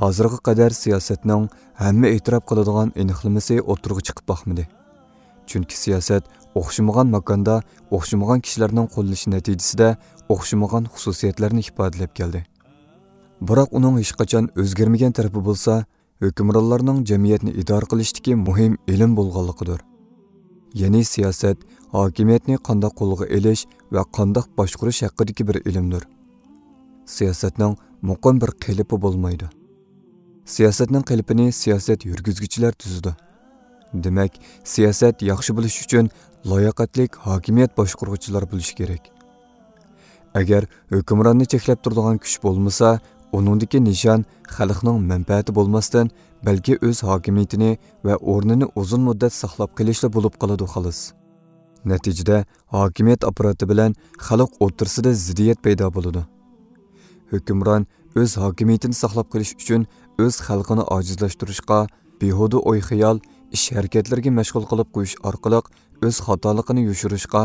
ھازىرغا قەدەر سىياسەتنىڭ ھەممە ئېتىراپ قىلىدىغان ئېنىقلىمىسى ئوتتۇرىغا چىقىپ باقمىدى. چۈنكى سىياسەت ئوخشىمىغان ماكاندا ئوخشىمىغان كىشىلەرنىڭ قوللىنىشى نەتىجىسىدە ئوخشىمىغان خۇسۇسىيەتلەرنى ئىپادىلەپ كەلدى. بىراق ئۇنىڭ ھېچقاچان ئۆزگەرمىگەن تەرىپى بولسا، ھۆكۈمرانلارنىڭ جەمئىيەتنى ئىدارە قىلىشتىكى مۇھىم ئىلىم بولغانلىقىدۇر. يەنى سىياسەت ھاكىمىيەتنى قانداق قولغا ئېلىش ۋە قانداق باشقۇرۇش ھەققىدىكى بىر ئىلىمدۇر. سىياسەتنىڭ مۇقىم بىر قېلىپى بولمايدۇ. سىياسەتنىڭ قېلىپىنى سىياسەت يۈرگۈزگۈچىلەر تۈزىدۇ. دېمەك، سىياسەت ياخشى بولۇش ئۈچۈن لاياقەتلىك ھاكىمىيەت باشقۇرغۇچىلار بولۇشى كېرەك. ئەگەر ھۆكۈمراننى چەكلەپ تۇرىدىغان كۈچ بولمىسا، ئۇنىڭدىكى نىشان خەلقنىڭ مەنپەئەتى بولماستىن، بەلكى ئۆز ھاكىمىيىتىنى ۋە ئورنىنى ئۇزۇن مۇددەت ساقلاپ قېلىشلا بولۇپ قالىدۇ، خالاس. نەتىجىدە، ھاكىمىيەت ئاپپاراتى بىلەن خەلق ئوتتۇرىسىدا زىددىيەت پەيدا بولىدۇ. ھۆكۈمران ئۆز ھاكىمىيىتىنى ساقلاپ قېلىش ئۈچۈن ئۆز خەلقىنى ئاجىزلاشتۇرۇشقا، بىھۇدە ئوي-خىيال، ئىش-ھەرىكەتلىرىگە مەشغۇل قىلىپ قويۇش ئارقىلىق ئۆز خاتالىقىنى يوشۇرۇشقا،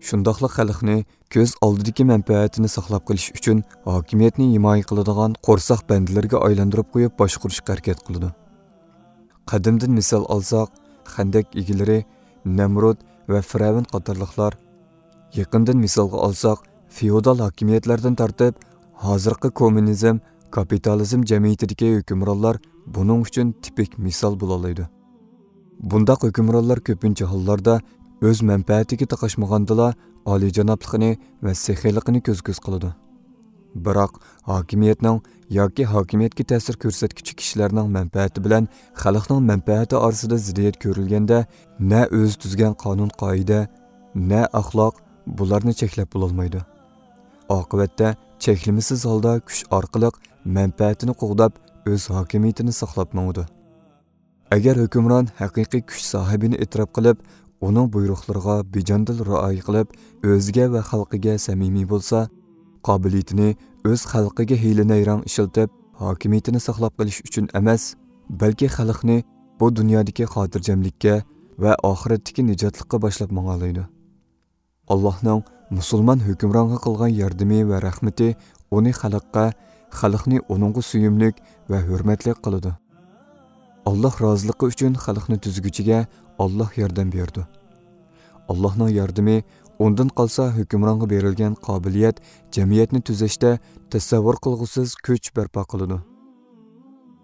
شۇنداقلا خەلقنى كۆز ئالدىدىكى مەنپەئەتىنى ساقلاپ قېلىش ئۈچۈن ھاكىمىيەتنى ھىمايە قىلىدىغان قورساق بەندىلىرىگە ئايلاندۇرۇپ قويۇپ باشقۇرۇشقا ھەرىكەت قىلىدۇ. قەدىمدىن مىسال ئالساق، خەندەك ئىگىلىرى نەمرۇد ۋە فىرئەۋن قاتارلىقلار. يېقىندىن مىسالغا ئالساق، فېئودال ھاكىمىيەتلەردىن تارتىپ، ھازىرقى كوممۇنىزم، كاپىتالىزم جەمئىيىتىدىكى ھۆكۈمرانلار بۇنىڭ ئۈچۈن تىپىك مىسال بولالايدۇ. بۇنداق ھۆكۈمرانلار كۆپىنچە ھاللاردا ئۆز مەنپەئەتىگە تاقاشمىغاندىلا، ئالىيجانابلىقىنى ۋە سېخىيلىقىنى كۆز-كۆز قىلىدۇ. بىراق، ھاكىمىيەتنىڭ ياكى ھاكىمىيەتكە تەسىر كۆرسەتكۈچى كىشىلەرنىڭ مەنپەئەتى بىلەن خەلقنىڭ مەنپەئەتى ئارىسىدا زىددىيەت كۆرۈلگەندە، نە ئۆزى تۈزگەن قانۇن-قائىدە، نە ئەخلاق بۇلارنى چەكلەپ بولالمايدۇ. ئاقىۋەتتە چەكلىمىسىز ھالدا كۈچ ئارقىلىق مەنپەئەتىنى قوغداپ، ئۆز ھاكىمىيىتىنى ساقلاپ ماڭىدۇ. ئەگەر ھۆكۈمران ھەقىقىي كۈچ ساھىبىنى ئېتىراپ قىلىپ، ئۇنىڭ بۇيرۇقلىرىغا بىجاندىل رىئايە قىلىپ، ئۆزىگە ۋە خەلقىگە سەمىمىي بولسا، قابىلىيىتىنى ئۆز خەلقىگە ھىيلە-نەيرەڭ ئىشلىتىپ، ھاكىمىيىتىنى ساقلاپ قېلىش ئۈچۈن ئەمەس، بەلكى خەلقنى بۇ دۇنيادىكى خاتىرجەملىككە ۋە ئاخىرەتتىكى نىجاتلىققا باشلاپ ماڭالايدۇ. ئاللاھنىڭ مۇسۇلمان ھۆكۈمرانغا قىلغان ياردىمى ۋە رەھمىتى ئۇنى خەلققە، خەلقنى ئۇنىڭغا سۆيۈملۈك ۋە ھۆرمەتلىك قىلىدۇ. ئاللاھ رازىلىقى ئۈچۈن خەلقنى تۈزگۈچىگە ئاللاھ ياردەم بېرىدۇ. ئاللاھنىڭ ياردىمى ئۇندىن قالسا ھۆكۈمرانغا بېرىلگەن قابىلىيەت جەمئىيەتنى تۈزەشتە تەسەۋۋۇر قىلغۇسىز كۈچ بەرپا قىلىدۇ.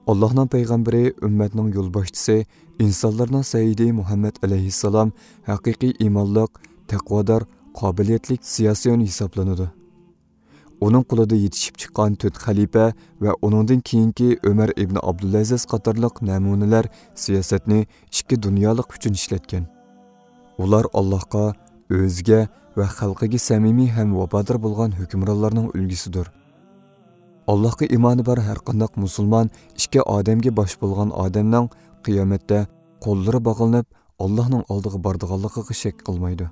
ئاللاھنىڭ پەيغەمبىرى، ئۈممەتنىڭ يولباشچىسى، ئىنسانلارنىڭ سەييىدى مۇھەممەد ئەلەيھىسسالام ھەقىقىي ئىمانلىق، تەقۋادار، قابىلىيەتلىك سىياسىيون ھېسابلىنىدۇ. ئۇنىڭ قولىدا يېتىشىپ چىققان تۆت خەلىپە ۋە ئۇنىڭدىن كېيىنكى ئۆمەر ئىبنى ئابدۇلئەزىز قاتارلىق نەمۇنىلەر سىياسەتنى ئىككى دۇنيالىق ئۈچۈن ئىشلەتكەن. ئۇلار ئاللاھقا، ئۆزىگە ۋە خەلقىگە سەمىمىي ھەم ۋاپادار بولغان ھۆكۈمرانلارنىڭ ئۈلگىسىدۇر. ئاللاھقا ئىمانى بار ھەرقانداق مۇسۇلمان ئىككى ئادەمگە باش بولغان ئادەمنىڭ قىيامەتتە قوللىرى باغلىنىپ، ئاللاھنىڭ ئالدىغا بارىدىغانلىقىغا شەك قىلمايدۇ.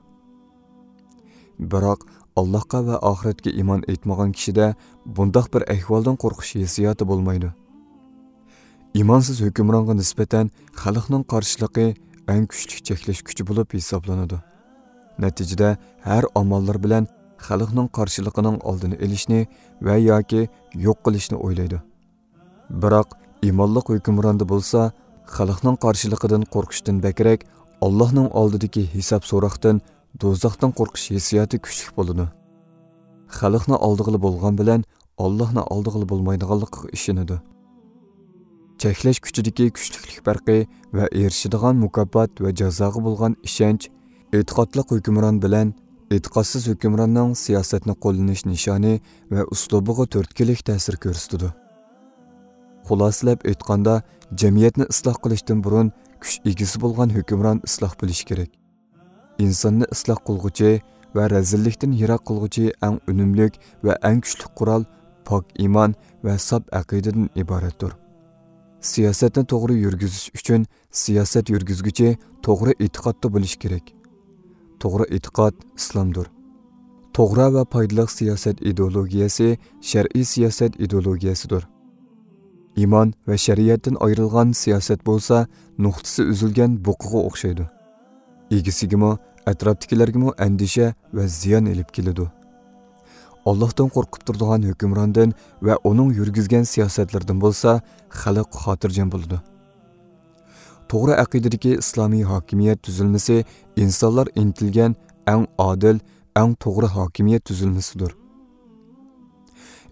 بىراق، ئاللاھقا ۋە ئاخىرەتكە ئىمان ئېيتمىغان كىشىدە بۇنداق بىر ئەھۋالدىن قورقۇش ھېسسىياتى بولمايدۇ. ئىمانسىز ھۆكۈمرانغا نىسبەتەن خەلقنىڭ قارشىلىقى ئەڭ كۈچلۈك چەكلەش كۈچى بولۇپ ھېسابلىنىدۇ. نەتىجىدە، ھەر ئاماللار بىلەن خەلقنىڭ قارشىلىقىنىڭ ئالدىنى ئېلىشنى ۋە ياكى يوق قىلىشنى ئويلايدۇ. بىراق، ئىمانلىق ھۆكۈمراندا بولسا، خەلقنىڭ قارشىلىقىدىن قورقۇشتىن بەكرەك، ئاللاھنىڭ ئالدىدىكى ھېساب سوراقتىن، دوزاختىن قورقۇش ھېسسىياتى كۈچلۈك بولىدۇ. خەلقنى ئالدىغىلى بولغان بىلەن، ئاللاھنى ئالدىغىلى بولمايدىغانلىقىغا ئىشىنىدۇ. چەكلەش كۈچىدىكى كۈچلۈكلۈك پەرقى ۋە ئېرىشىدىغان مۇكاپات ۋە جازاغا بولغان ئىشەنچ، ئېتىقادلىق ھۆكۈمران بىلەن ئېتىقادسىز ھۆكۈمراننىڭ سىياسەتنى قوللىنىش نىشانى ۋە ئۇسلۇبىغا تۈرتكىلىك تەسىر كۆرسىتىدۇ. خۇلاسىلەپ ئېيتقاندا، جەمئىيەتنى ئىسلاھ قىلىشتىن بۇرۇن كۈچ ئىگىسى بولغان ھۆكۈمران ئىسلاھ بولۇشى كېرەك. ئىنساننى ئىسلاھ قىلغۇچى ۋە رەزىللىكتىن يىراق قىلغۇچى ئەڭ ئۈنۈملۈك ۋە ئەڭ كۈچلۈك قورال پاك ئىمان ۋە ساپ ئەقىدىدىن ئىبارەتتۇر. سىياسەتنى توغرا يۈرگۈزۈش ئۈچۈن سىياسەت يۈرگۈزگۈچى توغرا ئېتىقادتا بولۇشى كېرەك. توغرا ئېتىقاد ئىسلامدۇر. توغرا ۋە پايدىلىق سىياسەت ئىدېئولوگىيەسى شەرئىي سىياسەت ئىدېئولوگىيەسىدۇر. ئىمان ۋە شەرىئەتتىن ئايرىلغان سىياسەت بولسا نۇقتىسى ئۈزۈلگەن بۇقىغا ئوخشايدۇ. ئىگىسىگىمۇ، ئەتراپتىكىلەرگىمۇ ئەندىشە ۋە زىيان ئېلىپ كېلىدۇ. ئاللاھتىن قورقۇپ تۇرىدىغان ھۆكۈمراندىن ۋە ئۇنىڭ يۈرگۈزگەن سىياسەتلىرىدىن بولسا خەلق خاتىرجەم بولىدۇ. توغرا ئەقىدىدىكى ئىسلامىي ھاكىمىيەت تۈزۈلمىسى ئىنسانلار ئىنتىلگەن ئەڭ ئادىل، ئەڭ توغرا ھاكىمىيەت تۈزۈلمىسىدۇر.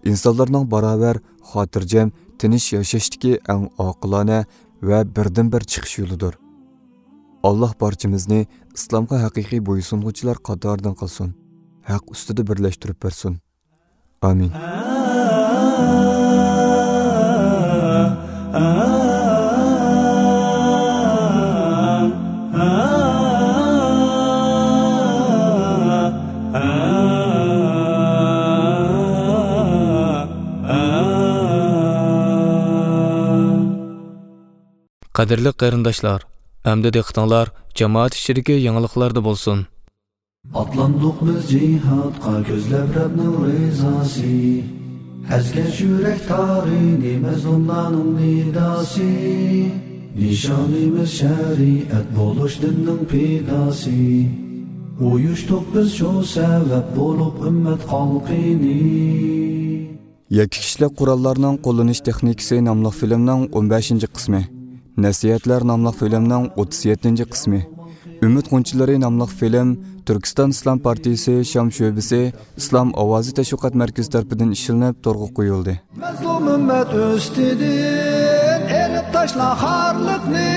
ئىنسانلارنىڭ باراۋەر، خاتىرجەم، تىنچ ياشاشتىكى ئەڭ ئاقىلانە ۋە بىردىنبىر چىقىش يولىدۇر. ئاللاھ بارچىمىزنى ئىسلامغا ھەقىقىي بويسۇنغۇچىلار قاتارىدىن قىلسۇن. ھەق ئۈستىدە بىرلەشتۈرۈپ بەرسۇن. ئامىن. قەدىرلىك قېرىنداشلار، ئەمدى دىققىتىڭلار جامائەت ئىچىدىكى يېڭىلىقلاردا بولسۇن. ئاتلاندۇق بىز جىھادقا، كۆزلەپ رەبنىڭ رىزاسى. ئەزگەش يۈرەك تارىنى، مەزلۇملارنىڭ نىداسى. نىشانىمىز شەرىئەت بولۇش، دىننىڭ پىداسى. ئۇيۇشتۇق بىز شۇ سەۋەب بولۇپ، ئۈممەت خەلقىنى. يەككە كىشىلىك قوراللارنىڭ قوللىنىش تېخنىكىسى ناملىق فىلىمنىڭ ئون بەشىنچى قىسمى، نەسىھەتلەر ناملىق فىلىمنىڭ ئوتتۇز يەتتىنچى قىسمى، ئۈمىد غۇنچىلىرى ناملىق فىلىم تۈركىستان ئىسلام پارتىيىسى شام شۆبىسى ئىسلام ئاۋازى تەشۋىقات مەركىزى تەرىپىدىن ئىشلىنىپ تورغا قويۇلدى. مەزلۇم ئۈممەت ئۈستىدىن ئېلىپ تاشلا خارلىقنى،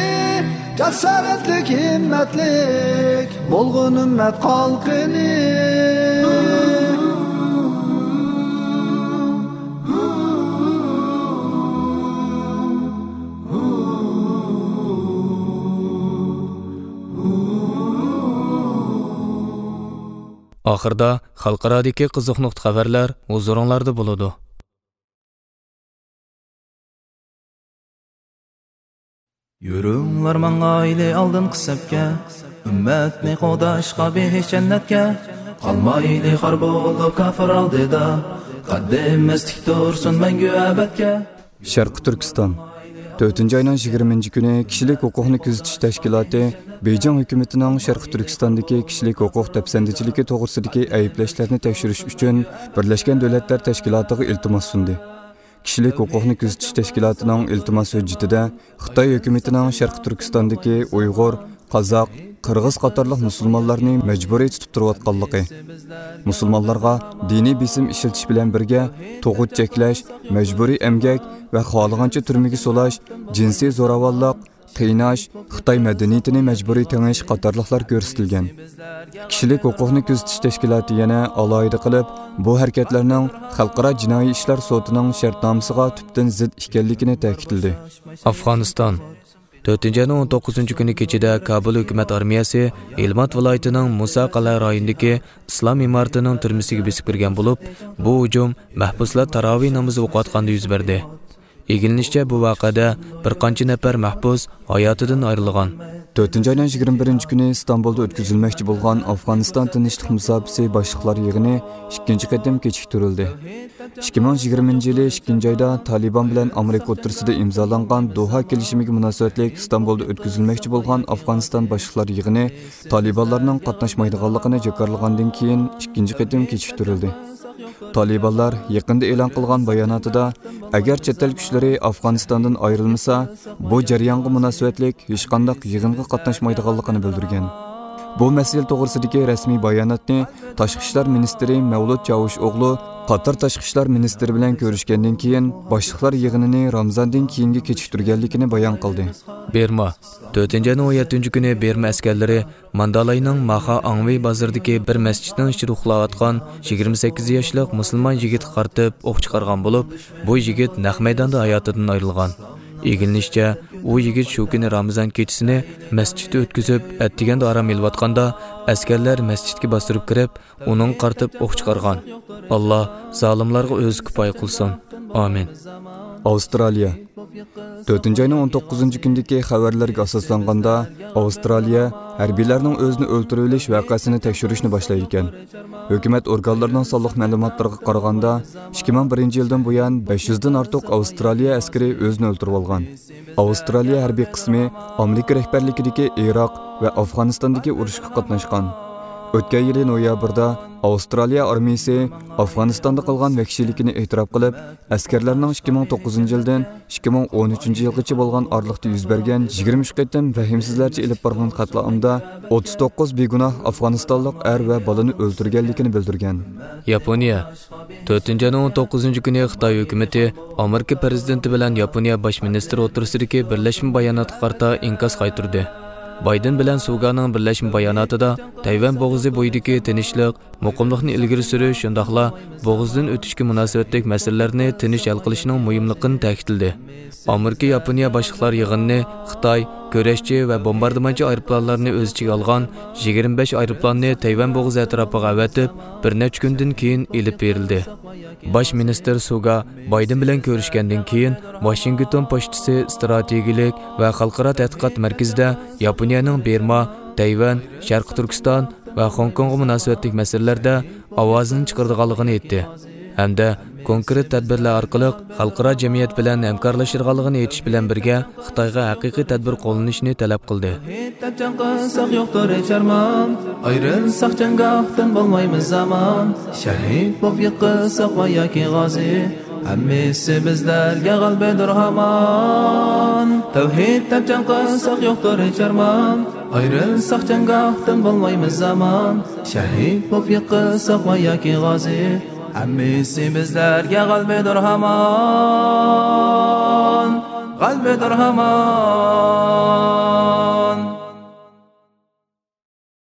جاسارەتلىك، ھىممەتلىك بولغىن ئۈممەت خەلقىنى. ئاخىرىدا خەلقئارادىكى قىزىق نۇقتا خەۋەرلەر ھۇزۇرۇڭلاردا بولىدۇ. يۈرۈڭلار ماڭايلى ئالدىنقى سەپكە، ئۈممەتنى قوغداشقا بېھىش جەننەتكە. قالمايلى خار بولۇپ كاپىر ئالدىدا، قەددىمىز تىك تۇرسۇن مەڭگۈ ئەبەدكە. شەرقىي تۈركىستان. تۆتىنچى ئاينىڭ يىگىرمىنچى كۈنى كىشىلىك ھوقۇقنى كۆزىتىش تەشكىلاتى بېيجىڭ ھۆكۈمىتىنىڭ شەرقىي تۈركىستاندىكى كىشىلىك ھوقۇق دەپسەندىچىلىكى توغرىسىدىكى ئەيىبلەشلەرنى تەكشۈرۈش ئۈچۈن بىرلەشكەن دۆلەتلەر تەشكىلاتىغا ئىلتىماس سۇندى. كىشىلىك ھوقۇقنى كۆزىتىش تەشكىلاتىنىڭ ئىلتىماس ھۆججىتىدە خىتاي ھۆكۈمىتىنىڭ شەرقىي تۈركىستاندىكى ئۇيغۇر، قازاق، قىرغىز قاتارلىق مۇسۇلمانلارنى مەجبۇرىي تۇتۇپ تۇرۇۋاتقانلىقى، مۇسۇلمانلارغا دىنىي بېسىم ئىشلىتىش بىلەن بىرگە تۇغۇت چەكلەش، مەجبۇرىي ئەمگەك ۋە خالىغانچە تۈرمىگە سولاش، جىنسىي زوراۋانلىق، قىيناش، خىتاي مەدەنىيىتىنى مەجبۇرىي تېڭىش قاتارلىقلار كۆرسىتىلگەن. كىشىلىك ھوقۇقنى كۆزىتىش تەشكىلاتى يەنە ئالاھىدە قىلىپ، بۇ ھەرىكەتلەرنىڭ خەلقئارا جىنايى ئىشلار سوتىنىڭ شەرتنامىسىغا تۈپتىن زىت ئىكەنلىكىنى تەكىتلىدى. ئافغانىستان. تۆتىنچى ئاينىڭ ئون توققۇزىنچى كۈنى كېچىدە كابۇل ھۆكۈمەت ئارمىيەسى ھىلمات ۋىلايىتىنىڭ مۇسا قەلئە رايونىدىكى ئىسلام ئىمارىتىنىڭ تۈرمىسىگە بېسىپ كىرگەن بولۇپ، بۇ ھۇجۇم مەھبۇسلار تاراۋىھ نامىزى ئوقۇۋاتقاندا يۈز بەردى. ئىگىلىنىشىچە، بۇ ۋەقەدە بىر قانچە نەپەر مەھبۇس ھاياتىدىن ئايرىلغان. تۆتىنچى ئاينىڭ يىگىرمە بىرىنچى كۈنى ئىستانبۇلدا ئۆتكۈزۈلمەكچى بولغان ئافغانىستان تىنچلىق مۇساپىسى باشلىقلار يىغىنى ئىككىنچى قېتىم كېچىكتۈرۈلدى. ئىككى مىڭ يىگىرمىنچى يىلى ئىككىنچى ئايدا تالىبان بىلەن ئامېرىكا ئوتتۇرىسىدا ئىمزالانغان دوھا كېلىشىمىگە مۇناسىۋەتلىك ئىستانبۇلدا ئۆتكۈزۈلمەكچى بولغان ئافغانىستان باشلىقلار يىغىنى تالىبانلارنىڭ قاتناشمايدىغانلىقىنى جاكارلىغاندىن كېيىن ئىككىنچى قېتىم كېچىكتۈرۈلدى. تالىبانلار يېقىندا ئېلان قىلغان باياناتىدا، ئەگەر چەت ئەل كۈچلىرى ئافغانىستاندىن ئايرىلمىسا، بۇ جەريانغا مۇناسىۋەتلىك ھېچقانداق يىغىنغا قاتناشمايدىغانلىقىنى بىلدۈرگەن. بۇ مەسىلە توغرىسىدىكى رەسمىي باياناتنى تاشقى ئىشلار مىنىستىرى مەۋلۇت چاۋۇشئوغلۇ قاتار تاشقى ئىشلار مىنىستىرى بىلەن كۆرۈشكەندىن كېيىن باشلىقلار يىغىنىنى رامىزاندىن كېيىنگە كېچىكتۈرگەنلىكىنى بايان قىلدى. بېرما. تۆتىنچى ئاينىڭ ئون يەتتىنچى كۈنى بېرما ئەسكەرلىرى ماندالاينىڭ ماخا ئاڭۋېي بازىرىدىكى بىر مەسچىتنىڭ ئىچىدە ئۇخلاۋاتقان يىگىرمە سەككىز ياشلىق مۇسۇلمان يىگىتكە قارىتىپ ئوق چىقارغان بولۇپ، بۇ يىگىت نەق مەيداندا ھاياتىدىن ئايرىلغان. ئىگىلىنىشىچە، ئۇ يىگىت شۇ كۈنى رامىزان كېچىسىنى مەسچىتتە ئۆتكۈزۈپ، ئەتىگەندە ئارام ئېلىۋاتقاندا، ئەسكەرلەر مەسچىتكە باستۇرۇپ كىرىپ، ئۇنىڭغا قارىتىپ ئوق چىقارغان. ئاللا زالىملارغا ئۆزى كۇپايە قىلسۇن. ئامىن. ئاۋسترالىيە. تۆتىنچى ئاينىڭ ئون توققۇزىنچى كۈنىدىكى خەۋەرلەرگە ئاساسلانغاندا، ئاۋسترالىيە ھەربىيلەرنىڭ ئۆزىنى ئۆلتۈرۈۋېلىش ۋەقەسىنى تەكشۈرۈشنى باشلايدىكەن. ھۆكۈمەت ئورگانلىرىنىڭ سانلىق مەلۇماتلىرىغا قارىغاندا، ئىككى مىڭ بىرىنچى يىلدىن بۇيان بەش يۈزدىن ئارتۇق ئاۋسترالىيە ئەسكىرى ئۆزىنى ئۆلتۈرۈۋالغان. ئاۋسترالىيە ھەربىي قىسمى ئامېرىكا رەھبەرلىكىدىكى ئىراق ۋە ئافغانىستاندىكى ئۇرۇشقا قاتناشقان. ئۆتكەن يىلى نويابىردا ئاۋسترالىيە ئارمىيىسى ئافغانىستاندا قىلغان ۋەھشىيلىكىنى ئېتىراپ قىلىپ، ئەسكەرلەرنىڭ ئىككى مىڭ توققۇزىنچى يىلدىن ئىككى مىڭ ئون ئۈچىنچى يىلغىچە بولغان ئارىلىقتا يۈز بەرگەن يىگىرمە ئۈچ قېتىم رەھىمسىزلەرچە ئېلىپ بارغان قەتلىئامدا ئوتتۇز توققۇز بىگۇناھ ئافغانىستانلىق ئەر ۋە بالىنى ئۆلتۈرگەنلىكىنى بىلدۈرگەن. ياپونىيە. تۆتىنچى ئاينىڭ ئون توققۇزىنچى كۈنى خىتاي ھۆكۈمىتى ئامېرىكا پىرېزىدېنتى بىلەن ياپونىيە باش مىنىستىرى ئوتتۇرىسىدىكى بىرلەشمە باياناتقا قارىتا ئىنكاس قايتۇردى. بايدېن بىلەن سۇگانىڭ بىرلەشمە باياناتىدا تەيۋەن بوغۇزى بويىدىكى تىنچلىق، مۇقىملىقنى ئىلگىرى سۈرۈش، شۇنداقلا بوغۇزدىن ئۆتۈشكە مۇناسىۋەتلىك مەسىلىلەرنى تىنچ ھەل قىلىشنىڭ مۇھىملىقىنى تەكىتلىدى. ئامېرىكا ياپونىيە باشلىقلار يىغىنىنى خىتاي كۈرەشچى ۋە بومباردىمانچى ئايروپىلانلارنى ئۆز ئىچىگە ئالغان يىگىرمە بەش ئايروپىلاننى تەيۋەن بوغۇزى ئەتراپىغا ئەۋەتىپ، بىر نەچچە كۈندىن كېيىن ئېلىپ بېرىلدى. باش مىنىستىر سۇگا بايدېن بىلەن كۆرۈشكەندىن كېيىن، ۋاشىنگتون پوچتىسى ئىستراتېگىيىلىك ۋە خەلقئارا تەتقىقات مەركىزىدە ياپونىيەنىڭ بىرما، تەيۋەن، شەرقىي تۈركىستان ۋە خوڭكوڭغا مۇناسىۋەتلىك مەسىلىلەردە ئاۋازىنى چىقىرىدىغانلىقىنى ئېيتتى ھەمدە كونكرېت تەدبىرلەر ئارقىلىق خەلقئارا جەمئىيەت بىلەن ھەمكارلىشىدىغانلىقىنى ئېيتىش بىلەن بىرگە، خىتايغا ھەقىقىي تەدبىر قوللىنىشنى تەلەپ قىلدى. دەپ جەڭ قىلساق يوقتۇر ھېچ ئارمان، ئايرىلساق جەڭگاھتىن بولمايمىز ئامان. شەھىد بولۇپ يىقىلساق ۋە ياكى غازى، ھەممىسى بىزلەرگە غەلىبىدۇر ھامان. تەۋھىد دەپ جەڭ قىلساق يوقتۇر ھېچ ئارمان، ئايرىلساق جەڭگاھتىن بولمايمىز ئامان. شەھىد بولۇپ يىقىلساق ۋە ياكى غازى، ھەممىسى بىزلەرگە غەلىبىدۇر ھامان، غەلىبىدۇر ھامان.